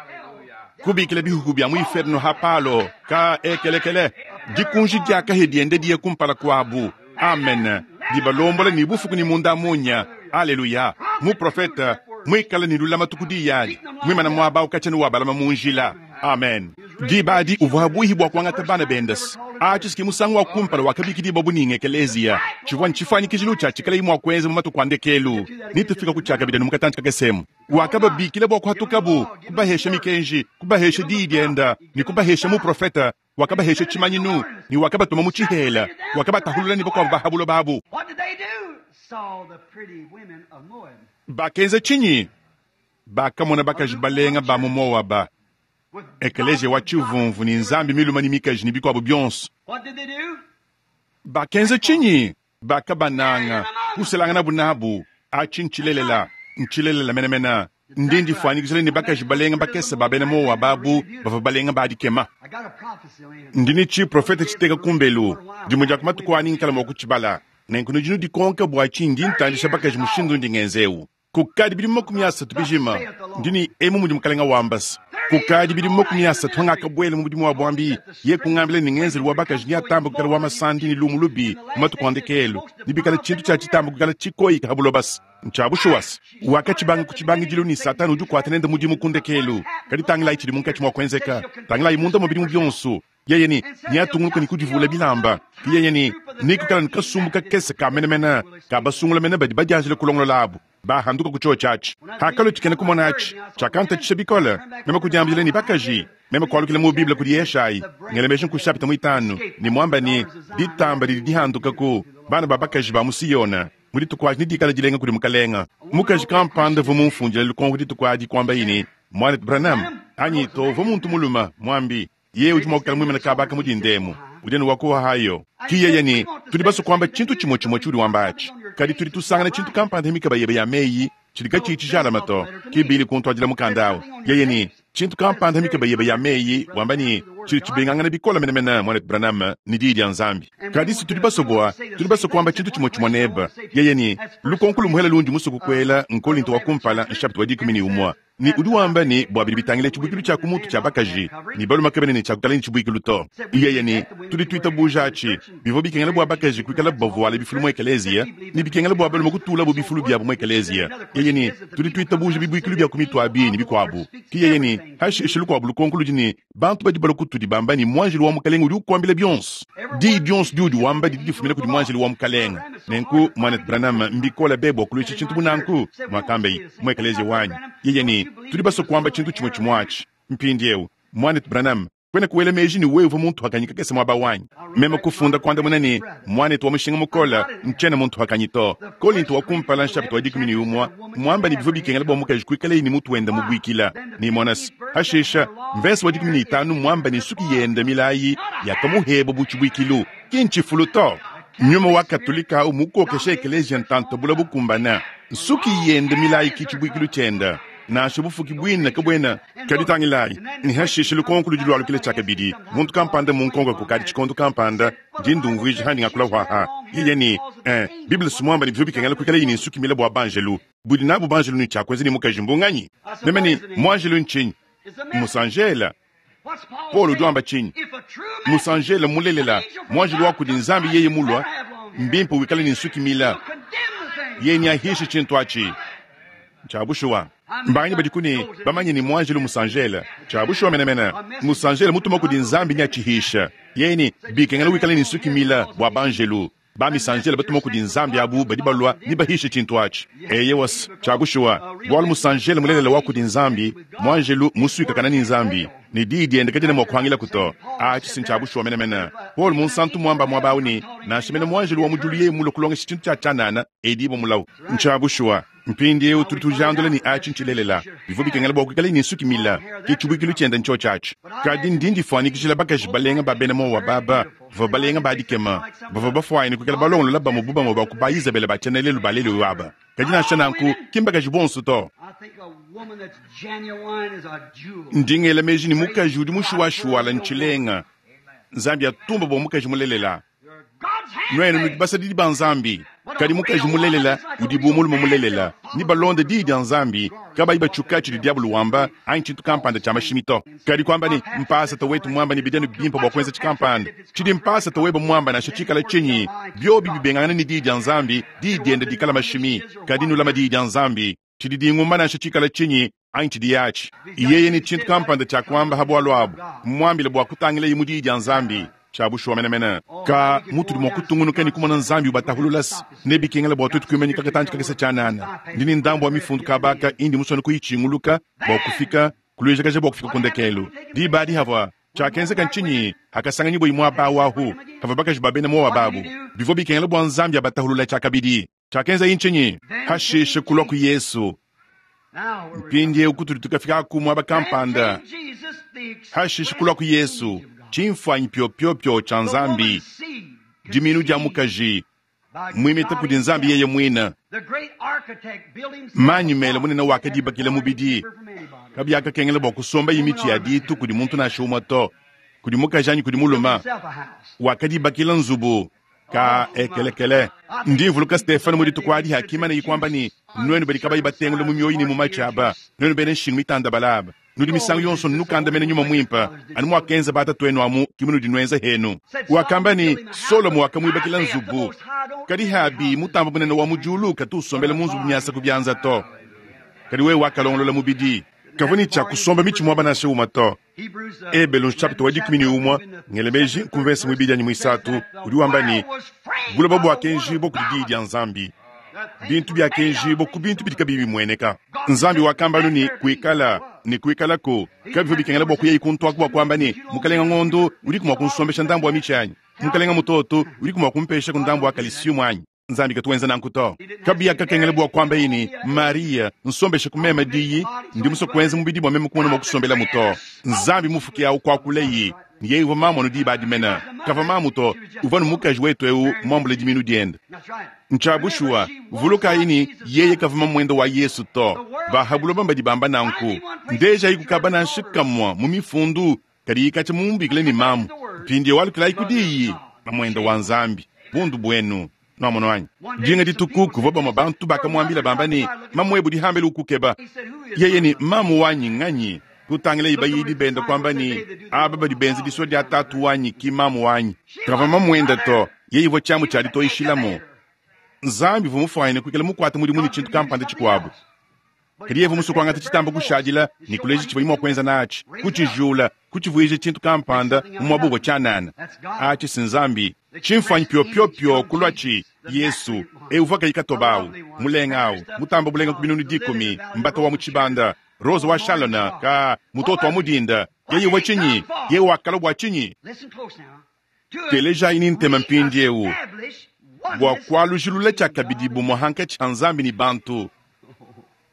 kubikila bihuhu bia mu inferno ha palo ka ekelekele. Dikunji dia kahia diende diye kumpala kuabu. Amen. Dibalombola ne bufuku ne munda munya. Aleluya. Muprofeta muikale ne lulamatu ku diyi adi, muimana muaba ukatshia wa balama mu njila. Amen. Diba adi uvua buihi bua kuangata bana bendesi. Atshi ki musangu wa kumpala wakabikidibua bu ninga ekeleziya. Tshivua ntshifuanyikijilu tshia tshikalayi mua kuenza mu matuku a ndekelu. Nitufika ku tshiakabidi mu katantshi kakesemu. Wakababikila bua kuhatukabu, kubahesha mikenji, kubahesha diyi dienda, ne kubahesha muprofeta. Wakabahesha tshimanyinu ne wakabatuma mu tshihela, wakabatahulula ne bakuabu ba ha buloba abu. What did they do? Saw the pretty women of Moab. Bakenza tshinyi? Bakamona bakaji balenga ba mu Moaba, With ekeleziya wa tshivumvu ne nzambi miluma ne mikaji ne bikuabu bionso. What did they do? Bakenza tshinyi? Bakabananga, kuselanganabu nabu. Atshi ntshilelela, ntshilelela menemene. Ndi ndifuanyikijila ne bakaji balenga bakese ba bena Moaba abu bavua balenga ba dikema. I got a prophecy on him. Ndi ne tshiprofete tshiteka kumbelu, dimue dia ku matuku anyi nkala mua kutshibala. Nenku nudi nudikonka bua tshinyi ndi ntandisha bakaji mushindu ndi ngenzewu. Kukadi bidimu makumi asatu bijima, ndi ne emu mudi mukalenga wambasa. Kukadi bidimu makumi asatu hangakabuela mu mudimu wa buambi, ye kungambila ne ngenzelu wa bakaji niatamba kukala wa masandi ne lumu lubi mu matuku a ndekelu, ne bikala tshintu tshia tshitamba kukala tshikoyika ha bulobasa. Ntshia bushuwasa. Wakatshibanga ku tshibangidilu ne Satani udi ukuata nende mudimu ku ndekelu. Kadi tangilayi tshidi munkatshi mua kuenzeka. Tangilayi munda mua bidimu bionso. Yeye ni niatungunuka ne kudivula bilamba. Yeye ni nikukala ne kasumbu kakese ka menemene ka basungula mene badi badianjila kulongolola abu. Bahanduka ku chio tshiatshi. Hakalo tshikena kumona atshi, tshiakantatshisha bikole. Meme kudiambila ne bakaji, meme kualukila mu Bible kudi Yeshayi, ngelemesha nku chapita muitanu, ne muamba ne ditamba didi dihanduka ku bana ba bakaji ba mu Siyona. Mu dituku adi ne dikala dilenga kudi mukalenga. Mukaji kampanda uvua mumfundile lukonko dituku adi kuamba ne, Mwanetu Branham, anyi to uvua muntu muluma, muambi. Ye udi mua kukala muimana kabaka mu dindemu. Udi anu wa ku Ohio. Ki yeye ne, Tudi basue kuamba tshintu tshimue tshimue tshiudi wamba atshi, kadi tudi tusangana tshintu kampanda mikaba yebe ya meyi tshidi katshiyi tshijalame to. Ke Billy kuntuadila mukanda au. Yeye ne, Tshintu kampanda mikaba yebe ya meyi, wamba ne, tshidi tshibengangana bikole menemene, Muanetu Branham, ne Diyi dia Nzambi. Kadi si tudi basue bua, tudi basue kuamba tshintu tshimue tshimue nebe. Yeye ne, Lukonko lumuele lundi musue kukuela n'Kolinto wa kumpala, nshapita wa dikumi ne umue. Ne udi wamba ne, bua bidi bitangila tshibuikilu tshia ku mutu tshia bakaji, ne balume kabena ne tshia kuikala ne tshibuikilu to. Yeye ne, Tudi tuitabuja atshi. Bivua bikengela bua bakaji kuikalabu bavuale bifulu mu ekeleziya, ne bikengela bua balume kutulabu bifulu biabu mu ekeleziya. Yeye ne, Tudi tuitabuja bibuikilu bia ku mitu abi ne bikuabu. Ke yeye ne, Hashishe lukuabu lukonko ludi ne, bantu badi balua kutudi bamba ne, Muanjelu wa Mukalenge udi ukuambila bionso. Diyi dionso diudi wamba didi difumina kudi muanjelu wa Mukalenge. Nenku, Muanetu Branham, mbikole be bua kuluisha tshintu bu nanku, muakambaye, mu ekeleziya wanyi. Yeye ne, Tudi basue kuamba tshintu tshimue tshimue atshi. Mpindieu, Muanetu Branham, kuenaku wela meji ne wewe uvua muntu wakanyi kakese muaba wanyi? Meme kufunda kuandamuna ne, Muanetu wa mushinga mukole, ntshiena muntu wakanyi to. Kolinto wa kumpala nshapita wa dikumi ne umue, muamba ne bivua bikengela bua mukaji kuikalaye ne mutu wende mubuikila. Ne mona se, hashishe, mvese wa dikumi ne itanu muamba ne nsuki yende milayi yakamuheba bu tshibuikilu. Ki ntshifulu to. Nyuma wa Katolika au mukokesha ekeleziya ntanta bula bukumbana. Nsuki yende milayi ki tshibuikilu tshiende. Nansha bufuki buine kabuena. Kadi tangilayi, ne hashishe lukonko ludi lualukila tshiakabidi. Muntu kampanda munkonko kukadi tshikondo kampanda, ndi ndumvuija handi ngakula hwaha. Yeye ne, eh, Bible si muamba ne bivua bikengela kuikala ne nsuki mile bua banjelu. Budi nabu banjelu ne tshiakuenza ne mukaji mbunganyi? Meme ne, muanjelu ntshinyi? Musanjela. Paul udi wamba tshinyi? Musanjela mulelela, muanjelu wa kudi Nzambi yeye mulua, mbimpe wikale ne nsuki mila. Yeye nyahishe tshintu atshi. Tshia bushuwa. Mbanyi badi ne bamanye ne muanjelu musanjela. Tshia bushuwa menemene. Musanjela mutuma kudi Nzambi nyatshihisha. Yeye ne bikengela wikale ne nsuki mila bua banjelu. Ba misanjela batuma kudi Nzambi abu badi balua ne bahishe tshintu atshi. Eye was tshia bushuwa. Bualu musanjela mulelela wa kudi Nzambi, muanjelu musuikakana ne Nzambi. Ne diyi diende kadiena mua kuhangila kuto. Atshi si tshia bushuwa menemene. Paul munsantu muamba muaba awu ne, nansha mene muanjelu wa mu diulu yeye mulue kulongesha tshintu tshia tshianana, edibo mulawu. Ntshia bushuwa. Mpindieu tudi tujandula ne atshi ntshilelela. Bivua bikengela bua kuikala ne nsuki mila, ke tshibuikilu tshiende ntsho tshiatshi. Kadi ndi ndifuanyikijila bakaji balenga ba bena Moaba baba, bavua balenga ba dikema, bavua bafuane kuikala balongolola bamue bu bamue ba ku ba Izabela ba tshienelelu ba lelu aba. Kadi nansha nanku, ki mbakaji bonso to. I think a woman that's genuine is a jewel. Ndi ngela meji ne mukaji udi mushuwashuwala ntshilenga. Nzambi atumba bua mukaji mulelela. You're God's Nuenu nudi handmaid. basadidi ba Nzambi. Kadi mukaji mulelela udi bu mulume mulelela, ni balonde diyi dia Nzambi, kabayi batshuka tshidi diabulu wamba anyi tshintu kampanda tshia mashimi to. Kadi kuamba ne mpasata wetu muamba ne bidianu bimpe bua kuenza tshikampanda. Tshidi mpasata webe muamba nansha tshikala tshinyi, biobi bibengangana ne diyi dia Nzambi, diyi diende dikala mashimi. Kadi nulama diyi dia Nzambi, tshidi dingumba nansha tshikala tshinyi anyi tshidi yatshi. Yeye ne tshintu kampanda tshia kuamba ha bualu abu, muambile bua kutangilaye mu diyi dia Nzambi. Tshia bushuwa menemene. Ka mutudi mua kutungunuka ne kumona Nzambi ubatahululasa, ne bikengela bua tuetu kuimanyika katantshi kakese tshianana. Ndi ne ndambu wa mifundu kabaka indi musone kuyitshinguluka bua kufika kuluijakaja bua kufika ku ndekelu. Diba adi havua tshiakenzeka ntshinyi hakasanganyibua muaba awu ahu havua bakaji ba bena Moaba abu. Bivua bikengela bua Nzambi abatahulula tshiakabidi. Tshiakenza ntshinyi? Hashishe kulua ku Yesu. Now where we Mpindieu kutudi tukafika ku muaba Then kampanda. came Jesus, the Hashishe kulua ku Yesu, express image of God. tshimfuanyi pyopyopyo tshia The Nzambi, woman's seed diminu dia conceived mukaji by muimita God kudi Nzambi himself. yeye muine. The great architect built himself Manyi a mele house munene wakadibakila that mubidi. differ from anybody. Kabiakakengela bua kusomba imitshi ya ditu kudi muntu nansha umue to, kudi mukaji anyi kudi Built mulume. himself a house. Wakadibakila nzubu ka ekelekele. Ndi mvuluka Stefano mu dituku adi hakimana yikwamba ne nuenu badi kabayi batengula mu mioyo ne mu matshi aba, nuenu bena nshingu mitanda balaba. Nudi misangu yonso nukandamena nyuma mwimpe, anu mwakenza batatu amu ki munudi nuenza henu. Wakamba ne Solomo wakamuibakila nzubu. Kadi habi mutamba munene wa mu diulu katu usombela mu nzubu miasa ku bianza to. Kadi wewe wakalongolola mubidi. Kavua ne tshia kusomba mitshi muaba nansha umue to. Hebrews, uh, Ebelu chapter wa dikumi ne umue ngele meji nkumvesa muibidi anyi muisatu udi wamba ne buloba buakenjibua kudi diyi dia Nzambi, bintu biakenjibua ku bintu bidi kabiyi bimueneka. Nzambi wakamba anu ne kuikala ne kuikalako kabivua bikengela bua kuya ikuntuaku bua kuamba ne mukalenga ngondo udiku mua kunsombesha ndambu wa mitshi anyi, mukalenga mutoto udiku mua kumpesha ku ndambu wa kalisiumu anyi. Nzambi katu wenza nanku to. Kabiakakengela bua kuamba ne, Maria, nsombeshe ku meme diyi, ndi musue kuenza mubidi bua meme kumona mua kusombelamu to. Nzambi mufuki awu kuakuleye, ne yeye uvua mamu anu diba adi mene. Kavua mamu to, uvua ne mukaji wetu eu muambule diminu diende. Ntshia bushuwa, vulukayi ne, yeye kavua mamuende wa Yesu to. Bahabuloba mbadi bamba nanku. Ndejayi kukaba nansha kamua mu mifundu, kadi katshia mumubikile ne mamu. Mpindieu alukilayi ku diyi, mamuende wa Nzambi, bundu buenu. Nwamona wanyi? Dinga dituku kuvua bamue bantu bakamuambila bamba ne, mamu ebu dihambele ukukeba. Yeye ne, mamu wanyi nganyi? Kutangila ibayidi benda kwamba ne, aba badi benza disua dia tatu wanyi ki mamu wanyi. Kavua mamuende to, yeye ivua tshiamu tshia ditoyishilamu. Nzambi uvua mufuanyine kuikala mukuate mudimu ne tshintu kampanda tshikuabu. Kadi yeye uvua musue kuangata tshitamba kushadila ne kuleja tshivuaye mua kuenza natshi, kutshijula, kutshivuija tshintu kampanda mu muaba uvua tshianana. Atshi si Nzambi. Tshimfuanyi piopio kulua tshi Yesu, eu uvua kayi katoba awu, mulenga awu, mutamba bulenga ku binunu dikumi, mbata wa mu tshibanda, Rose wa Shalona, ka mutoto wa mudinda. Yeye uvua tshinyi? Yeye wakala bua tshinyi? Telejayi ni ntema mpindieu bua kualujilula tshiakabidi bumue hankatshi ha Nzambi ne bantu.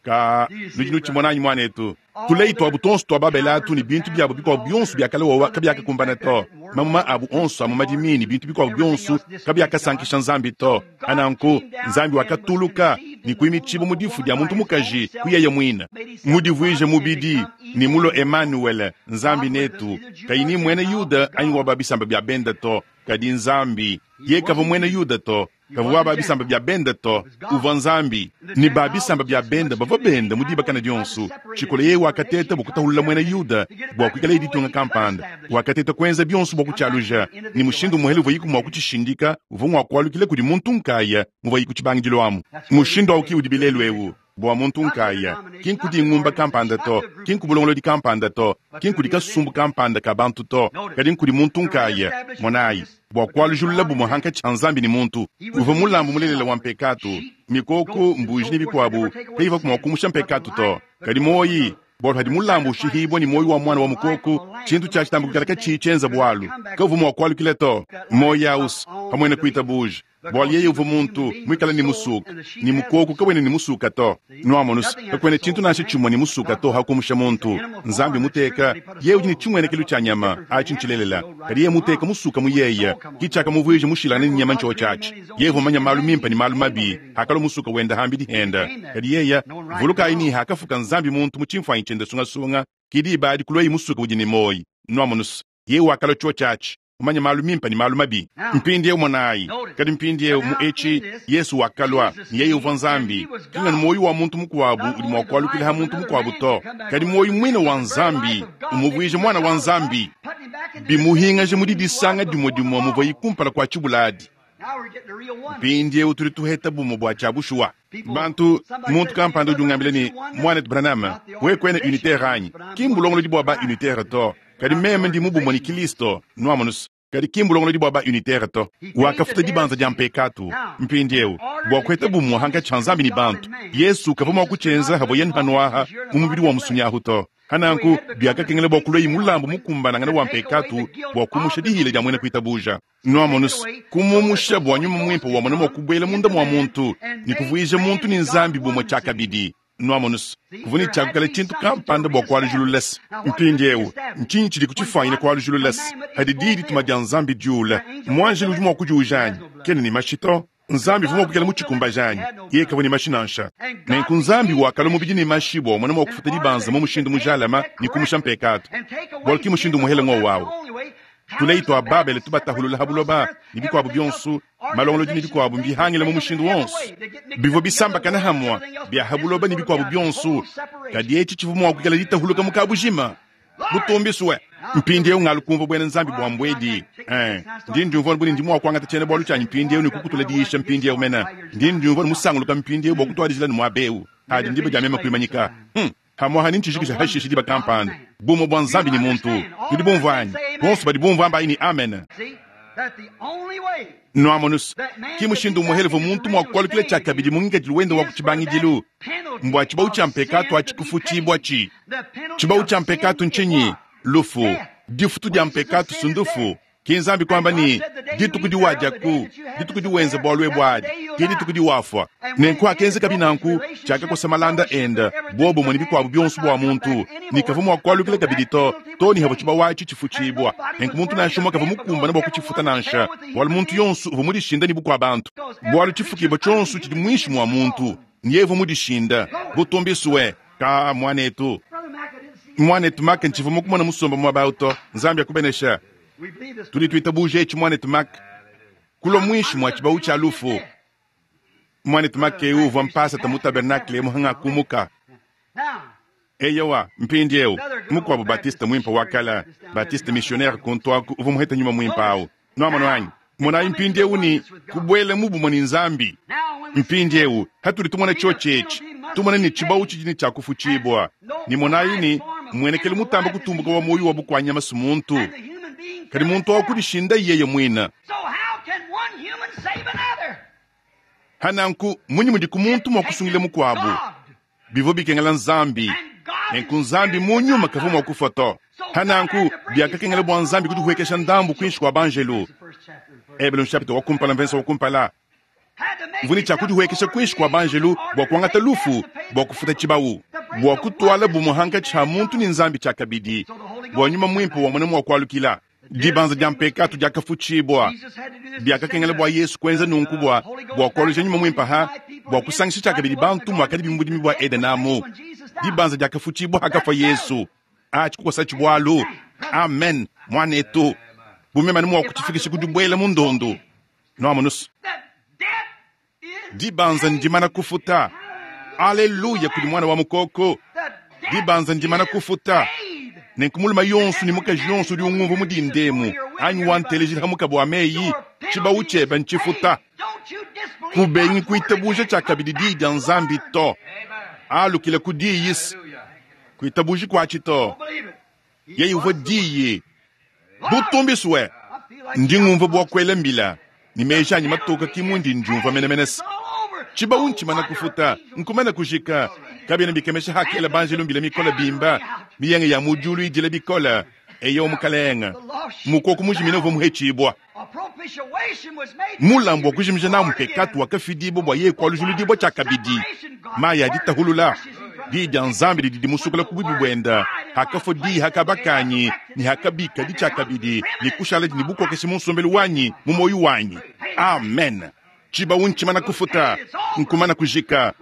Ka nudi nutshimona anyi muanetu? Tuleyi tuabu tonso tua babelatu ne bintu biabu bikuabu bionso biakale wawa kabiakakumbana to. Mamuma abu onso a mu madimi ne bintu bikuabu bionso kabiakasankisha Nzambi to. Ananku Nzambi wakatuluka ne kuimitsibu mu difu dia muntu mukaji kuyeye muina. Mudivuije mubidi ne mulo Emmanuel, Nzambi netu, kayi ni mwene Yuda anyi wa babisamba bia benda to, kadi Nzambi ye kavua mwene Yuda to, kavua wa bisamba bia benda to, uvua Nzambi. Ne ba bisamba bia benda bavua benda mu dibakana dionso. Tshikolo yeye wakateta bua kutahulula mwene Yuda bua kuikala ditunga kampanda. Wakateta kuenza bionso bua kutshialuja. Ne mushindu muhele uvua yiku mua kutshishindika, uvua mua kualukila kudi muntu nkaya muvua yiku tshibangidilo amu. Mushindu awu ki udi bilelu eu bua muntu nkaya, ki nkudi ngumba kampanda to, ki nkubulongolodi kampanda to, ki nkudi kasumbu kampanda ka bantu to, kadi nkudi muntu nkaya. Monayi, bua kualujulula bumue hankatshi ha Nzambi ne muntu. Uvua mulambu mulelela wa mpekatu, mikoko, mbuji ne bikuabu kayivua mua kumusha mpekatu to. Kadi moyi, bualu hadi mulambu ushihibua ne moyi wa mwana wa mukoko, tshintu tshia tshitambu kikala katshiyi tshienza bualu, kavua mua kualukila to. Moyi awusu pamue kuitabuja. Bualu yeye uvua muntu muikale ne musuka, ne mukoko kawena ne musuka to. Nwamonu se, kakuena tshintu nansha tshimue ne musuka to hakumusha muntu. Nzambi muteka, yeye udi ne tshimuenekelo tshia nyama, atshi ntshilelela. Kadi yeye muteka musuka mu yeye, ki tshiakamuvuija mushilangane ne nyama ntshiwo tshiatshi. Yeye uvua manya malu mimpe ne malu mabi, hakalua musuka wenda hambidi henda. Kadi yeye, vulukayi ne hakafuka Nzambi muntu mu tshimfuanyi tshiende sungasunga, ki diba adi kulua musuka udi ne moyi. Nwamonu se, yeye wakalua tshiwo tshiatshi, umanya malu mimpe ne malu mabi. Mpindieu monayi, kadi mpindieu mu etshi Yesu wakalua, ne yeye uvua Nzambi. Kinga ne moyi wa muntu mukuabu udi mua kualukila ha muntu mukuabu to, kadi moyi muine wa Nzambi umuvuije mwana wa Nzambi, bimuhingaje mu didisanga dimue dimue muvua ikumpala kua tshibuladi. Mpindieu tudi tuheta bumue bua tshia bushuwa. Bantu, muntu kampanda udi ungambila ne, mwanetu Branham, wewe kwena unitaire anyi? Ki mbulongolodi bua ba unitaire to. Kadi meme ndi mubumue ne Kristo, nwamonu se. Kadi ki mbulongolodi bua ba unitaire to. Wakafuta dibanza dia mpekatu. Mpindieu bua kuheta bumue hankatshi ha Nzambi ne bantu, Yesu kavua mua kutshienza havuaye mpanuaha mu mubidi wa musunyahu to. Hananku biakakengela bua kulua mulambu mukumbanangana wa mpekatu bua kumusha dihila dia mwene kuitabuja. Nwamonu se, kumumusha bua nyuma muimpe wa mwana mua kubuela munda mua muntu ne kuvuija muntu ne Nzambi bumue tshiakabidi. Nwamonu se, kuvua ne tshiakukala tshintu kampanda bua kualujulula se. Mpindieu ntshinyi tshidi kutshifuanyine kualujulula se? Hadi diyi dituma dia Nzambi diula, muanjelu udi mua kudiuja anyi? Kena ne mashi to. Nzambi uvua mua kuikala mutshikumbaja anyi? Yeye kavua ne mashi nansha. Nenku Nzambi wakalua mubidi ne mashi bua mwana mua kufuta dibanza mu mushindu mujalama ne kumusha mpekatu. Bualu ki mushindu muhele ng'owu awu. Tuleyi tua Babele tubatahulula ha buloba ne bikuabu bionso, malongolodi ne bikuabu mbihangile mu mushindu wonso. Bivua bisambakana hamua bia ha buloba ne bikuabu bionso, kadi etshi tshivua mua kuikala ditahuluka mu kabujima. Butumbiswe. Mpindieu ngalukumva bwena Nzambi bua mbwedi. Eh, ndi ndiumvua buni ndi mua kuangata tshiena bualu tshianyi mpindieu ne kukutula diisha mpindieu mena. Ndi ndiumvua musanguluka mpindieu bua kutuadijila ne muaba eu. Hadi ndiba dia mema kuimanyika. Hmm. Hamwaha ni ntshijikija hashishi diba kampanda. Bumue bua Nzambi ni muntu. Nudi bumvua anyi? Bonso badi bumvua ambayi ni amen. Nwamonu se, ki mushindu muhele uvua muntu mua kualukila tshiakabidi mu ngikadilu wende wa ku tshibangidilu. Mbua tshibau tshia mpekatu atshikufutshibua tshi. Tshibau tshia mpekatu ntshinyi? Lufu. Difutu dia mpekatu sundufu. Ki Nzambi kwamba ne, dituku diwadiaku, dituku diwenza bualu ebu adi, ke dituku diwafua. Nenku akenzeka binanku, tshiakakosa malanda enda, bobumwe ne bikuabu bionso bua muntu, ne kavua mua kualukila kabidi to, to ne havua tshibawu atshi tshifutshibua. Nenku muntu nansha umue kavua mukumbane bua kutshifuta nansha, bualu muntu yonso uvua mudishinda ne bukua bantu. Bualu tshifukibua tshionso tshidi muinshi mua muntu, ne yeye uvua mudishinda. Butumbisue, ka muanetu. Muanetu Mack ntshivua mukumona musomba muaba awu to. Nzambi akubenesha. Tudi tuitabuja etshi muanetu Mack kulua muinshi mua tshibawu tshia lufu. Muanetu Mack eu uvua mpasata mu tabernakle muhanga kumuka. Eyowa, mpindieu mukuabu Baptiste muimpe wa kala, Baptiste missionnaire kuntuaku uvua muheta nyuma muimpe awu. Nuamono anyi? Monayi mpindieu ni kubuela mu bumue ne Nzambi. Mpindieu hatudi tumona tshiotshi etshi, tumona ne tshibawu tshidi ne tshiakufutshibua. Ne monayi ni mmuenekelu mutamba kutumbuka wa muoyo wa bukuanyama su muntu. Kadi muntu wa kudishinda yeye muina. Hananku munyi mudi ku muntu mua kusungila mukuabu? Bivua bikengela Nzambi. Nenku Nzambi mu nyuma kavua mua kufua to. Hananku biakakengela bua Nzambi kudihuekesha ndambu kuinshi kua banjelu. Ebelu chapitre wa kumpala mvensa wa kumpala. Mvuni tshia kudihuekesha kuinshi kua banjelu bua kuangata lufu, bua kufuta tshibawu, bua kutuala bumuhanka tshia muntu ne Nzambi tshia kabidi, bua nyuma muimpe wa mwana mua kualukila. Dibanza dia mpekatu diakafutshibua. Biakakengela bua Yesu kuenza nunku bua bua kualuja nyuma muimpe ha, bua kusangisha tshia kabidi bantu muakadi bimubudimi bua Edene amu. Dibanza diakafutshibua hakafua Yesu. Atshikukosa tshibualu. Amen. Mwanetu. Bumema mua kutshifikisha kudibuela mu ndondo. Noamonusu. Dibanza ndimana kufuta. Aleluya kudi mwana wa mukoko. Dibanza ndimana kufuta. Nenku muluma yonso ne mukaji yonso udi ungumva mudindemu anyi wantelejila hamuka bua meyi tshibawu tshiebe ntshifuta. Kubengi kuitabuja tshia kabidi diyi dia Nzambi to. Alukile ku diyi kuitabuji kuatshi to. Yeye uvua diyi. Butumbiswe. Ndi ngumva bua kuela mbila. Ni meji anyi matoka ki mundi ndiumva menemenese. Tshibawu ntshimana kufuta, nkumana kujika. Kabiena bikemesha hakela banjelu mbila mikola bimba, miyenge ya mudiulu idila bikola. Eyo mukalenga. Mukoko mujimina uvua muhetshibua. Mulambu wa kujimija na mpekatu wakafidibwa bua yeye kualujuludibwa tshia kabidi. Mayi aditahulula. Diyi dia Nzambi didi dimusukula ku bubi buenda. Hakafua diyi hakabakanyi, ni hakabika di tshia kabidi, ni kushala di ni bukokeshe mu nsombelu wanyi, mu moyo wanyi. Amen. Tshibawu ntshimana kufuta, nkumana kujika.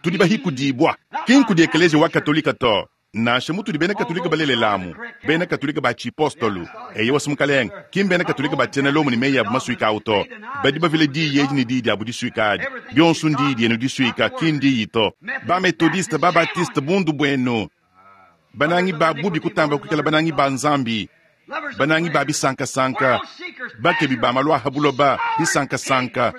Tudi bahikudibwa. Ki nkudi ekeleziya wa Katolika to. Nansha mutudi bena Katolika balelelamu, bena Katolika ba tshipostolu, eye wasi mukalenga, ki mbena Katolika ba tshiena Lomo ne meyi abu masuika awu to. Badi bavile diyi edi ne diyi diabu disuika adi. Bionso ndiyi dienu disuika, ki ndiyi to. Ba Metodiste, ba Baptiste, bundu buenu. Banangi ba bubi kutamba kuikala banangi ba Nzambi. Banangi ba bisankasanka, bakebi ba malu aha buloba, bisankasanka.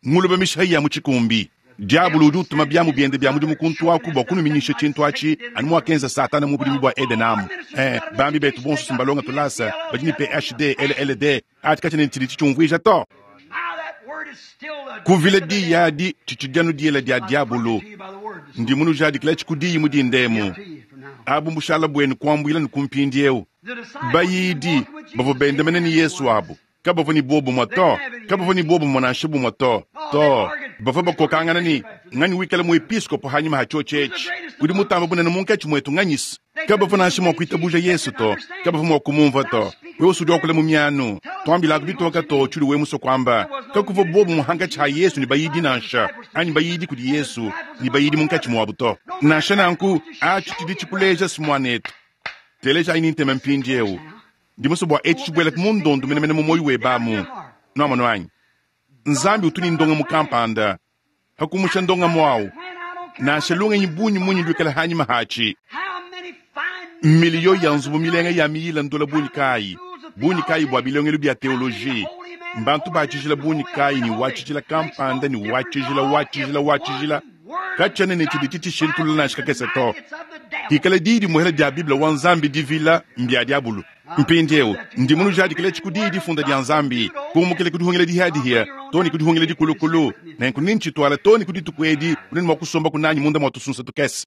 Nguluba mishayi ya mu tshikumbi. Diabolo udi utuma biamu biende bia mudimu kuntu aku bua kunuminyisha tshintu atshi, anu muakenza Satana mu budimi bua Edene amu. Eh, bambi betu bonso simbalonga tulasa, badi ne P H D, L L D, ati katshiena ne tshidi tshitshiumvuija to. Kuvila diyi adi tshitshidi diela dia diabolo. Ndi munujadikila tshikudiyi mudindemu. Abu mbushala buenu kuambuila ne kumpindieu. Bayidi bavua bendamene ne Yesu abu. Kabavua ne bobumue to. Kabavua ne bobumue nansha bumue to. To. Bavua bakokangana ne nganyi wikala muepiskopo hanyima ha tshiotshi etshi. Udi mutamba bunene munkatshi muetu nganyisi. Kabavua nansha mua kuitabuja Yesu to. Kabavua mua kumumvua to. Wewe usudi wakula mu mianu. Tuambilaku bitoka to tshidi we muso kwamba. Kakuvua bobumue hankatshi ha Yesu ne bayidi nansha. Anyi bayidi kudi Yesu ne bayidi munkatshi muabu to. Nansha nanku atshi tshidi tshikuleja simwanetu. Teleja ayi ntema mpindieu. Ndi muso bua etshi tshibuela mu ndondo menemene mu moyo webamu. Nuamono anyi? Nzambi utu ni ndonga mu kampanda. Hakumusha ndonga mwawu. Nansha lungenyi bunyi munyi lwikala hanyima hachi. Miliyo ya nzubu milenga ya miyila ndola bunyi kayi. Bunyi kayi bua bilongelo bia teoloji. Mbantu batshijila bunyi kayi ni watshijila kampanda ni watshijila watshijila watshijila. Katshiena ne tshidi tshishintulula nansha kakese to. Hikala diyi dimuhela dia Bible wa Nzambi divila mbia diabulu. Mpindieu ndi munujadikila tshikudiyi difunda dia Nzambi. Kumukile kudihungila dihadihia, to ne kudihungila dikulukulu. Nenku nintshituala to ne kudituku edi, unene mua kusomba kunanyi munda mua tusunsa tukese.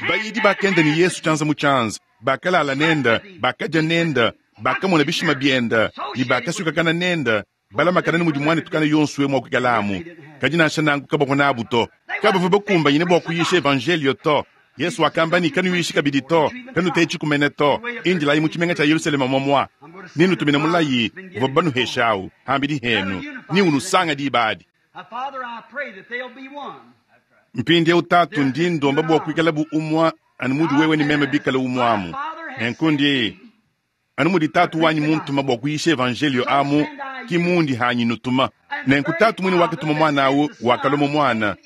Bayidi bakenda ne Yesu tshianza mu tshianza. Bakalala nende, bakadia nende, bakamona bishima biende, ne bakasukakana nende, balamakana ne mudi muanetu kana yonso we mua kuikalamu. Kadi nansha nanku kabavua nabu to. Kabavua bakumbanyine bua kuyisha evanjelio to. Yesu wakamba ne kanuyishi kabidi to, kanutetshi kumene to, indilayi mu tshimenga tshia Yerusalema mwamwa. Ninutumine mulayi uvua banuheshawu, hambidi henu, ni unusanga diba adi. Now, Father, I pray that they'll be one. Mpindieu tatu ndi ndomba bua kuikala bu umwa anu mudi wewe ni meme bikala umwamu. Nenkundi anu mudi tatu wanyi muntuma bua kuyisha evanjelio amu ki mundi hanyi nutuma. Nenku tatu mwine wakatuma mwana awu wakalua mu mwana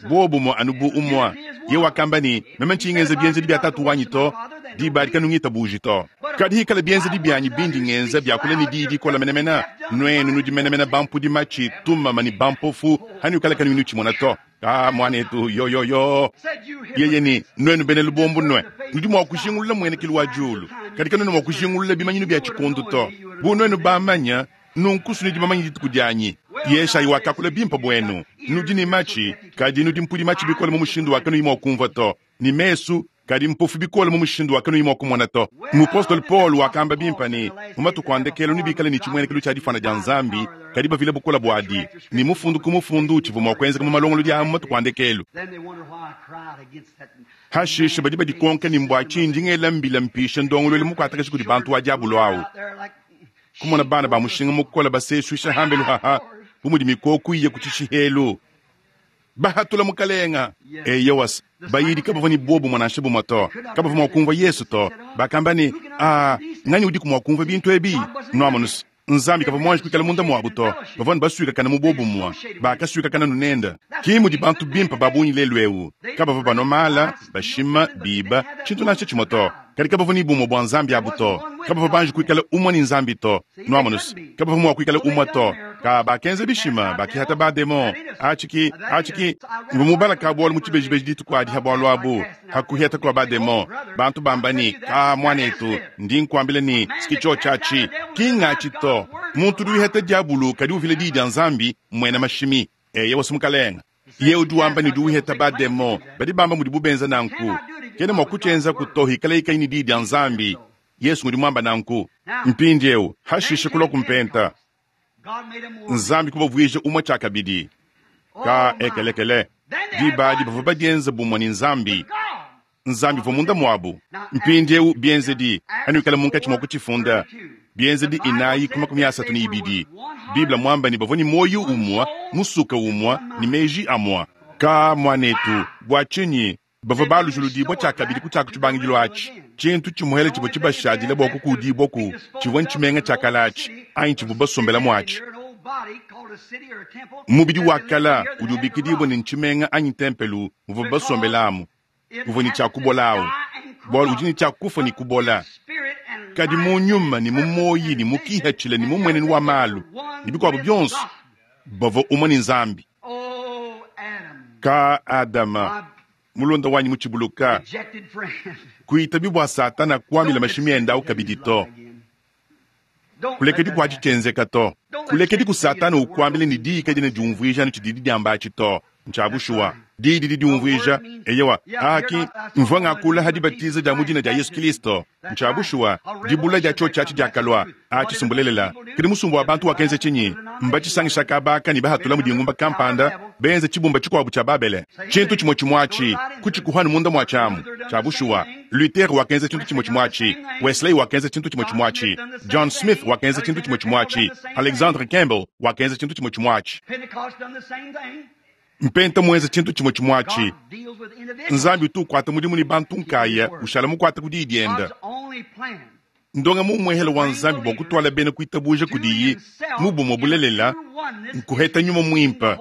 bobumwe anu bu umwa. Ye wakamba ne meme ntshingenza bienzedi bia tatu wanyi to, diba adi kanungitabuji to. Kadi hikala bienzedi byanyi bindi ngenza byakula ne diyi dikola menemene, nuenu nudi menemene bampudi matshi tumama ne bampofu hanukala kanunu tshimona to. Ah, mwanetu yo yo yo. Said you Yeye ni nwenu bene lubombo nwe nudi mua kujingulula muenekelu wa diulu, kadi kanuena mua kujingulula bimanyinu bya tshikundu to. Bu nwenu bamanya nunkusu nudi bamanya dituku dianyi. Yeshayi wakakula bimpe buenu, nudi ne matshi kadi nudi mpudi matshi bikole mu mushindu wa kanuyi mua kumvua to, ne mesu kadi mpofu bikole mu mushindu wa kanuyi mua kumona to. Mupostolo Paul wakamba bimpe ne mu matuku a ndekelu nibikale ne tshimuenekelu tshia difana dia Nzambi, kadi bavile bukola buadi ne mufundu ku mufundu tshivua mua kuenzeka mu malongolodi a mu matuku a ndekelu. Then they wonder why I cried against that. Hashishe badi badikonka ne mbua tshindi ngela mbila mpisha ndongoluelu mukuatakashi kudi bantu wa diabolo awu. Out there like Kumona bana ba mushinga mukola baseshuisha hambelu haha bu mudi mikoku iya ku tshishihelu. Bahatula mukalenga. Eyowas, bayidi kabavua ne bobu mwanashe bumwe to. Kabavua mua kumvua Yesu to. Bakamba ne, ah, nganyi udiku mua kumvua bintu ebi? Nuamonus, Nzambi kavua muanji kuikala munda muabu to. Bavua ne basuikakana mu bobumwe, bakasuikakana nunenda. Ki mudi bantu bimpe ba bungi lelu eu. Kabavua banwa mala, bashima, biba, tshintu nansha tshimwe to. Kadi kabavua ne bumwe bua Nzambi abu to. Kabavua banji kuikala umwe ne Nzambi to. Nuamonus, kabavua mua kuikala umwe to. Ka bakenza bishima, bakihata ba demon. Achiki, achiki, mvua mubala ka bualu mu tshibejibeji dituku adi ha bualu abu, hakuheta kua ba demon. Bantu bamba ne, ka mwanetu, ndi nkuambila ne, sikitsho tshiatshi, ki ngatshi to. Muntu udi wiheta diabulu kadi uvila diyi dia Nzambi, mwena mashimi. Eye wasi mukalenga. Ye udi wamba ne udi wiheta ba demon, badi bamba mudi bubenza nanku. Kena mua kutshienza kuto hikala ikanyi ne diyi dia Nzambi. Yesu ngudi muamba nanku. Mpindieu, hashishe kulua kumpenta. God made them one. Nzambi kubavuija umwe tshiakabidi. Ka ekelekele. Diba adi bavua badienza bumwe ne Nzambi. God. Nzambi uvua munda muabu. Mpindieu bienzedi anuikala munkatshi mua kutshifunda. Bienzedi inayi ku makumi asatu ne ibidi. Biblia muamba ne bavua ne muoyo umwe, musuka umwe, ne meji amwe. Ka mwanetu, bua tshinyi bavua balujuludibua tshiakabidi ku tshiaku tshibangidilo atshi. Tshintu tshimuhele tshivua tshibashadile bua kukudibua ku tshivua ntshimenga tshia kala atshi, anyi tshivua basombela muatshi. Here an old body called a city or a temple. Mubidi wa kala udi ubikidibua ne ntshimenga anyi ntempelu muvua basombelamu, uvua ne tshia kubolawu, bualu udi ne tshia kufa ne kubola. Kadi mu nyuma ne mu moyi ne mu kihatshila ne mu mmuenenu wa malu ne bikuabu bionso bavua umwe ne Nzambi. Oh, Adam, Ka Adama mulonda wanyi mu tshibuluka rejected friend. kuitabi bua Satana kuamila mashimi ende awu kabidi to. Don't let Kulekedi that kua happen. tshitshienzeka to. Kulekedi ku Satana ukuambila ne diyi kadina diumvuija ne tshididi diamba atshi to. Ntsha bushuwa diyi didi diumvuija eyewa aki mvua ngakula ha dibatiza dia mu dina dia Yesu Kristo. Ntsha bushuwa dibula dia tshio tshiatshi diakalua atshi sumbulelela. Kadi musumba wa bantu wakenza tshinyi? Mbatshisangisha kabaka ne bahatula mu dingumba kampanda benza tshibumba tshikuabu tshia Babele. Tshintu tshimwe tshimwe atshi kutshikuhanu munda mua tshiamu. Tsha bushuwa Luther wakenza tshintu tshimwe tshimwe atshi, Wesley wakenza tshintu tshimwe tshimwe atshi, John Smith wakenza tshintu tshimwe tshimwe atshi, Alexander Campbell wakenza tshintu tshimwe tshimwe atshi. Pentecost done the same thing. Mpenta muenza tshintu tshimwe tshimwe atshi. God deals with individuals. Nzambi utu ukwata mudimu ne bantu nkaya ushala mukwata ku diyi dienda. God's only plan. Ndonga mu muhele wa Nzambi bua kutwala bena kuitabuja kudiyi mu bumwe bulelela nkuheta nyuma mwimpe.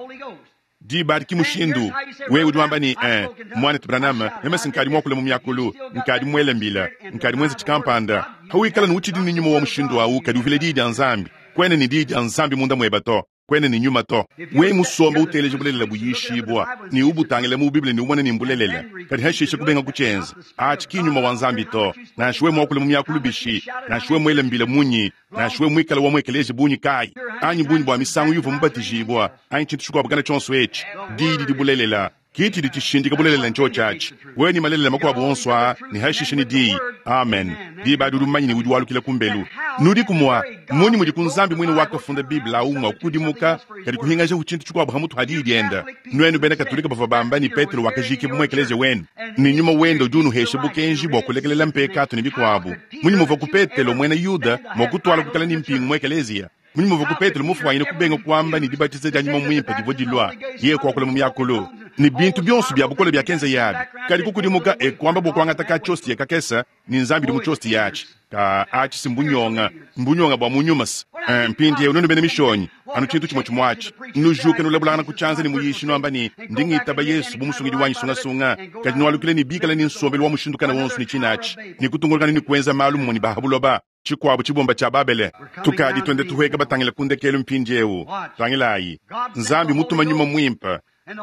Diba adi ki mushindu wewe udi wamba ne eh, mwanetu Branham meme sinkadi muakula mu miakulu nkadi muele mbila nkadi muenze tshikampanda hawikala ne utshidi ne nyuma wa mushindu awu kadi uvile diyi dia Nzambi kwene ne diyi dia Nzambi munda mueba to kwene ne nyuma to we musomba uteleje bulelela buyishibwa ne ubutangile mu Biblia ne umone ne mbulelela kadi hashishe kubenga kutshienza atshi ki nyuma wa Nzambi to nansha we muakula mu miakulu bishi nansha we muele mbila munyi nansha we muikala wa muekeleje bunyi kayi anyi bunyi bua misangu yuva mubatijibwa anyi tshintu tshikuabu kana tshionso etshi diyi didi bulelela Ke tshidi tshishindika bulelela ntshio atshi. Wewe ne malelela makuabu onso aa ne hashishe ne diyi. Amen. Diba adi udi mumanye ne udi walukila kumbelu. Nudiku mua munyi mudi ku Nzambi muine wakafunda Bible au mua kukudimuka kadi kuhingajahu tshintu tshikuabu hamutu ha diyi dienda. Nuenu bena Katolika bavua bamba ne Petelo wakajikibua mu ekeleziya wenu ne nyuma wende udi unuhesha bukenji bua kulekelela mpekatu ne bikuabu. Munyi muvua ku Petelo muena Yuda mua kutwala kukala ne mpingu mu ekeleziya? Munyi muvua ku Petelo mufuanyine kubenga kuamba ne dibatiza dia nyuma mwimpe divua dilua, yeye kuakula mu miakulu ne bintu bionso bia bukole biakenza yabi. Kadi kukudimuka e kuamba bua kuangata ka tshiosti ya kakesa ne Nzambi di mu tshiosti yatshi. Ka atshi si mbunyonga, mbunyonga bua mu nyuma se. Mpindiewu nuenu bena mishonyi, anu tshintu tshimue tshimue atshi. Nujuke nulabulangana ku tshianza ne muyishi nuamba ne ndi ngitaba Yesu bu musungidi wanyi sungasunga. Kadi nualukile ne bikala ne nsombelu wa mushindu kana wonso ne tshinatshi ne kutungulukana ne kuenza malu mumue ne bahabuloba. Tshikuabu tshibumba tshia Babele. Tukadi twende tuhueka batangila ku ndekelu mpindiewu. Tangilayi, Nzambi mutuma nyuma mwimpe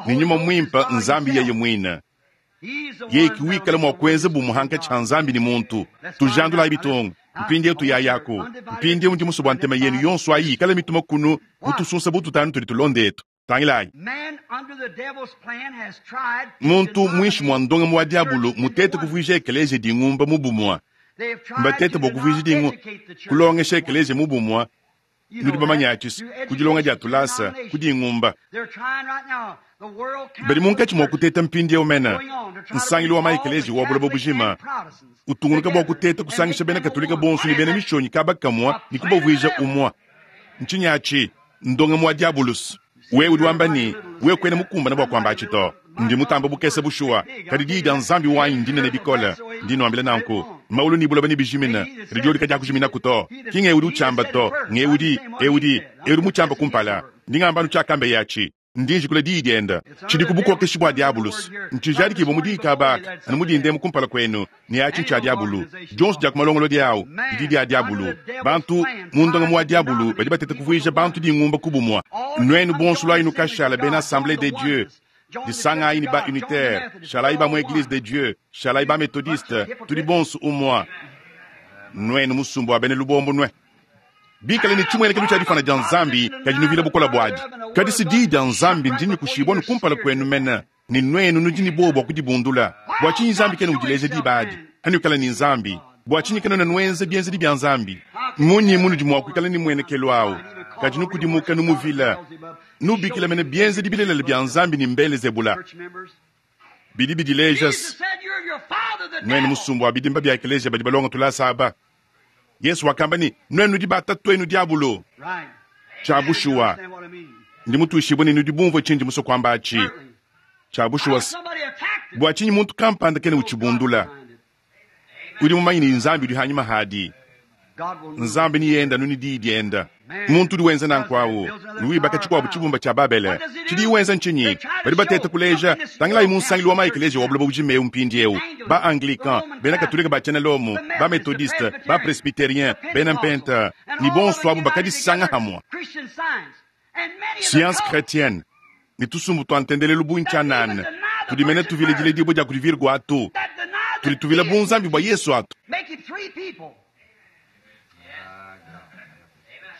ne nyuma mwimpe Nzambi yeye mwine. Yeye kiwikala mua kuenza bumuhanka tshia Nzambi ne muntu. Tujandulayi bitungu. Mpindiewu tuyayaku. Mpindiewu ndi musue bua ntema yenu yonso ayi ikala mituma kunu mutusunsa bututanu tudi tulonda etu. Tangilayi. Muntu mwinshi mwa ndonga wa diabulu mutete kuvuija ekeleziya dingumba mu bumua. Mbatete bua kuvuija dingu kulongesha ekeleziya mu bumua. Nudi bamanye atshi ku dilonga dia tulasa ku dingumba. Badi munkatshi mua kuteta mpindiewu mena nsangilu wa maekeleziya wa buloba bujima utungunuka bua kuteta kusangisha bena Katolika bonso ne bena mishonyi kaba kamua ne kubavuija umua. Ntshinyi atshi ndonga mua diabulusi. Wewe udi wamba ne wewe kwena mukumbana bua kuamba atshi to. Ndi mutamba bukese bushuwa, kadi diyi dia Nzambi wanyi ndinene bikole. Ndi nuambila nanku, maulu ni buloba ni bijimina, kadi diodi kadiakujiminaku to. Ki ngewu udi utshamba to, ngewu udi, ewu udi, ewu udi mutshamba kumpala. Ndi ngamba anu tshiakambe yatshi. Ndi njikula diyi dienda. Tshidi ku bukokeshi bua diabulusi. Ntshijadikibua mu diyi kabaka, anu mudindemu kumpala kwenu, ne atshi ntshia diabulu. Dionso dia ku malongolodi awu, didi dia diabulu. Bantu mu ndongamu wa diabulu badi bateta kuvuija bantu dingumba ku bumua. Nuenu bonso lwayi nukashala bena Assemblée de Dieu. Disangayi ni ba unitaire, shalayi ba mu Église de Dieu, shalayi ba méthodiste, tudi bonso umua. Nuenu musumbu wa bena lubombo nwe. Bikale ne tshimuenekelo tshia difana dia Nzambi kadi nuvila bukola buadi. Kadi si diyi dia Nzambi ndinyi kushibua nukumpala kwenu mena ne nuenu nudi ne buowa bua kudibundula. Bua tshinyi Nzambi kena udileja diba adi? Anuikala ne Nzambi. Bua tshinyi kena nuenza bienzedi bia Nzambi? Munyi munudi mua kuikala ne muenekelo awu? Kadi nukudimuka numuvila. Nubikila mene bienzedi bilelela bia Nzambi ne mbelezebula. Bidi bidileja nuenu musumbu wa bidimba bia ekeleziya badi balonga tulasa aba. Yesu wakamba ne nuenu nudi batatuenu diabulu. Tshia bushuwa ndi mutuishibue ne nudi bumvue tshindi musue kuamba atshi. Tshia bushuwa bua tshinyi muntu kampanda kena utshibundula. Udi mumanye ne Nzambi udi hanyima hadi. Nzambi ni yenda nuni diyi dienda. Muntu udi wenza nanku awu nuwibaka tshikuabu tshibumba tshia Babele. Tshidi wenza ntshinyi? Badi bateta kuleja tangilayi mu nsangilu wa maekeleziya wa buloba bujima ewu mpindiewu. Ba Anglican, bena Katolika ba tshiena Lomo, ba Methodiste, ba Presbyterien, bena Mpenta ne bonso abu bakadisanga hamua. Science chrétienne ne tusumbu tua ntendelelu bu ntshianana tudi mene tuvila diledibua dia kudi Virgo atu. Tudi tuvila bu Nzambi bua Yesu atu.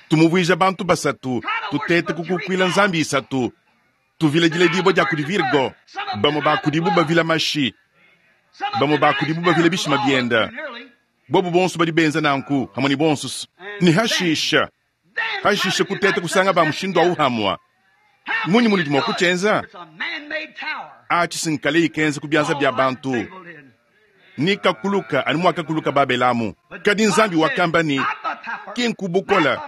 Tumuvuija bantu basatu, tutete kukukuila Nzambi isatu, tuvila diledibua dia kudi Virgo, bamue bakudibu bavila mashi, bamue bakudibu bavila bishima bienda. Bobu bonso badi benza nanku hamwe ne bonso ne hashisha. Hashisha kutete kusanga ba mushindu awu hamwa. Munyi munudi mua kutshienza? Atshi sinkale ikenza ku bianza bia bantu. Ni kakuluka anu muakakuluka Babelamu. Kadi Nzambi wakamba ne ki nkubukola,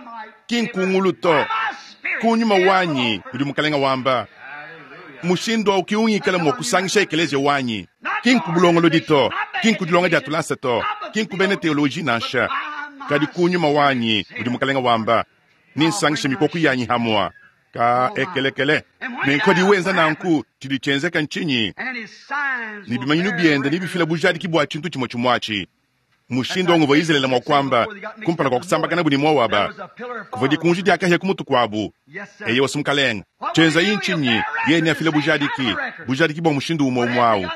ki nkungulu to. Kunyuma wanyi udi mukalenga wamba. Mushindu awu kiungikala mua kusangisha ekeleziya wanyi. Ki nkubulongolodi to, ki nkudilonga dia tulasa to, ki nkubena teoloji nansha. Kadi kunyuma wanyi udi mukalenga wamba. Ni nsangisha mikoku yanyi hamwa. Ka ekelekele. Nenku wenza nanku tshidi tshienzeka ntshinyi? Ne bimanyinu biende ne bifila bujadiki bua tshintu tshimue tshimue atshi. Mushindu wangu wa Israele mua kuamba kumpala kua kusambakana buni Moaba. Kuvua dikunji diakahia ku mutu kuabu. Eye wasu mukalenga. Tshienzayi ntshinyi? Yeye neafile bujadiki. Bujadiki bua mushindu umue umue awu.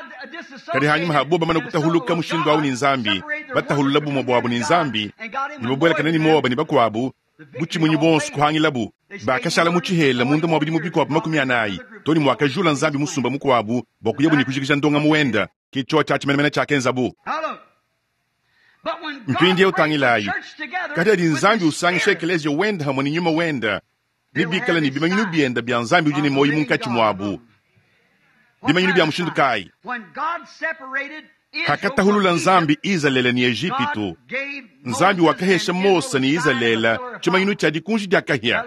Kadi hanyuma habo bamana kutahuluka mushindu awu ne Nzambi, batahulula bumue buabu ne Nzambi, ne babuelakana ne Moaba ne bakuabu, butshimunyi bonso kuhangilabu. Bakashala mu tshihela munda mua bidimu bikuabu makumi anayi, too ne muakajula Nzambi musumba mukuabu bua kuyabu ne kujikija ndongamu wenda. Ke tshiotshi atshi menemene tshiakenzabu. Mpindieu tangilayi, kadi adi Nzambi usangisha ekeleziya wenda hamwe ne nyuma wenda, ne bikala ne bimanyinu bienda bia Nzambi udi ne muoyo munkatshi muabu. Bimanyinu bia mushindu kayi? Hakatahulula Nzambi Izalele ne Ejipitu, Nzambi wakahesha Mose ne Izalele tshimanyinu tshia dikunji dia kahia.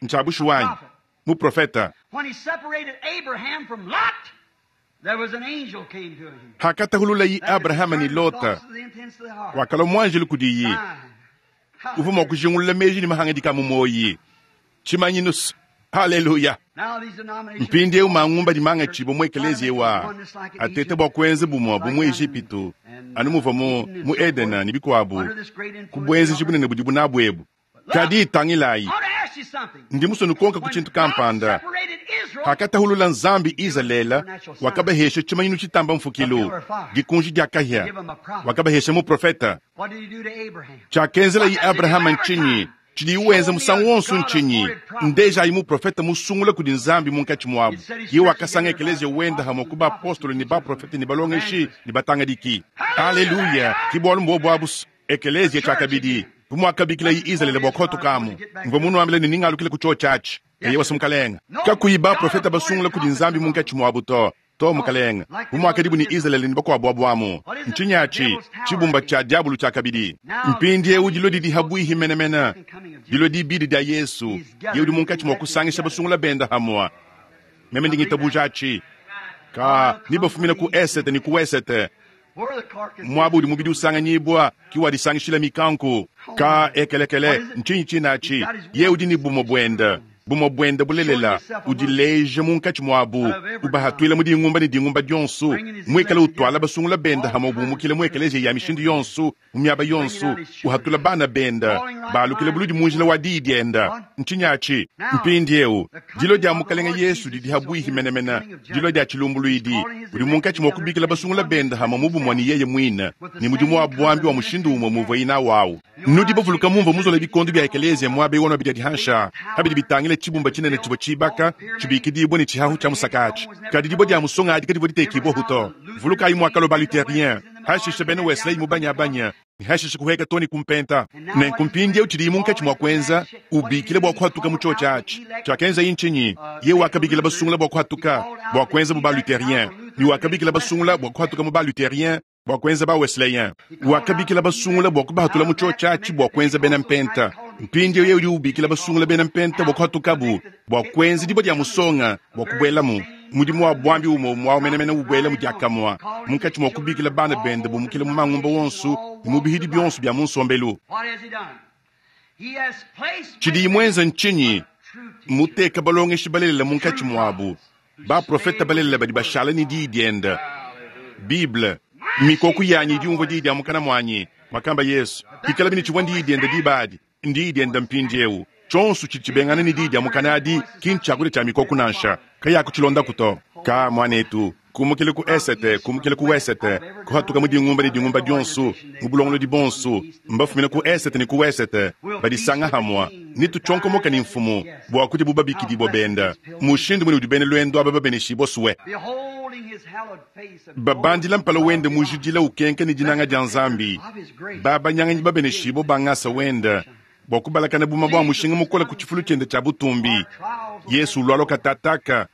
Ntshia bushuwa muprofeta. Hakatahululayi Abrahama ne Lota, wakalua muanjelu kudiyi, uvua mua kujingulula meji ne mahangadika mu muoyi. Tshimanyinu. Haleluya. Mpindieu mangumba di mangatshibua mu ekeleziya wa atete bua kuenza bumue bu mu Ejipitu, anu muvua mu mu Edena ne bikuabu, ku buenzeji bunene budibu nabu ebu. Kadi tangilayi, ndi musue nukonka ku tshintu kampanda. Hakatahulula Nzambi Izalele, wakabahesha tshimanyinu tshitamba mfukilu, dikunji dia kahia, wakabahesha muprofeta. Tshiakenzelayi Abrahama ntshinyi? Tshidi wenza musangu wonso ntshinyi? Ndejayi muprofeta musungula kudi Nzambi munkatshi muabu. Ye wakasanga ekeleziya wenda hamwe ku bapostolo ne baprofete ne balongeshi ne batangadiki. Aleluya! Ke bualu mbuobu abu ekeleziya tshiakabidi bu muakabikilayi Izalele bua kuhatukamu. Mvua munuambile ne ningalukile ku tshiotshi atshi. Eye wasa mukalenga. Kakuyi baprofeta basungula kudi Nzambi munkatshi muabu to. To mukalenga, bu muakadibu ne Izalele ne bakuabu abu amu. Ntshinyi atshi? Tshibumba tshia diabulu tshiakabidi. Mpindieu dilua didi habuihi menemene, dilua dibidi dia Yesu, ye udi munkatshi mua kusangisha basungula benda hamua. Meme ndi ngitabuja atshi. Ka ni bafumina ku esete ne ku wesete, muaba udi mubidi usanganyibua ki wadisangishila mikanku. Ka ekelekele ntshinyi tshinatshi? Ye udi ne bumue buenda, bumue buenda bulelela, udileja munkatshi muabu, ubahatuila mu dingumba ne dingumba dionso, muikale utwala basungula benda hamwe bumukile mu ekeleziya ya mishindu yonso, mu miaba yonso, uhatula bana benda, balukile buludi mu njila wa diyi dienda. Ntshinyi atshi? Mpindieu dilo dia mukalenga Yesu didi habuihi menemene, dilo dia tshilumbuluidi, udi munkatshi mua kubikila basungula benda hamwe mu bumue ne yeye muine, ne mudimu wa buambi wa mushindu umue muvua inawu. Nudi bavuluka mumvua muzola bikondo bia ekeleziya muaba ewu wano bidi dihansha habidi bitangile tshibumba tshinene tshivua tshibaka tshibikidibua ne tshihahu tshia musakatshi. Kadi dibua dia musonga adi kadivua ditekibua huto. Vulukayi muakalo ba Lutherien, hashisha bena Wesley mu banyabanya, hashisha kuheka toni kumpenta. Nenku mpindieu tshidi munkatshi mua kuenza, ubikile bua kuhatuka mu tshiotshi atshi. Tshiakenza ntshinyi? Ye wakabikila basungula bua kuhatuka bua kuenza mu ba Lutherien, ne wakabikila basungula bua kuhatuka mu ba Lutherien bua kuenza ba Wesleyen. Wakabikila basungula bua kubahatula mu tshiotshi atshi bua kuenza bena mpenta. Mpindieu ye udi ubikila basungula bena mpenta bua kuhatukabu bua kuenza dibua dia musonga bua kubuelamu. Mudimu wa buambi umue umue menemene ubuela mu diakamua, munkatshi mua kubikila bana bende bumukile mu mangumba wonso ne mu bihidi bionso bia mu nsombelu. Tshidi muenza ntshinyi? Muteka balongeshi balelela munkatshi muabu, baprofeta balelela badi bashala ne diyi dienda. Bible, mikoko yanyi idi umvua diyi dia mukana muanyi, makamba Yesu. Ikala bine tshivua ndiyi dienda diba adi, ndiyi dienda mpindieu. Tshionso tshidi tshibengana ne diyi dia mukana adi ki ntshiakudia tshia mikoko nansha, kayaku to. Ka muanetu, kumukile ku esete, kumukile ku wesete, kuhatuka mu dingumba ne dingumba dionso, mu bulongolodi bonso, mbafumina ku esete ne ku wesete, badisanga hamwa, ne tutshonkomoka ne mfumu, bua kudi bubabikidibua benda. Mushindu mune udi bena lwendo aba babeneshibua suwe. Babandila mpala wende mujidila ukenka ne dinanga dia Nzambi. Babanyanganyi babeneshibua bangasa wenda, bua kubalakana buma bua mushinga mukola ku tshifulu tshiende tshia butumbi. Yesu ulwalo katataka,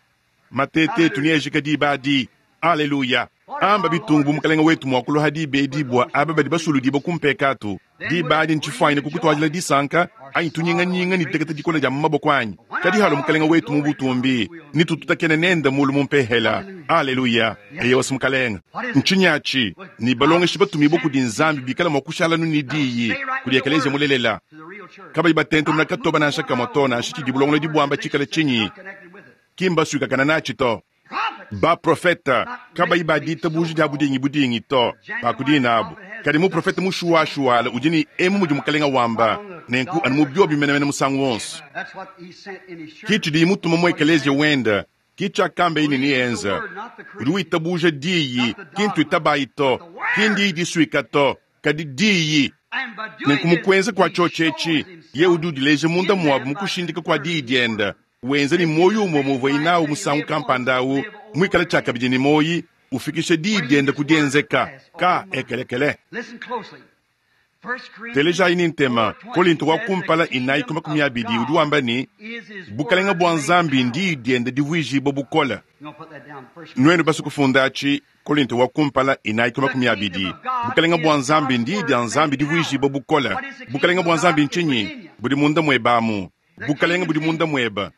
matete tuniejika diba adi. Aleluya. Amba bitungu bu mukalenga wetu mua kuloha diba edi bua aba badi basuludibua ku mpekatu. Diba adi ntshifwanyine kukutwajila disanka anyi tunyinganyinga ne diteketa dikola dia mu maboko anyi. Kadi halo mukalenga wetu mu butumbi, ne tututakene nenda mulu mu mpehela. Aleluya. Eye wasi mukalenga. Ntshinyi atshi? Ni balongeshi batumibua kudi Nzambi bikala mua kushala nu ne diyi kudi ekeleziya mulelela. Kabayi batentemuna katoba nansha kamue to, nansha tshidi bulongolodi buamba tshikale tshinyi, ki mbasuikakana natshi to. Baprofeta kabayi baditabuja dia budingi budingi to, bakudina abu. Kadi muprofeta mushuwashuwala udi ne emu mudi mukalenga wamba, nenku anu mu biobi menemene musangu wonso. Ki tshidi mutuma mu ekeleziya wenda, ki tshiakamba ini ni enza. Udi witabuja diyi, ki ntuitabayi to, ki ndiyi disuika to, kadi diyi. Nenku mu kuenza kua tshiotshi etshi, yeye udi udileja munda muabu mu kushindika kua diyi diende, wenza ne muoyo umue muvuaye nawu musangu kampanda awu, muikale tshiakabidi ne muoyo, ufikisha diyi diende ku dienzeka. Ka ekelekele. Telejayi ne ntema, Kolinto wa kumpala inayi ku makumi abidi udi wamba ne, Bukalenge bua Nzambi ndiyi diende divuijibua bukole. Nuenu basue kufunda atshi, Kolinto wa kumpala inayi ku makumi abidi. Bukalenge bua Nzambi ndiyi dia Nzambi divuijibua bukole. Bukalenge bua Nzambi ntshinyi? Budi munda muebe amu. Bukalenge budi munda muebe.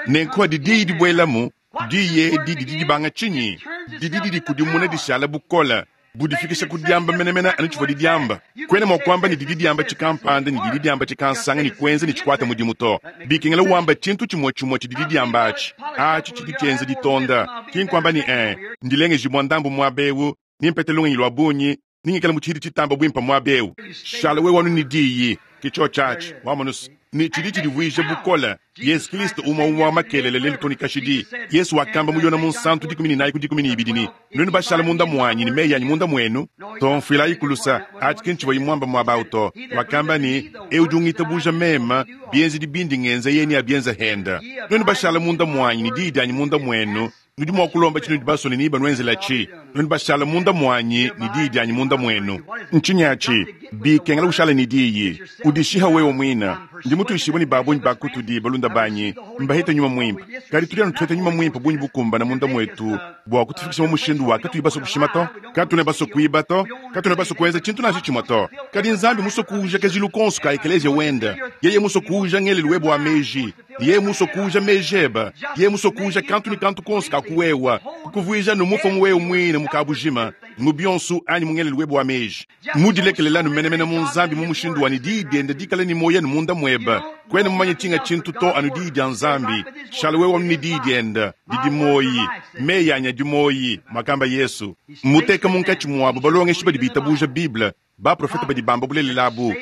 Nenku adi diyi dibuelamu, diyi edi didi dibanga tshinyi? Didi didikudimuna dishala bukole, budifikisha ku diamba menemene anu tshivua didiamba. Kuena mua kuamba ne didi diamba tshikampanda ne didi diamba tshikansanga ne kuenza ne tshikuata mudimu to. Bikengela wamba tshintu tshimue tshimue tshidi didiamba atshi. Atshi tshidi tshienza ditonda. Ki nkuamba ne eh, ndilengejibua ndambu muaba eu, nimpete lungenyi lua bungi, ningikale mu tshidi tshitamba buimpe muaba eu. Shala wewe anu ne diyi, ke tshiotshi atshi, wamonu se, ne tshidi tshidivuija bukole. Yesu Kristo umue umue wa makelele lelu too ne kashidi. Yesu wakamba mu Yona Munsantu dikumi ne inayi ku dikumi ne ibidi ne, Nuenu bashala munda muanyi ne meyi anyi munda muenu, to mfuilayi ku lusa. Atshi ki ntshivuaye muamba muaba au to. Wakamba ne, Eu udi ungitabuja meme, bienzedi bindi ngenza yeye neabienze henda. Nuenu bashala munda muanyi ne diyi dianyi munda muenu, nudi mua kulomba tshinudi basue ne nebanuenzelatshi. Nuenu bashala munda muanyi ne diyi dianyi munda muenu. Ntshinyi atshi? Bikengela ushala ne diyi, udishiha wewe muine. Ndi mutuishibue ne ba bungi ba kutudi balunda banyi mbahete nyuma muimpe, kadi tudi anu tuheta nyuma muimpe bungi bukumbana munda muetu bua kutufikisha mu mushindu wa katuyi basue kushima to, katuena basue kuiba to, katuena basue kuenza tshintu nansha tshimue to. Kadi Nzambi musue kuuja kajilu konso ka ekeleziya wende, yeye musue kuuja ngelelu webe wa meji, yeye musue kuuja meji ebe, yeye musue kuuja kantu ne kantu konso ka kuwewa, kukuvuija nu mufa mu wewe muine mu kabujima, mu bionso anyi mu ngelelu webe wa meji. Mudilekelelanu menemene mu Nzambi mu mushindu wa ne diyi diende dikale ne muoyo anu munda muebe. Kuena mumanye tshinga tshintu to anu diyi dia Nzambi. Shala wewe anu ne diyi diende didi muoyi. Meyi anyi adi muoyi, muakamba Yesu. Muteka munkatshi muabu balongeshi badi bitabuja Bible, baprofete badi bamba bulelela abu,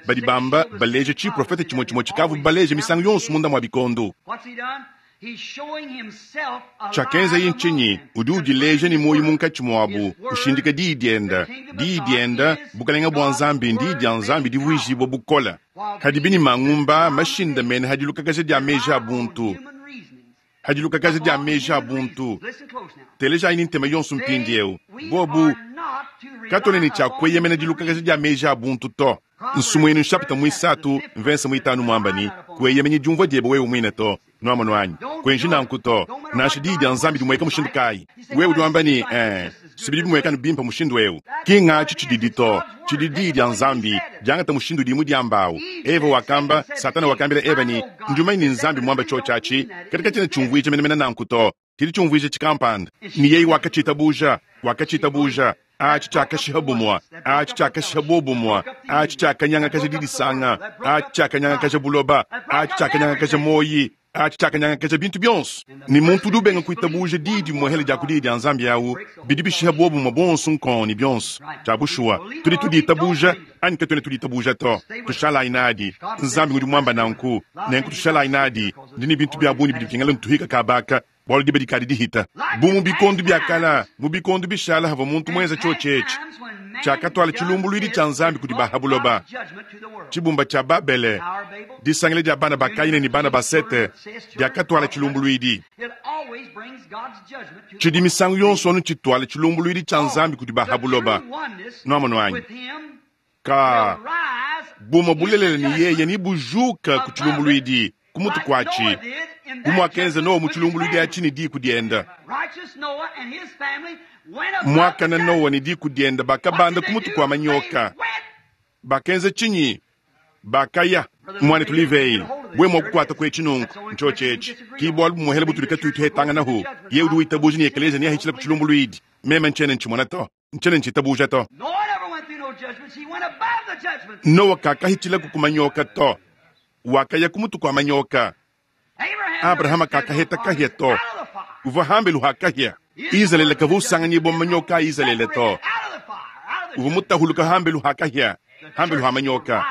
badi bamba baleja tshiprofete tshimue tshimue tshikavu baleja misangu yonso munda mua bikondo. Tshiakenzaye ntshinyi? Udi udileja ne muoyo munkatshi muabu, ushindika diyi diende. Diyi diende, bukalenge bua Nzambi ndiyi dia Nzambi divuijibua bukole. Hadibi ne mangumba mashindamene hadilukakaja dia meji a buntu. Hadilukakaja dia meji a buntu. Telejayi ne ntema yonso mpindieu. Bobu katuena ne tshia kueyemena dilukakaja dia meji a buntu to. Nsumuinu nshapita muisatu mvensa muitanu muamba ne, kueyemenyi diumvua diebe wewe muine to. Nuamonu anyi? Kuenji nanku to. Nansha diyi dia Nzambi dimueka mushindu kayi? Wewe udi wamba ne, eh, sibidi bimueka anu bimpe mushindu eu. Ki ngatshi tshididi to. Tshidi diyi dia Nzambi diangata mushindu udi mudiamba awu. Eva wakamba, Satana wakambila Eva ne, ndi mumanye ne Nzambi muamba tshiotshi atshi, kadi katshiena tshiumvuija menemene nanku to. Tshidi tshiumvuija tshikampanda. Ne yeye wakatshitabuja, wakatshitabuja. Atshi tshiakashiha bumua, atshi tshiakashiha bobumua, atshi tshiakanyangakaja didisanga, atshi tshiakanyangakaja buloba, atshi tshiakanyangakaja moyi, atshi tshiakanyangakaja bintu bionso. Ne muntu udi ubenga kuitabuja diyi dimuehele dia ku diyi dia Nzambi awu, bidi bishiha bobumua bonso nkong ne bionso. Tshia bushuwa, tudi tuditabuja anyi katuena tuditabuja to. Tushalayi nadi. Nzambi udi muamba nanku, nenku tushalayi nadi. Ndi ne bintu bia bungi bidi bikengela ntuhika kabaka, bualu diba dikadi dihita. Bu mu bikondo bia kala, mu bikondo bishala havua muntu muenza tshiotshi etshi, tshiakatuala tshilumbuluidi tshia Nzambi kudi ba ha buloba. Tshibumba tshia Babele, disangila dia bana ba Kaine ne bana ba Sete, diakatuala tshilumbuluidi. Tshidi misangu yonso anu tshituala tshilumbuluidi tshia Nzambi kudi ba ha buloba. Nuamonu anyi? Ka bumue bulelela ne yeye ne bujuka ku tshilumbuluidi ku mutu kuatshi, bu muakenza Noa mu tshilumbuluidi atshi ne diku diende. Muakana Noa ne diku diende bakabanda ku mutu kua manyoka. Bakenza tshinyi? Bakaya. Muanetu Livei, we mua kukuata kuetshi nunku, ntshiotshi etshi. Ki bualu bumuehele butudi katuyi tuhetanganahu. Ye udi witabuja ne ekeleziya neahitshile ku tshilumbuluidi. Meme ntshiena ntshimona to, ntshiena ntshitabuja to. Noa kakahitshilaku ku manyoka to, wakaya ku mutu kua manyoka. Abrahama kakaheta kahia to, uvua hambelu ha kahia. Izalele kavua usanganyibua mu manyoka a Izalele to, uvua mutahuluka hambelu ha kahia, hambelu ha manyoka.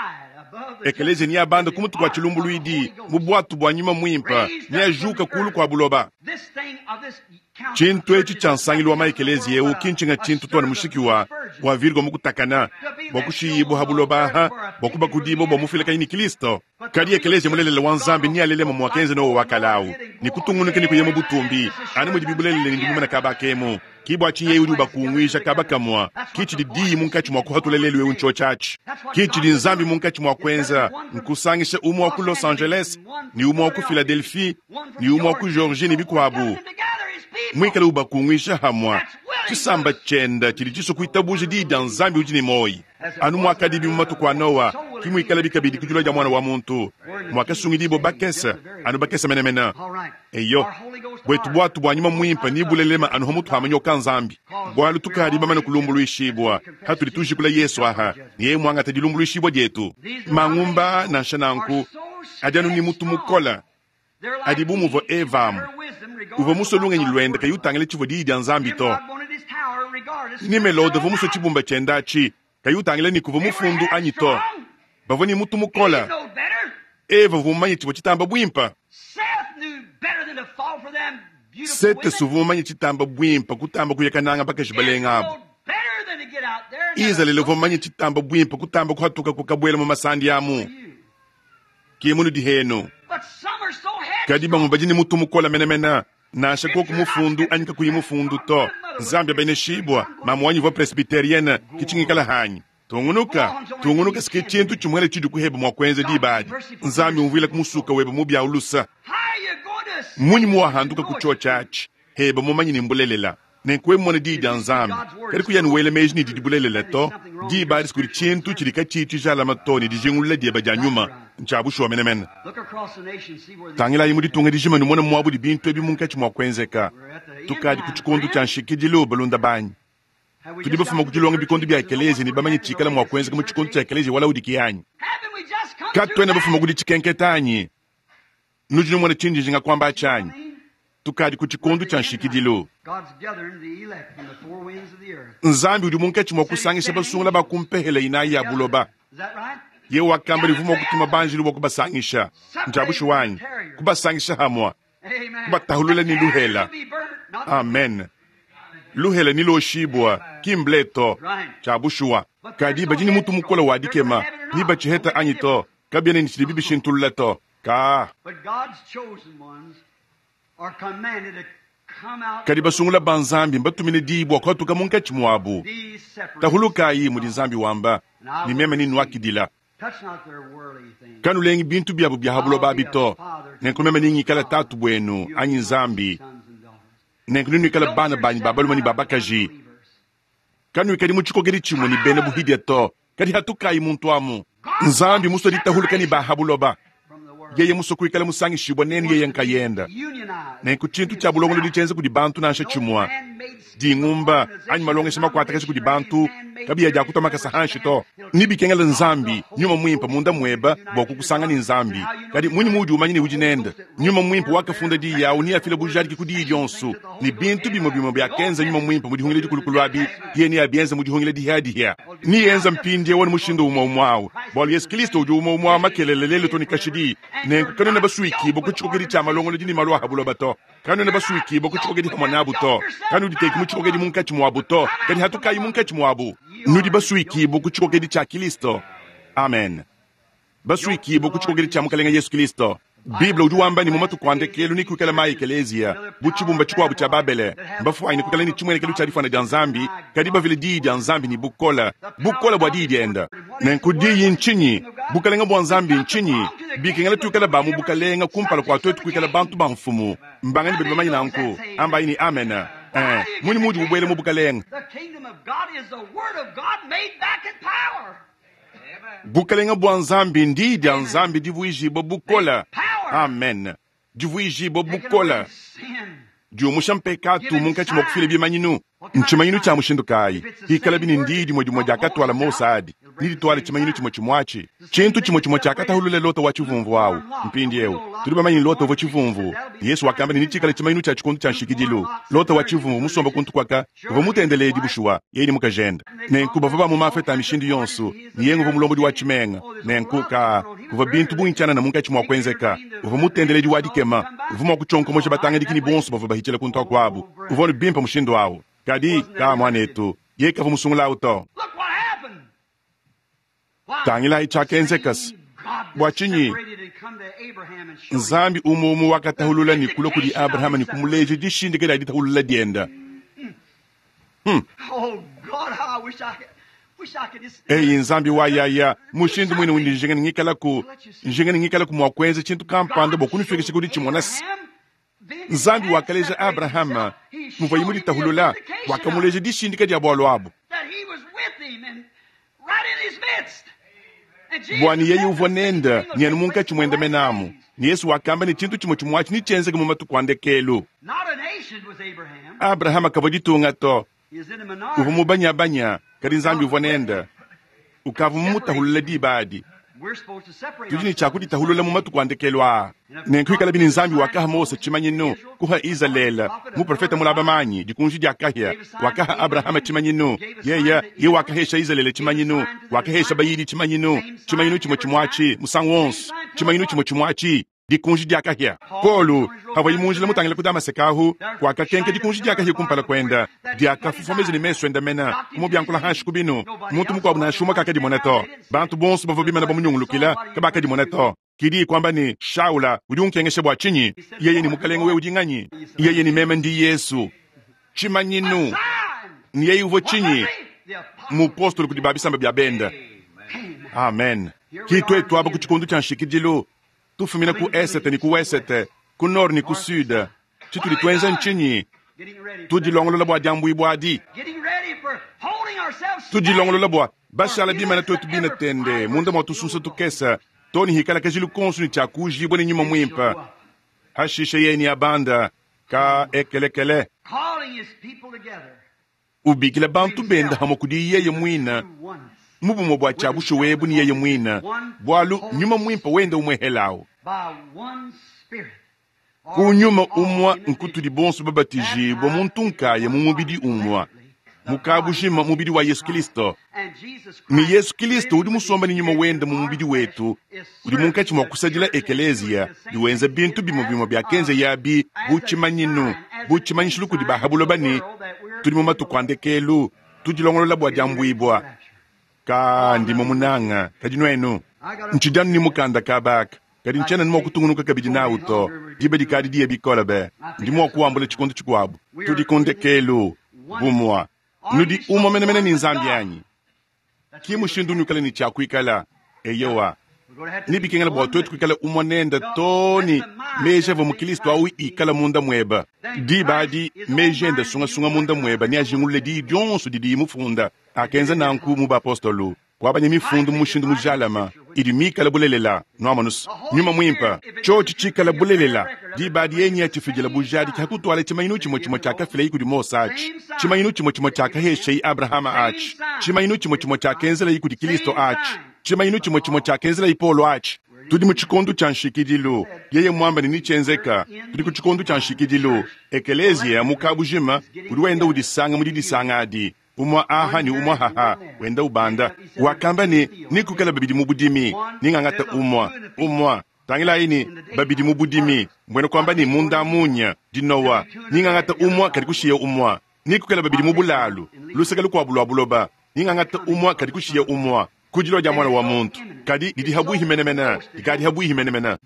Ekeleziya neabanda ku mutu kua tshilumbuluidi mu bwatu bua nyuma muimpe, neajuka kulu kua buloba. Tshintu etshi tshia nsangilu wa maekeleziya eu ki ntshinga tshintu to ne mushiki wa Bua Virgo mukutakana, bua kushiyibua ha buloba aha, bua kubakudibua bua mufilakanyi ni Kristo. Kadi ekeleziya mulelela wa Nzambi ni alelema muakenza Noa wa kalawu, ni kutungunuka ni kuya mu butumbi, anu mudi bibulelele ni ndimumana kabakemu. Ki bua tshinyi udi ubakunguija kabakamua, ki tshidi diyi munkatshi mua kuhatula lelu eu ntshotshatshi. Ki tshidi Nzambi munkatshi mua kuenza, nkusangisha umue wa ku Los Angeles, ni umue wa ku Philadelphie, ni umue wa ku Georgie ni bikuabu. Mwikale ubakunguisha hamwa. Tshisamba tshienda tshidi tshisua kuitabuja diyi dia Nzambi udi ne moyi. Anu muakadibi mu matuku a Noa, ki muikale bikabidi ku dilua dia mwana wa muntu. Muakasungidibua bakese, anu bakese menemene. Eyo, bwetu bwatu bwa nyuma mwimpe ni bulelema anu hamutu ha manyoka Nzambi. Bwalu tukadi bamane kulumbuluishibua, hatudi tujikula Yesu aha, ni yeye mwangata dilumbuluishibua dietu. Mangumba nansha nanku, adi anu ni mutu mukola. Adi bu muvua Eva amu. Uvua musue lungenyi luende kayi utangila tshivua diyi dia Nzambi to. Nimelode uvua musue tshibumba tshienda atshi, kayi utangila ni kuvua mufundu anyi to. Bavua ni mutu mukola. Eva uvua mumanye tshivua tshitamba buimpa. Sete uvua mumanye tshitamba buimpa kutamba kuyakananga bakaji balenga abu. Izalele uvua mumanye tshitamba buimpa kutamba kuhatuka kukabuela mu masandi amu. Ki munu dihenu. Kadi bamwe badi ni mutu mukola menemene, nansha koku mufundu anyi kakuyi mufundu to. Nzambi abeneshibwa, mamu wanyi uvua presbyterienne, kitshingikala hanyi. Tungunuka, tungunuka sike tshintu tshimwele tshidi kuheba mua kuenza diba adi. Nzambi umvuila kumusuka webe mu bya ulusa. Munyi muwahanduka ku tshotshatshi, heba mumanyi ni mbulelela. Nenku mmona diyi dia Nzambi. Kadi kuyani wela meji ni didi bulelela to. Diba adi sikudi tshintu tshidi katshiyi tshijalama to ni dijingulula dieba dia nyuma. Ntsha bushuwa menemene. Tangilayi mu ditunga dijima numone muabu di bintu ebi munkatshi mua kuenzeka. Tukadi ku tshikondo tshia nshikidilu balunda banyi. Tudi bafuma ku dilonga bikondo bia ekeleziya ne bamanye tshikala mua kuenzeka mu tshikondo tshia ekeleziya wa Laodikiya anyi. Katuena bafuma ku ditshikenketa anyi. Nudi numona tshindi njinga kuamba atshi anyi. Tukadi ku tshikondo tshia nshikidilu. Nzambi udi munkatshi mua kusangisha basungula ba kumpehela inayi ya buloba. Ye wakamba ne uvua mua kutuma banjelu bua kubasangisha. Ntsha bushuwa anyi? Kubasangisha hamua. Kubatahulula ni luhela. Amen. Luhela ni loshibwa, ki mbleto. Ntsha bushuwa. Kadi badi ni mutu mukola wa dikema, ni batshiheta anyi to, kabiena ni tshidi bibishintulula to. Ka. Kadi basungula ba Nzambi mbatumine diyi bua kuhatuka munkatshi muabu. Tahulukayi mudi Nzambi wamba, ni meme ni nwakidila. Kanulengi bintu biabu bia habuloba abi to. Nenku meme ni ngikala tatu buenu anyi Nzambi. Nenku nuikala bana banyi ba balume ni ba bakaji. Kanuikadi mu tshikokedi tshimue ni bena buhidia to. Kadi hatukayi muntu amu. Nzambi musue ditahuluka ni ba habuloba. Yeye musue kuikala musangishibwa nenu yeye nkayenda. Nenku tshintu tshia bulongolodi tshienza kudi bantu nansha tshimua. Dingumba anyi malongesha makuatakasha kudi bantu kabiya dia kutwa makasa hanshi to. Ni bikengela Nzambi nyuma mwimpe munda mweba bua kukusanga ni Nzambi. Kadi munyi mudi umanye ni udi nende. Nyuma mwimpe wakafunda diyi yawu ni afila bujadiki ku diyi dionso. Ni bintu bimwe bimwe byakenza nyuma mwimpe mu dihungila dikulukulu abi, yeye ni abienza mu dihungila dihadiha. Ni yenza mpindie wona mushindu umwe umwawu. Bwalu Yesu Kristo udi umwe umwawu makelele lelo to ni kashidi. Nenku kanuna basuikibo ku tshikokedi tshia malongolodi ni malu a buloba to. Kanuna basuikibo ku tshikokedi hamwe nabu to. Kanuditeki mu tshikokedi munkatshi muabu to. Kadi hatukayi munkatshi muabu. Nudi basuikibo ku tshikokedi tshia Kristo. Amen. Basuikibo ku tshikokedi tshia Mukalenga Yesu Kristo. Bible udi wamba ni mu matuku a ndekelu ni kuikala mayi ekeleziya bu tshibumba tshikuabu tshia Babele. Mbafuanyi ni kuikala ni tshimuenekelu tshia difwana dia Nzambi, kadi bavile diyi dia Nzambi ni bukola, bukola bua diyi dienda. Nenku diyi ntshinyi? Bukalenga bua Nzambi ntshinyi? Bikengela tuikala ba mu bukalenga kumpala kua tuetu kuikala bantu ba mfumu. Mbangani badi bamanye nanku? Ambayi ni amen. Eh, munyi mudi bubuele mu bukalenga? Bukalenga bua Nzambi ndiyi dia Nzambi divuijibua bukola. Amen. Divuijibua bukola. Diumusha mpekatu munkatshi mua kufila bimanyinu. Ntshimanyinu tshia mushindu kayi? Hikala bini ndiyi dimue dimue diakatwala Mose adi. Ni ditwala tshimanyinu tshimue tshimue Tshintu tshimue tshimue tshiakatahulula Lota wa tshivumvu awu. Mpindiewu tudi bamanye Lota uvua tshivumvu. Yesu wakamba ne nitshikala tshimanyinu tshia tshikondo tshia nshikidilu. Lota wa tshivumvu musomba kuntu kwaka uvua mutendeledi bushuwa yeye ni mukajenda. Nenku bavua ba mu mafeta a mishindu yonso ni yeye uvua mulombodi wa tshimenga. Nenku ka kuvua bintu bungi tshianana munkatshi mua kuenzeka. Uvua mutendeledi wa dikema. Uvua mua kutshonkomosha batangadiki ni bonso bavua bahitshila kuntu akuabu. Uvua ne bimpe mushindu awu. Kadi ka mwanetu Yeye kavua musungula awu to. Tangilayi tshiakenzeka bua tshinyi Nzambi umue umue wakatahulula ne kulua kudi Abrahama ne kumuleja dishindika dia ditahulula dienda. Hmm. Eyi Nzambi wa yaya, mushindu muine undi njinga ne ngikalaku, njinga ne ngikalaku mua kuenza tshintu kampanda bua kunufikisha ku ditshimona se Nzambi wakaleja Abrahama muvuaye muditahulula, wakamuleja dishindika dia bualu abu. Bua ne yeye uvua nende ne anu munkatshi muende menamu. Ne Yesu wakamba ne tshintu tshimue tshimue atshi netshienzeke mu matuku a ndekelu. Abrahama kavua ditunga to, uvua mubanyabanya, kadi Nzambi uvua nende. Ukavua mumutahulule diba adi. Tudi ne tshia kuditahulula mu matuku a ndekelu aa. Nenku ikalabi ne Nzambi wakaha Mose tshimanyinu, kuha Izalele, muprofeta mulaba manyi, dikunji dia kahia, wakaha Abrahama tshimanyinu, yeye ye wakahesha Izalele tshimanyinu, wakahesha bayidi tshimanyinu, tshimanyinu tshimue tshimue atshi, musangu wonso, tshimanyinu tshimue tshimue atshi, dikunji dia kahia. Paulo havua mu njila mutangile ku Damaseke ahu, kwakakenka dikunji dia kahia kumpala kuenda, diakafufomeza ne mesu enda mena, kumubyankula hanshi ku binu. Muntu mukuabu nansha umue kakadimona to. Bantu bonso bavua bimana bamunyungulukila kabakadimona to. Kidi kwamba ni Shaula udi unkengesha bua tshinyi? Yeye ni mukalenge wewe udi nganyi? Yeye ni meme ndi Yesu. Tshimanyinu ni yeye uvua tshinyi? Mupostolo kudi babisamba bia benda. Amen. Kitwetu aba ku tshikondo tshia nshikidilu, tufumina ku esete ni ku wesete, ku nord ni ku sud. Tshitudi tuenza ntshinyi? Tudilongolola bua diambuibua adi. Tudilongolola bua bashala bimana twetu bina tende munda mua tusunsa tukesa toni hikala kajilu konso ni tshia kujibua ne nyuma muimpe. Hashishe yeye ni abanda ka ekelekele. Ubikila bantu benda hamwe kudi yeye muina mubumwe bua tshia bushuwa ebu ni yeye muina bualu nyuma muimpe wenda umwehelawo. Ku nyuma umwa nkutudi bonso babatijibwa muntu nkaya mu mubidi umwa mukabushima mubidi wa Yesu Kristo. Ni Yesu Kristo udi musomba ni nyuma wenda mu mubidi wetu, udi munkatshi mua kusadila ekelezia diwenza bintu bimwe bimwe bya kenze yabi bu tshimanyinu bu tshimanyishilu kudi bahabuloba ni tudi mu matuku a ndekelu tudilongolola bua diambuibua. Ka ndimo munanga kadi nuenu ntshidi ni mukanda kabaka kadi ntshiena ni mua kutungunuka kabidi nawu to diba dikadi diye bikola be ndi mua kuwambula tshikondo tshikuabu. Tudi ku ndekelu bumwa nudi umwe menemene ni Nzambi yanyi ki mushindu unyukala ni tshia kuikala eyowa nibikengela bua twetu kuikala umwe nenda toni meji avua mukristo awu ikala munda mweba diba adi meji enda sungasunga munda mweba ni ajingulule diyi dionso didi mufunda akenza nanku mu bapostolu kwabanya mifundu mu mushindu mujalama idi mikala bulelela nuamanus nyuma mwimpa tshotshi tshikala bulelela diba adi yenyi yatshifidila bujadi kyakutwala tshimanyinu tshimue tshimue tshiakafila kudi Mose atshi tshimanyinu tshimue tshimue tshiakahesha Abrahama atshi tshimanyinu tshimue tshimue tshiakenzela kudi Kristo atshi tshimanyinu tshimue tshimue tshiakenzela Paulo atshi. Tudi mu tshikondo tshia nshikidilu yeye mwamba ne nitshienzeka tudi ku tshikondo tshia nshikidilu ekelezia mukabujima udi wenda udisanga mudi disanga adi umwa aha ni umwa haha wenda ubanda wakamba ni nikukala babidi mu budimi ningangata umwa umwa tangilayi ni babidi mu budimi mbwene kwamba ni munda munya dinowa ningangata umwa kadi kushiya umwa nikukala babidi mu bulalu luseke lukuabu lua buloba ningangata umwa kadi kushiya umwa kudilo dia mwana wa muntu kadi didi habuihi menemene dikadi habuihi menemene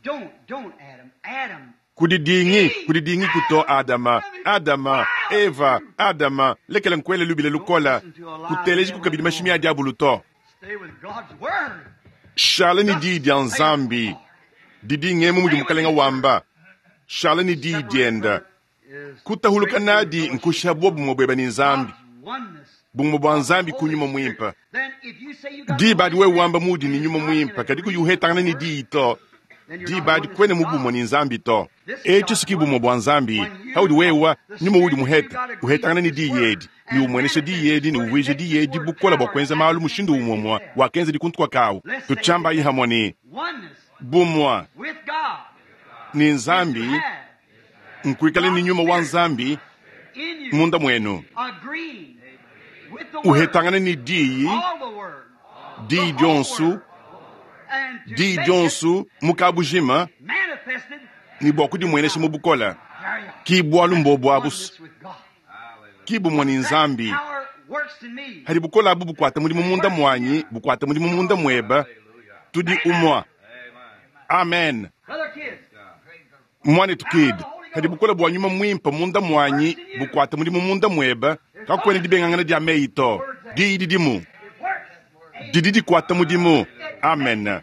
kudidingi kudidingi kuto Adama Adama Eva Adama lekela nkwele lubile lukola kuteleji kukabidi mashimi a diabulu to shala ni diyi dia Nzambi didi ngemu mudi mukalenga wamba shala ni diyi dienda kutahuluka nadi nkusha bobumwe bweba ni Nzambi bumwe bwa Nzambi kunyuma mwimpa diba adi wewe wamba mudi ni nyuma mwimpa kadi kuyuhetangana ni diyi to diba adi kwene mubumwe ni Nzambi to etshi siki bumwe bwa Nzambi haudi wewa nyuma udi muheta uhetangana ni diyi edi ni umwenesha diyi edi ni uwije diyi edi bukola bua kuenza malu mushindu umwemwa wakenza dikuntu kawu tutshambayi hamwe ni bumwa ni Nzambi nkuikala ni nyuma wa Nzambi munda mwenu uhetangana ni diyi diyi dionsu diyi dionsu mukabujima ni bua kudimwenesha mu bukola ki bualu mbobu abusu ki bumwe ni Nzambi Hadi bukole abu bukuata mudimu munda muanyi, bukuata mudimu munda muebe, tudi umue. Amen. Muanetu Kidd, hadi bukole bua nyuma muimpe munda muanyi bukuata mudimu munda muebe, kakuena dibengangana dia meyi to. Diyi didimu didi dikuata mudimu. Amen.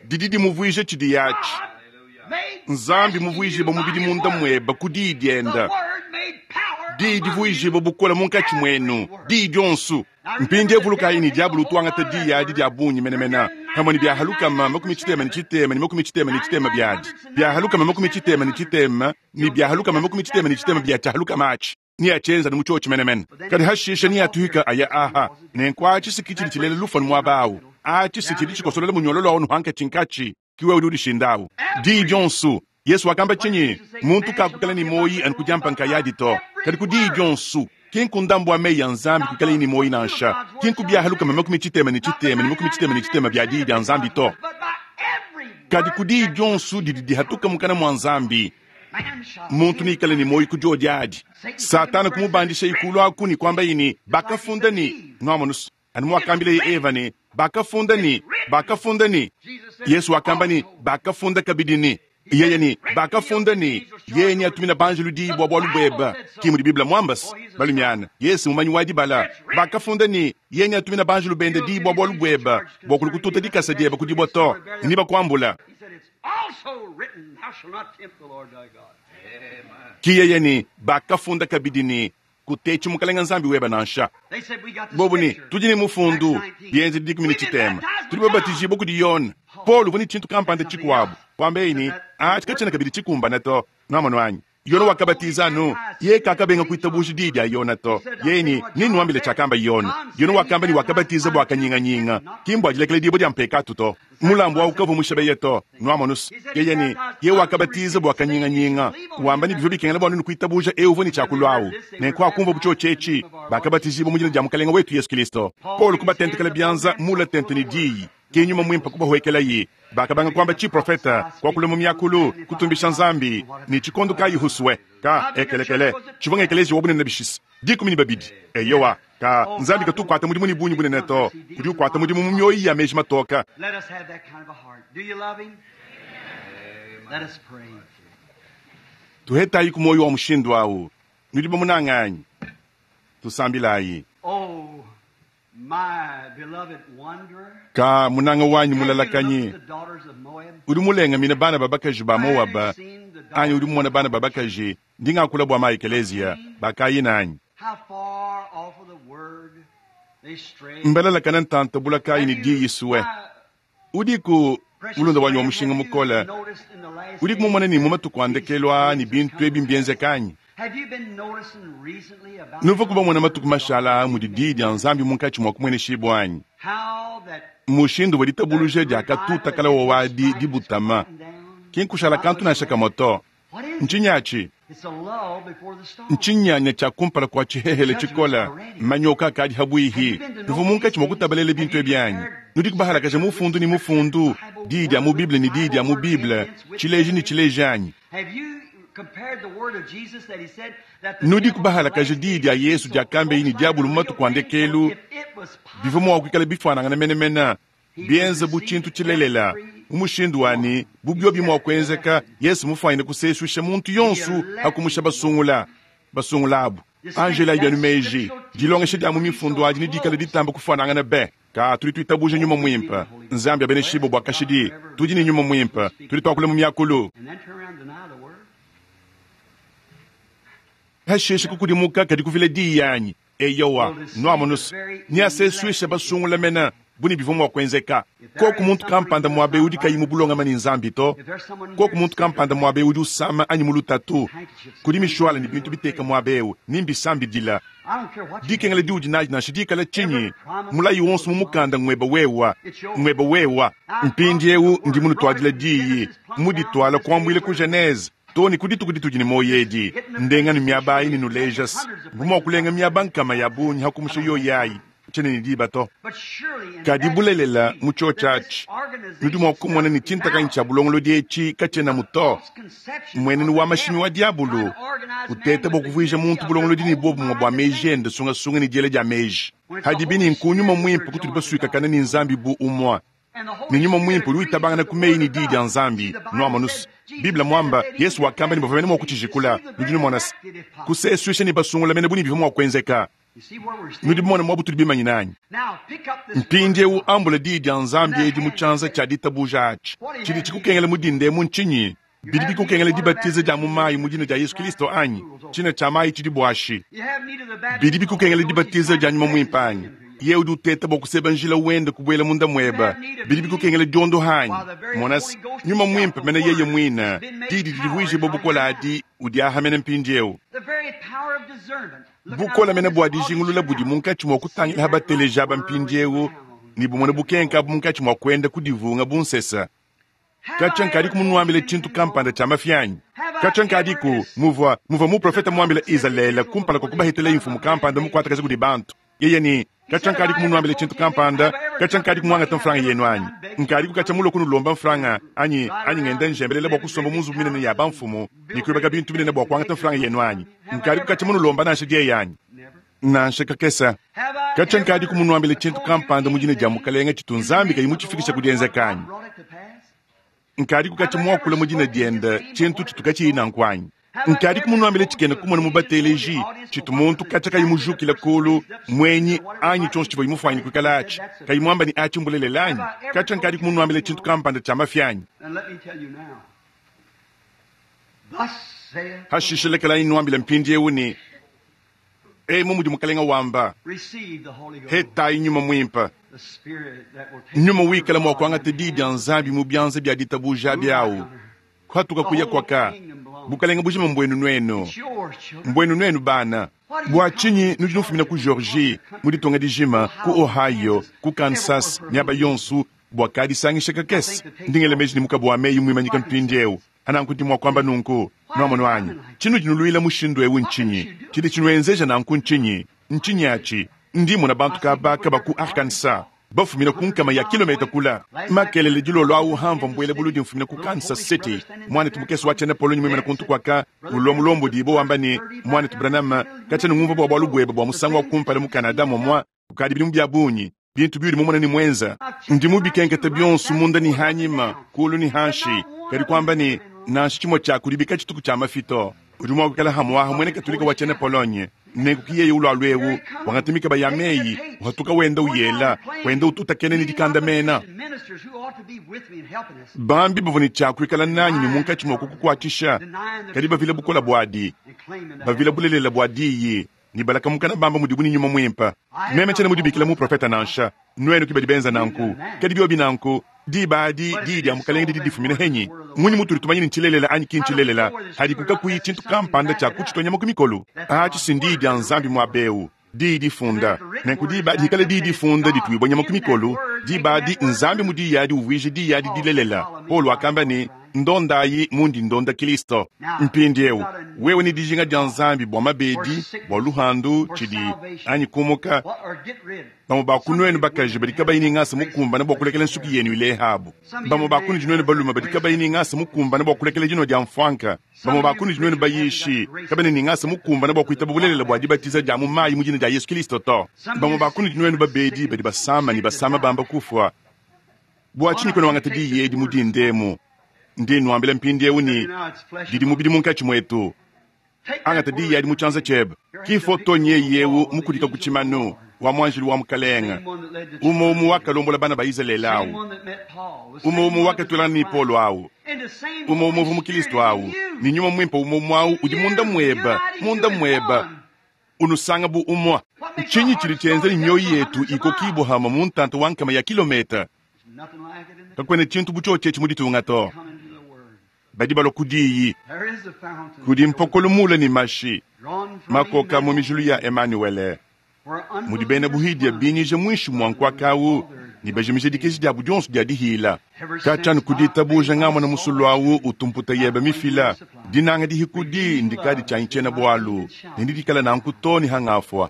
Didi dimuvuija tshidi atshi. Nzambi muvuijibue mubidi munda muebe ku diyi diende. Diyi divuijibue bukole munkatshi muenu, diyi dionso. Mpindieu vulukayi ne diabolo utu wangata diyi adi dia bungi menemene pamue ne bia lukama makumi tshitema ne tshitema ne makumi tshitema ne tshitema biadi. Bia lukama makumi tshitema ne tshitema ne bia lukama makumi tshitema ne tshitema bia tshia lukama atshi. Niatshienza ne mu tshiotshi menemene. Kadi hashisha niatuhika aya aha. Nenku atshi sikitshidi tshilela lufu muaba awu. Atshi sikitshidi tshikosolela munyololo awu nuhankatshinkatshi. Kiwe udi udishinda Diyi dionso. Yesu wakamba tshinyi? Muntu kakukala ni moyi anu kudiampa nkayadi to. Kadi ku diyi dionso. Ki nkundambu wa meyi ya Nzambi kuikala ni moyi nansha. Ki nkubiaha lukama makumi tshitema ne tshitema ne makumi tshitema ne tshitema bia diyi dia Nzambi to. Kadi ku diyi dionso didi dihatuka mukana mua Nzambi. Muntu nikale ni moyi ku diodi adi. Satana kumubandisha ikulu aku ni kwamba ini bakafunda ni nwamonusu. Anu mwakambile Eva ni bakafunda ni bakafunda ni Yesu wakamba ni bakafunda kabidi ni yeye ni bakafunda ni yeye ni atumina banjelu diyi bua bualu buebe ki mudi Biblia mwambasi balumiana Yesu mumanyi wa dibala bakafunda ni yeye ni atumina banjelu bende diyi bua bualu buebe bua kulukututa dikasa diebe kudibua to ni bakuambula ki yeye ni bakafunda kabidi ni kutechi mukalenga Nzambi weba nansha. Bobu ni tudi ni mufundu bienze dikumi ni tshitema tudi babatijibue kudi Yona. Paul uvua ni tshintu kampanda tshikuabu kwamba ini atshi katshiena kabidi tshikumbana to. Nwamonu anyi Yona wakabatiza anu ye kakabenga kuitabuja diyi dia Yona to. Ye ni ninuambile tshiakamba Yona. Yona wakamba ni wakabatiza bua kanyinganyinga ki mbua dilekela dibue dia mpekatu to. Mulambu wawu kavua mushabeye to. Nwamonusu yeye ni ye wakabatiza bua kanyinganyinga wamba ni bivua bikengela bua nunu kuitabuja eu uvua ni tshiakulua nenku akumva butshiotshi bakabatizibua mu dina dia mukalenga wetu Yesu Kristo. Paul kubatentekela bianza mula tente ni diyi ki nyuma mwimpe kubahwekelayi bakabanga kwamba chiprofeta kwakula mu myakulu kutumbisha Nzambi ni chikondo kayi huswe ka ekelekele chivonga ekelezi wabunene bishisi dikumi ni babidi eyowa ka Nzambi katukwata mudimu ni bunyi bunene to kudi ukwata mudimu mu myoyi ya meji matoka. Let us have that kind of a heart. Do you love him? Let us pray. Tuhetayi ku moyo wa mushindu awu nudi bamunanganyi tusambilayi. Oh, my beloved wanderer. Ka munanga wanyi mulalakanyi Have you looked at the daughters of Moab? udi mulengamina bana babakaji ba Moaba anyi udi mumona bana babakaji ndingakula bua maekelezia bakayina anyi How far off of the word they stray. mbalalakana ntanta bulakayi ni diyi suwe udiku mulunda wanyi wa mushinga mukola udiku mumona ni mu matuku andekelwa ni bintu ebi mbienzekanyi Have you been noticing recently about nuva kubamona matuku mashala mudi diyi dia Nzambi munkatshi mua kumueneshibua anyi how that mushindu wa ditabuluja dia katuta kala wa wadi dibutama ki nkushala kantu nansha kamwe to. What is it? Ntshinyi It's a lull before the storm. ntshinyanya tshia kumpala kua tshihehele tshikola manyoka akadi habwihi nuvu munkatshi mua kutabalela bintu ebi anyi nudi kubahalakaja mufundu ni mufundu diyi dia mu Bible ni diyi dia mu Bible tshileji ni tshileji anyi Have you compared the word of Jesus that he said that the nudi devil kubahalakaja diyi dia Yesu dia kambe ni diabulu mu matuku a ndekelu if it was possible, bivua mua kuikala bifuanangana menemene bienza bu tshintu tshilelela mu mushindu wani bubio bimua kuenzeka Yesu mufuanyine kusesuisha muntu yonso akumusha basungula basungulabu Angela ibyanu meji dilongesha dia mu mifundu adi ni dikala ditamba kufuanangana be ka tudi tuitabuja nyuma mwimpe Nzambi abeneshibo bua kashidi tudi ni nyuma mwimpe tudi tuakula mu myakulu and then turn around and deny the word. hashishe kukudimuka kadi kuvila diyi yanyi eyowa nwamonusu niasesuisha basungula mena buni bivua mua kuenzeka koku muntu kampanda muabe udi kayi mu bulongama ni Nzambi to If there's someone koku here muntu kampanda muabe udi usama anyi mu lutatu kudi mishwala ni bintu biteka muabe ewu nimbisambidila I don't care what you dikengela diudi naji nansha dikala tshinyi mulayi wonso mu mukanda ngweba wewa ngweba wewa mpindi ewu ndi munutwadila diyi muditwala kuambuila ku Genese to ni ku dituku ditudi ni moyo edi ndenga ni miaba ayi ni nulejas mvuma wa kulenga miaba nkama ya bungi hakumusha yoyi ayi Tshiena ne diba to. Kadi bulelela mu tshiotshi atshi, nudi mua kumona ne tshintakanyi tshia bulongolodi etshi katshienamu to. Mmuenenu wa mashimi wa diabulu uteta bua kuvuija muntu bulongolodi ne buobumue bua meji ende sungasunga ne diela dia meji. Hadibi ne nku Nyuma Muimpe kutudi basuikakane ne Nzambi bu umue. Ne Nyuma Muimpe udi witabangana ku meyi ne Diyi dia Nzambi. Nuamonu se, Bible muamba, Yesu wakamba ne bavua mene mua kutshijikula. Nudi numona se, kusesuisha ne basungula mene bu ne bivua mua kuenzeka. Nudi bamone muaba utudi bimanyine anyi? Mpindieu ambula Diyi dia Nzambi edi mu tshianza tshia ditabuja atshi. Tshidi tshikukengela mu dinda emu ntshinyi? Bidi bikukengela dibatiza dia mu mayi mu dina dia Yesu Kristo anyi? Tshina tshia mayi tshidi buashi. Bidi bikukengela dibatiza dia Nyuma Muimpe anyi? Yeye udi uteta bua kuseba njila wende kubuela munda muebe. Bidi bikukengela diondoha anyi? Mona se, Nyuma Muimpe mene yeye muine, Diyi didi divuijibua bukole adi, udi aha mene mpindieu. Bukole mene bua dijingulula budi munkatshi mua kutangila ha bateleji aba mpindieu ne bumone bukenka abu munkatshi mua kuenda kudivunga bu nsesa. Katshia nkadiku munuambile tshintu kampanda tshia mafi anyi? Katshia nkadiku muvua, muvua muprofete muambile Izalele kumpala kua kubahetela mfumu kampanda mukuatakaja kudi bantu. Yeye ne, katshia nkadiku munuambile tshintu kampanda, katshia nkadiku muangata mfranga yenu anyi? Nkadiku katshia mulue kunulomba mfranga anyi, anyi ngenda njembelela bua kusomba mu nzubu minene ya bamfumu ne kuibaka bintu binene bua kuangata mfranga yenu anyi? Nkadiku katshia munulomba nansha dieyi anyi? Nansha kakese. Katshia nkadiku munuambile tshintu kampanda mu dina dia Mukalenge tshitu Nzambi kayi mutshifikisha ku dienzeka anyi? Nkadiku katshia muakula mu dina diende tshintu tshitu katshiyi nanku anyi? Nkadiku munuambile tshikena kumona mu bateleji tshitu muntu katshia kayi mujukila kulu muenyi anyi tshionso tshivua mufuanyine kuikala atshi kayi muamba ne atshi mbulelela anyi? Katshia nkadiku munuambile tshintu kampanda tshia mafi anyi? Hashishe lekelayi nuambile mpindieu ne, emu mudi Mukalenga wamba, hetayi Nyuma Muimpe. Nyuma wikala mua kuangata Diyi dia Nzambi mu bianza bia ditabuja biawu kuhatuka kuya kwaka. Bukalenga bujima mbuenu nuenu, mbuenu nuenu bana. Bua tshinyi nudi nufumina ku Georgie, mu ditunga dijima, ku Ohio, ku Kansas, miaba yonso bua kadisangisha kakese? Ndi ngela meji ne mukabu wa meyi muimanyika mpindieu. Ananku ndi mua kuamba nunku, nuamonu anyi? Tshinudi nuluila mushindu eu ntshinyi? Tshidi tshinuenzeja nanku ntshinyi? Ntshinyi atshi? Ndi mona bantu kaba kaba ku Arkansas bafumina ku nkama ya kilometa kula. Makelele dilolo awu hamva mbuele buludi mfumina ku Kansas City. Mwanetu mukese wa tshiena Polonye muimana kuntu kwaka ulua mulombodi bo wamba ne, Mwanetu Branham, katshiena ngumvua bua bualu buebe bua musangu wa kumpala mu Canada momua kukadi bidimu bia bungi. Bintu biudi mumona ne muenza. Ndi mubikenketa bionso munda ne hanyima, kulu ne hanshi. Kadi kuamba ne, nansha tshimue tshia kudi bika tshituku tshia mafito. Udi mua kuikala hamuaha muena Katolika wa tshiena Polonye. Nenku ki yeye ulua lwewu, wangata mikaba ya meyi, uhatuka wenda uyela, wenda ututakena ne dikanda mena. Bambi bavua ne tshia kuikala nanyi ne munkatshi mua kukukuatshisha, kadi bavila bukola buadi, bavila bulelela bua diyi, ne balakamukana bamba mudibu ne Nyuma Muimpe. Meme tshiena mudibikila muprofeta nansha, nuenu ki badi benza nanku. Kadi biobi nanku, diba adi diyi dia Mukalenge didi difumina henyi. Munyi mutudi tumanya ne ntshilelela anyi ki ntshilelela, hadi kukakuyi tshintu kampanda tshia kutshitwa nyama ku mikolo. Atshi si ndiyi dia Nzambi muaba eu, diyi difunda. Nenku diba adi dikala diyi difunda dituibua nyama ku mikolo, diba adi Nzambi mu diyi adi uvuije diyi adi dilelela. Paulo wakamba ne, ndondayi mundi ndonda Kristo. Mpindieu wewe ne dijinga dia Nzambi bua mabedi, bua luhandu, tshidi anyi kumuka, bamue ba ku nuenu bakaji badi kabayi ne ngasa mukumbane bua kulekela nsuki yenu ilehabo. Bamue ba kunudi nuenu balume badi kabayi ne ngasa mukumbane bua kulekela dinua dia mfuanka. Bamue ba kunudi nuenu bayishi kabena ne ngasa mukumbane bua kuitaba bulelela bua dibatiza dia mu mayi mu dina dia Yesu Kristo to. Bamue ba kunudi nuenu babedi badi basama ne basama bamba kufua. Bua tshinyi kuena wangata diyi edi mu dindemu? Ndi nuambila mpindieu ne, didi mubidi munkatshi muetu. Angata diyi adi mu tshianza tshiebe. Ki foto nyeyi eu mukudika ku tshimanu wa muanjelu wa Mukalenge. Umue umue wakalombola bana ba Izalele awu. Umue umue wakatulana ne Paulo awu. Umue umue uvua mu Kristo awu. Ne Nyuma Muimpe umue umue awu udi munda muebe, munda muebe. Unusanga bu umue. Ntshinyi tshidi tshienza ne mioyo yetu ikokibua hama mu ntanta wa nkama ya kilometa? Kakuena tshintu bu tshiotshi mu ditunga to. Badi balua ku diyi. Kudi mpokolo mule ne mashi makoka mu mijulu ya Emmanuel. Mudi bena buhidia binyija muinshi mua nkuakawu ne bajimija dikeji diabu dionso dia dihila. Katshianu ku ditabuja ngamona musulu awu utumputa yebe mifila. Dinanga dihikudi ndikadi tshianyi tshiena bualu. Ne ndidikala nanku to ne hangafua.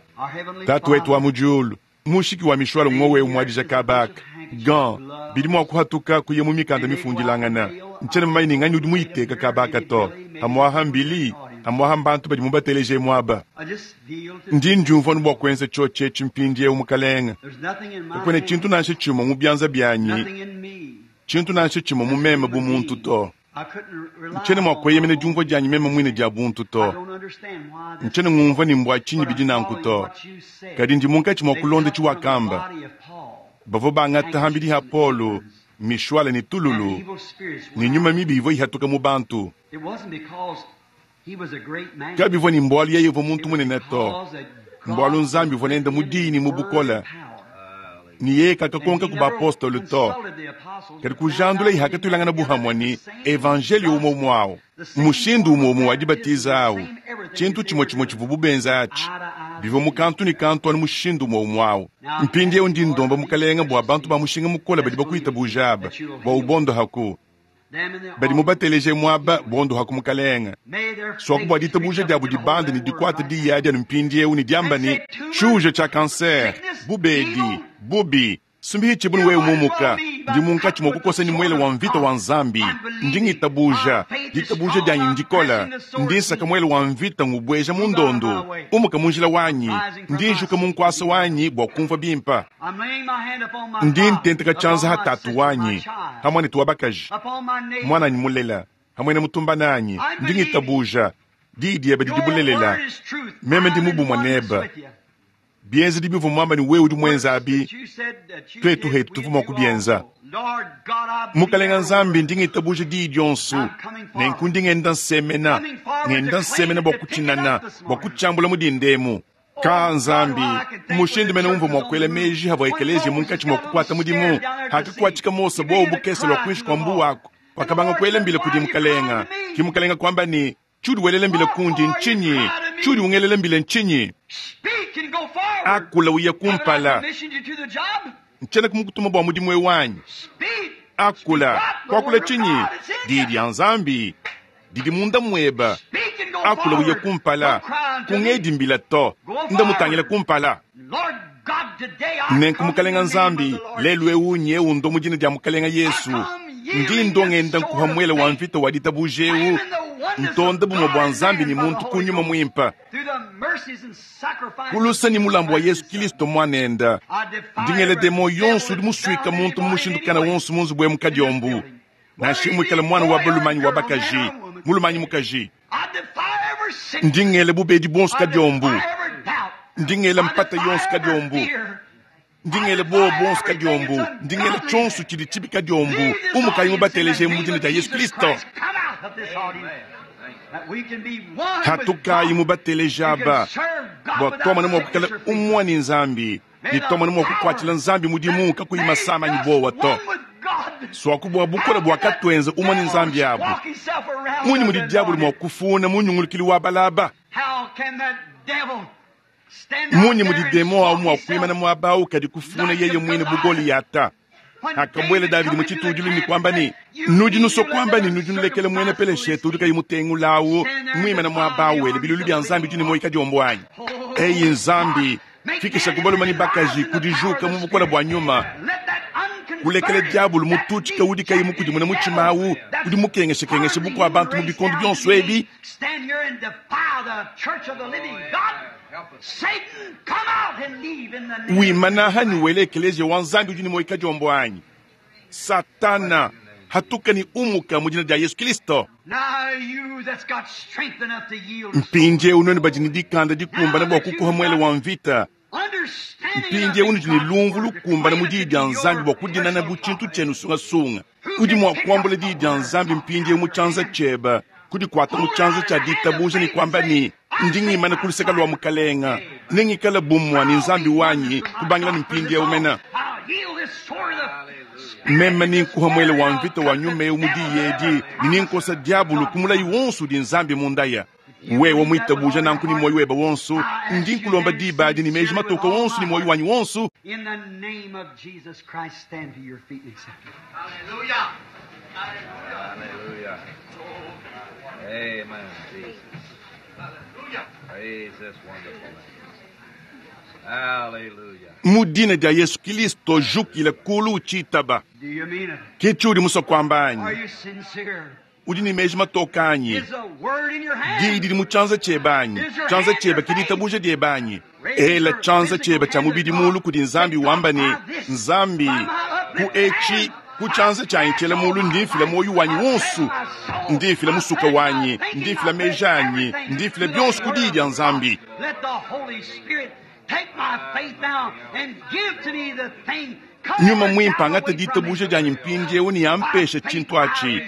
Tatu wetu wa mu diulu, Mushiki wa mishwala ngowe umwadija kabaka gan bidi mua kuhatuka kuya mu mikanda mifundilangana ntshiena mumanye ne nganyi udi muyiteka kabaka to amwaha mbili amwaha mbantu badi mubateleje muaba I just feel to ndi ndiumvua nu bua kuenza tshiotshi etshi mpindiewu mukalenga There's nothing in my kakuena tshintu hand, nansha tshimue mu bianza byanyi nothing in me. tshintu nansha tshimue mu meme bu muntu to I couldn't rely ntshiena mua on kueyemena my own. diumvua dianyi meme muine dia buntu I to don't understand why this ntshiena ngumvua ne mbua tshinyi but bidi I'm nanku following to what you said. kadi ndi munkatshi mua They kulonda cut from the tshiwakamba body of Paul, bavua bangata hambidi ha Polo mishwala ne and tululu evil spirits ne went nyuma out. mibi ivua ihatuka mu bantu It wasn't because he was a great man. kabivua ne mbwalu yeye uvua It muntu was munene to because that God mbwalu nzambi uvua was nenda mu with him dini in mu word bukola and power. ni yeye And kakakonka he ku never baapostolo to consulted the apostles, kadi but found kujandula out they ihakatulangana met together buhamwa the ni same evanjelio umwe gospel, umwe awo the same mushindu form umwe of umwe wa baptism, dibatiza the awo same everything tshintu that they chimwe were chimwe doing. chivua bubenza atshi Eye to eye bivua mu kantu ne kantu anu mushindu umwe umwe awo Now, mpindiewu ndi Lord, ndomba these mukalenga bua precious bantu ba people mushinga mukole badi that's believing bakuitabuja aba that you'll bua heal ubondo haku them in the badi audience. mubateleje muaba bondo haku mukalenga May their swaku bua faith reach ditabuja up diabu and get a hold of dibande ne that word dikuata right now. diyi adi anu mpindiewu ne diamba And ne say, tumor, tshiuja tshia kanser sickness, bubedi evil, bubi sumbihi tshibunu you wewe might as well mumuka be by ndi munkatshi cut mua with the kukosa ni sword muele wa of mvita God. wa nzambi I'm ndi believing. ngitabuja My faith is ditabuja strong. dianyi I'm ndikola pressing the sword ndi nsaka deep. muele wa mvita ngubweja mu Move out of my ndondo way. umuka mu njila wanyi Rising from ndi my njuka mu seat to nkuasa be wanyi bua kumvua bimpa I'm laying my hand upon my ndi father, ntenteka tshianza upon ha my tatu sister, my wanyi child, hamwe ne bakaji upon my neighbor. mwananyi mulela hamwe ne mutumba nanyi I'm ndi believing. ngitabuja diyi diebe didi Your bulelela word is truth. meme ndi I'm in mubumwa oneness neba with you. bienze bivua muamba ni wewe udi mwenza Works abi that you said that you twetu did, hetu we tuvua mua do kubienza also. Lord God, I believe mukalenga every nzambi word. ndi ngitabuja diyi dionso I'm coming forward. nenku ndi ngenda nsemena Coming forward to ngenda claim nsemena it, bua to pick it kutshinana up this bua morning. kutshiambula mu dindemu Oh ka God, nzambi how I can think when mushindu the mene church umvua was mua on the kuela move. meji havua When ekeleziya Moses munkatshi mua got a little kukuata mudimu scared down there at the sea, hakakuatshika mose he buowu began to bukese lua cry kuinshi to the kua Lord. mbuwaku And the wakabanga Lord kuela said, mbila Why kudi are you crying mukalenga to me? ki mukalenga kuamba ni tshiudi welela mbila What kundi for are you ntshinyi crying to tshiudi me? ungelela mbila ntshinyi Speak and go forward. akula uya Haven't I kumpala commissioned you to the job? ntshiena kumukutuma bua mudimu ewu wanyi Speak. Speak akula what? The kuakula word of tshinyi God is in diyi you. dia nzambi didi munda mueba Speak and go akula uya forward. kumpala Don't cry unto me. kungedi mbila to Go nda mutangila forward. kumpala Lord God, today I nenku come in mukalenga the name of nzambi the Lord lelu Jesus. ewu nyewu ndo mu dina dia mukalenga I yesu come ndi yielding ndo this ngenda sword nkuha of muele wa faith, mvita wa ditabuja ewu claiming the oneness ntonda of bumwe God bua and nzambi man ni by the muntu Holy kunyuma Ghost muimpa through the mercies and sacrifice of kulusa ni Jesus mulambo wa Christ, yesu His Son. kristo mwanenda I defy ndingele every demo devil yonso udi that's musuika bound muntu anybody in mushindu any kana way wonso munzubu emu in this kadiombu building. Whether nansha he muikale be mwana wa boy or balumanyi wa girl, man bakaji or woman. mulumanyi mukaji I defy every sickness. ndingele bubedi bonso I kadiombu defy every doubt. ndingele I mpata defy yonso every kadiombu fear. I ndingele bobo defy bonso everything kadiombu that's ndingele tshonso ungodliness. tshidi tshibi kadiombu Leave this umukayi audience in the mubateleje mu name dina of dia yesu Jesus kristo Christ. Come out of this audience that we can be one with hatukayi God. mubateleje We can aba serve God bua without twamona mua kukala sickness or fever. umwa ni nzambi May ni the twamona mua kukuatshila power nzambi mudimu that kakuyi made masama ni us bowa to one with God, swaku bua bukola how bua can that katwenza umwa ni devil nzambi abu squawk himself around munyi us mudi diabulu mua anointed? kufuna munyungulukili wa balaba How can that devil stand out munyi mudi there and demo awu squawk mua himself kuimana muaba awu kadi kufuna like yeye a mwine Goliath? bugoliyata When akabwele David davidi come mu into the tshitudilu ni camp and kwamba said, ni You nudi mean nuso you let kwamba that ni nudi nulekele mwene uncircumcised peleshetu udi Philistine kayi mutengulawu stand there and mwimana defy muaba the awele armies bilulu of bya the nzambi living dini God? moyi kadiombo anyi Oh eyi God, nzambi make fikisha man kubaluma ni rise bakaji in the power of kudijuka the mu bukola Spirit. bua nyuma Let that kulekele unconverted, diabulu that mututshika udi kayi mukudimuna dejected mutshima devil awu that's udi mukengeshakengesha harmed the bukua human bantu mu race bikondo down to bionso the ebi age, stand here and defy the church of the living God. Satan, come out and leave in the name of wimana Jesus hani Christ. wele ekeleziya wa nzambi udi ni moyi kadiombo anyi satana hatuka ni umuka mu dina dia yesu kristo Now you that's got strength enough to yield a sword, mpindiewu noni badi ni dikanda dikumbana now bua that kukuha you've muele got wa mvita understanding enough mpindiewu in nudi ni God's lumvu word to lukumbana claim mu it to diyi be dia nzambi your bua kudinana personal bu tshintu property. tshienu sungasunga Who udi can mua pick kuambula up the diyi dia word of nzambi God out mpindiewu of mu your tshianza hand? tshieba kudikwata mu Hold it tshianza out in tshia the hand of ditabuja ni faith and kwamba say, ni I ndi take ngimana my ku luseka lua fight mukalenga today. nengikala bumwa ni I'll nzambi be wanyi oneness with my kubangila ni God for this mpindiewu mena altar. I'll yield this sword of the Spirit, meme and ni this nkuha muele word, wa and I'll mvita wa cut the nyuma ewu mu devil diyi that edi ever ni ninkosa promised diabulu God kumulayi not. wonso udi nzambi mundaya If you wewe believe that with mwitabuja all your nanku ni heart, moyo weba wonso I ask ndi you nkulomba then diba adi ni meji sincerely with matoka all wonso my ni moyo heart, wanyi wonso in the name of Jesus Christ, stand to your feet and accept it. Hallelujah. Hallelujah. Amen, Jesus. Praise this wonderful name. Hallelujah. Mu dina dia Yesu Kilisto jukila kulu utshitaba. Do you mean it? Ke tshiudi musue kuamba Are anyi? you sincere? Udi ne meji matoka anyi? Is a word in your hand? Diyi didi mu tshianza tshiebe anyi? Tshianza tshiebe ke ditabuja diebe anyi? Ela tshianza tshiebe tshia mubidi mulu kudi Nzambi wamba ne, Nzambi, ku etshi ku tshianza tshianyi tshiela mulu ndi mfila muoyo wanyi wonso, ndi mfila musuka wanyi, ndi mfila meji anyi, ndi mfila bionso ku diyi dia Nzambi. Let the Holy Spirit take my faith now and give to me the thing. Nyuma mwimpe angate ditabuja dianyi mpindieu ne ampeshe tshintu atshi.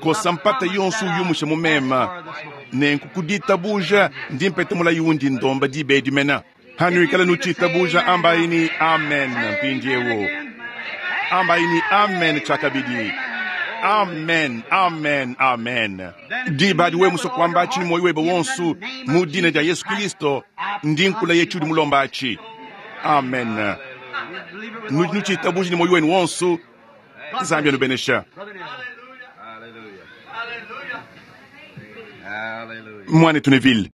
Kosa mpata yonso uyumushe mu mema. Nenku ku ditabuja ndi mpete mulayi undi ndomba diba edi mena. Hanuikala nutshitabuja ambayi ni amen mpindieu. Ambayi ni amen tshiakabidi. Amen, amen, amen. Diba adi wewe musue kuamba atshi ne muoyo webe wonso mu dina dia Yesu Kristo ndi nkulaye tshiudi mulomba atshi. Amen. Nudi nutshitabuja ne muoyo wenu wonso. Nzambi anubenesha. Hallelujah. Hallelujah. Mwanetu Neville.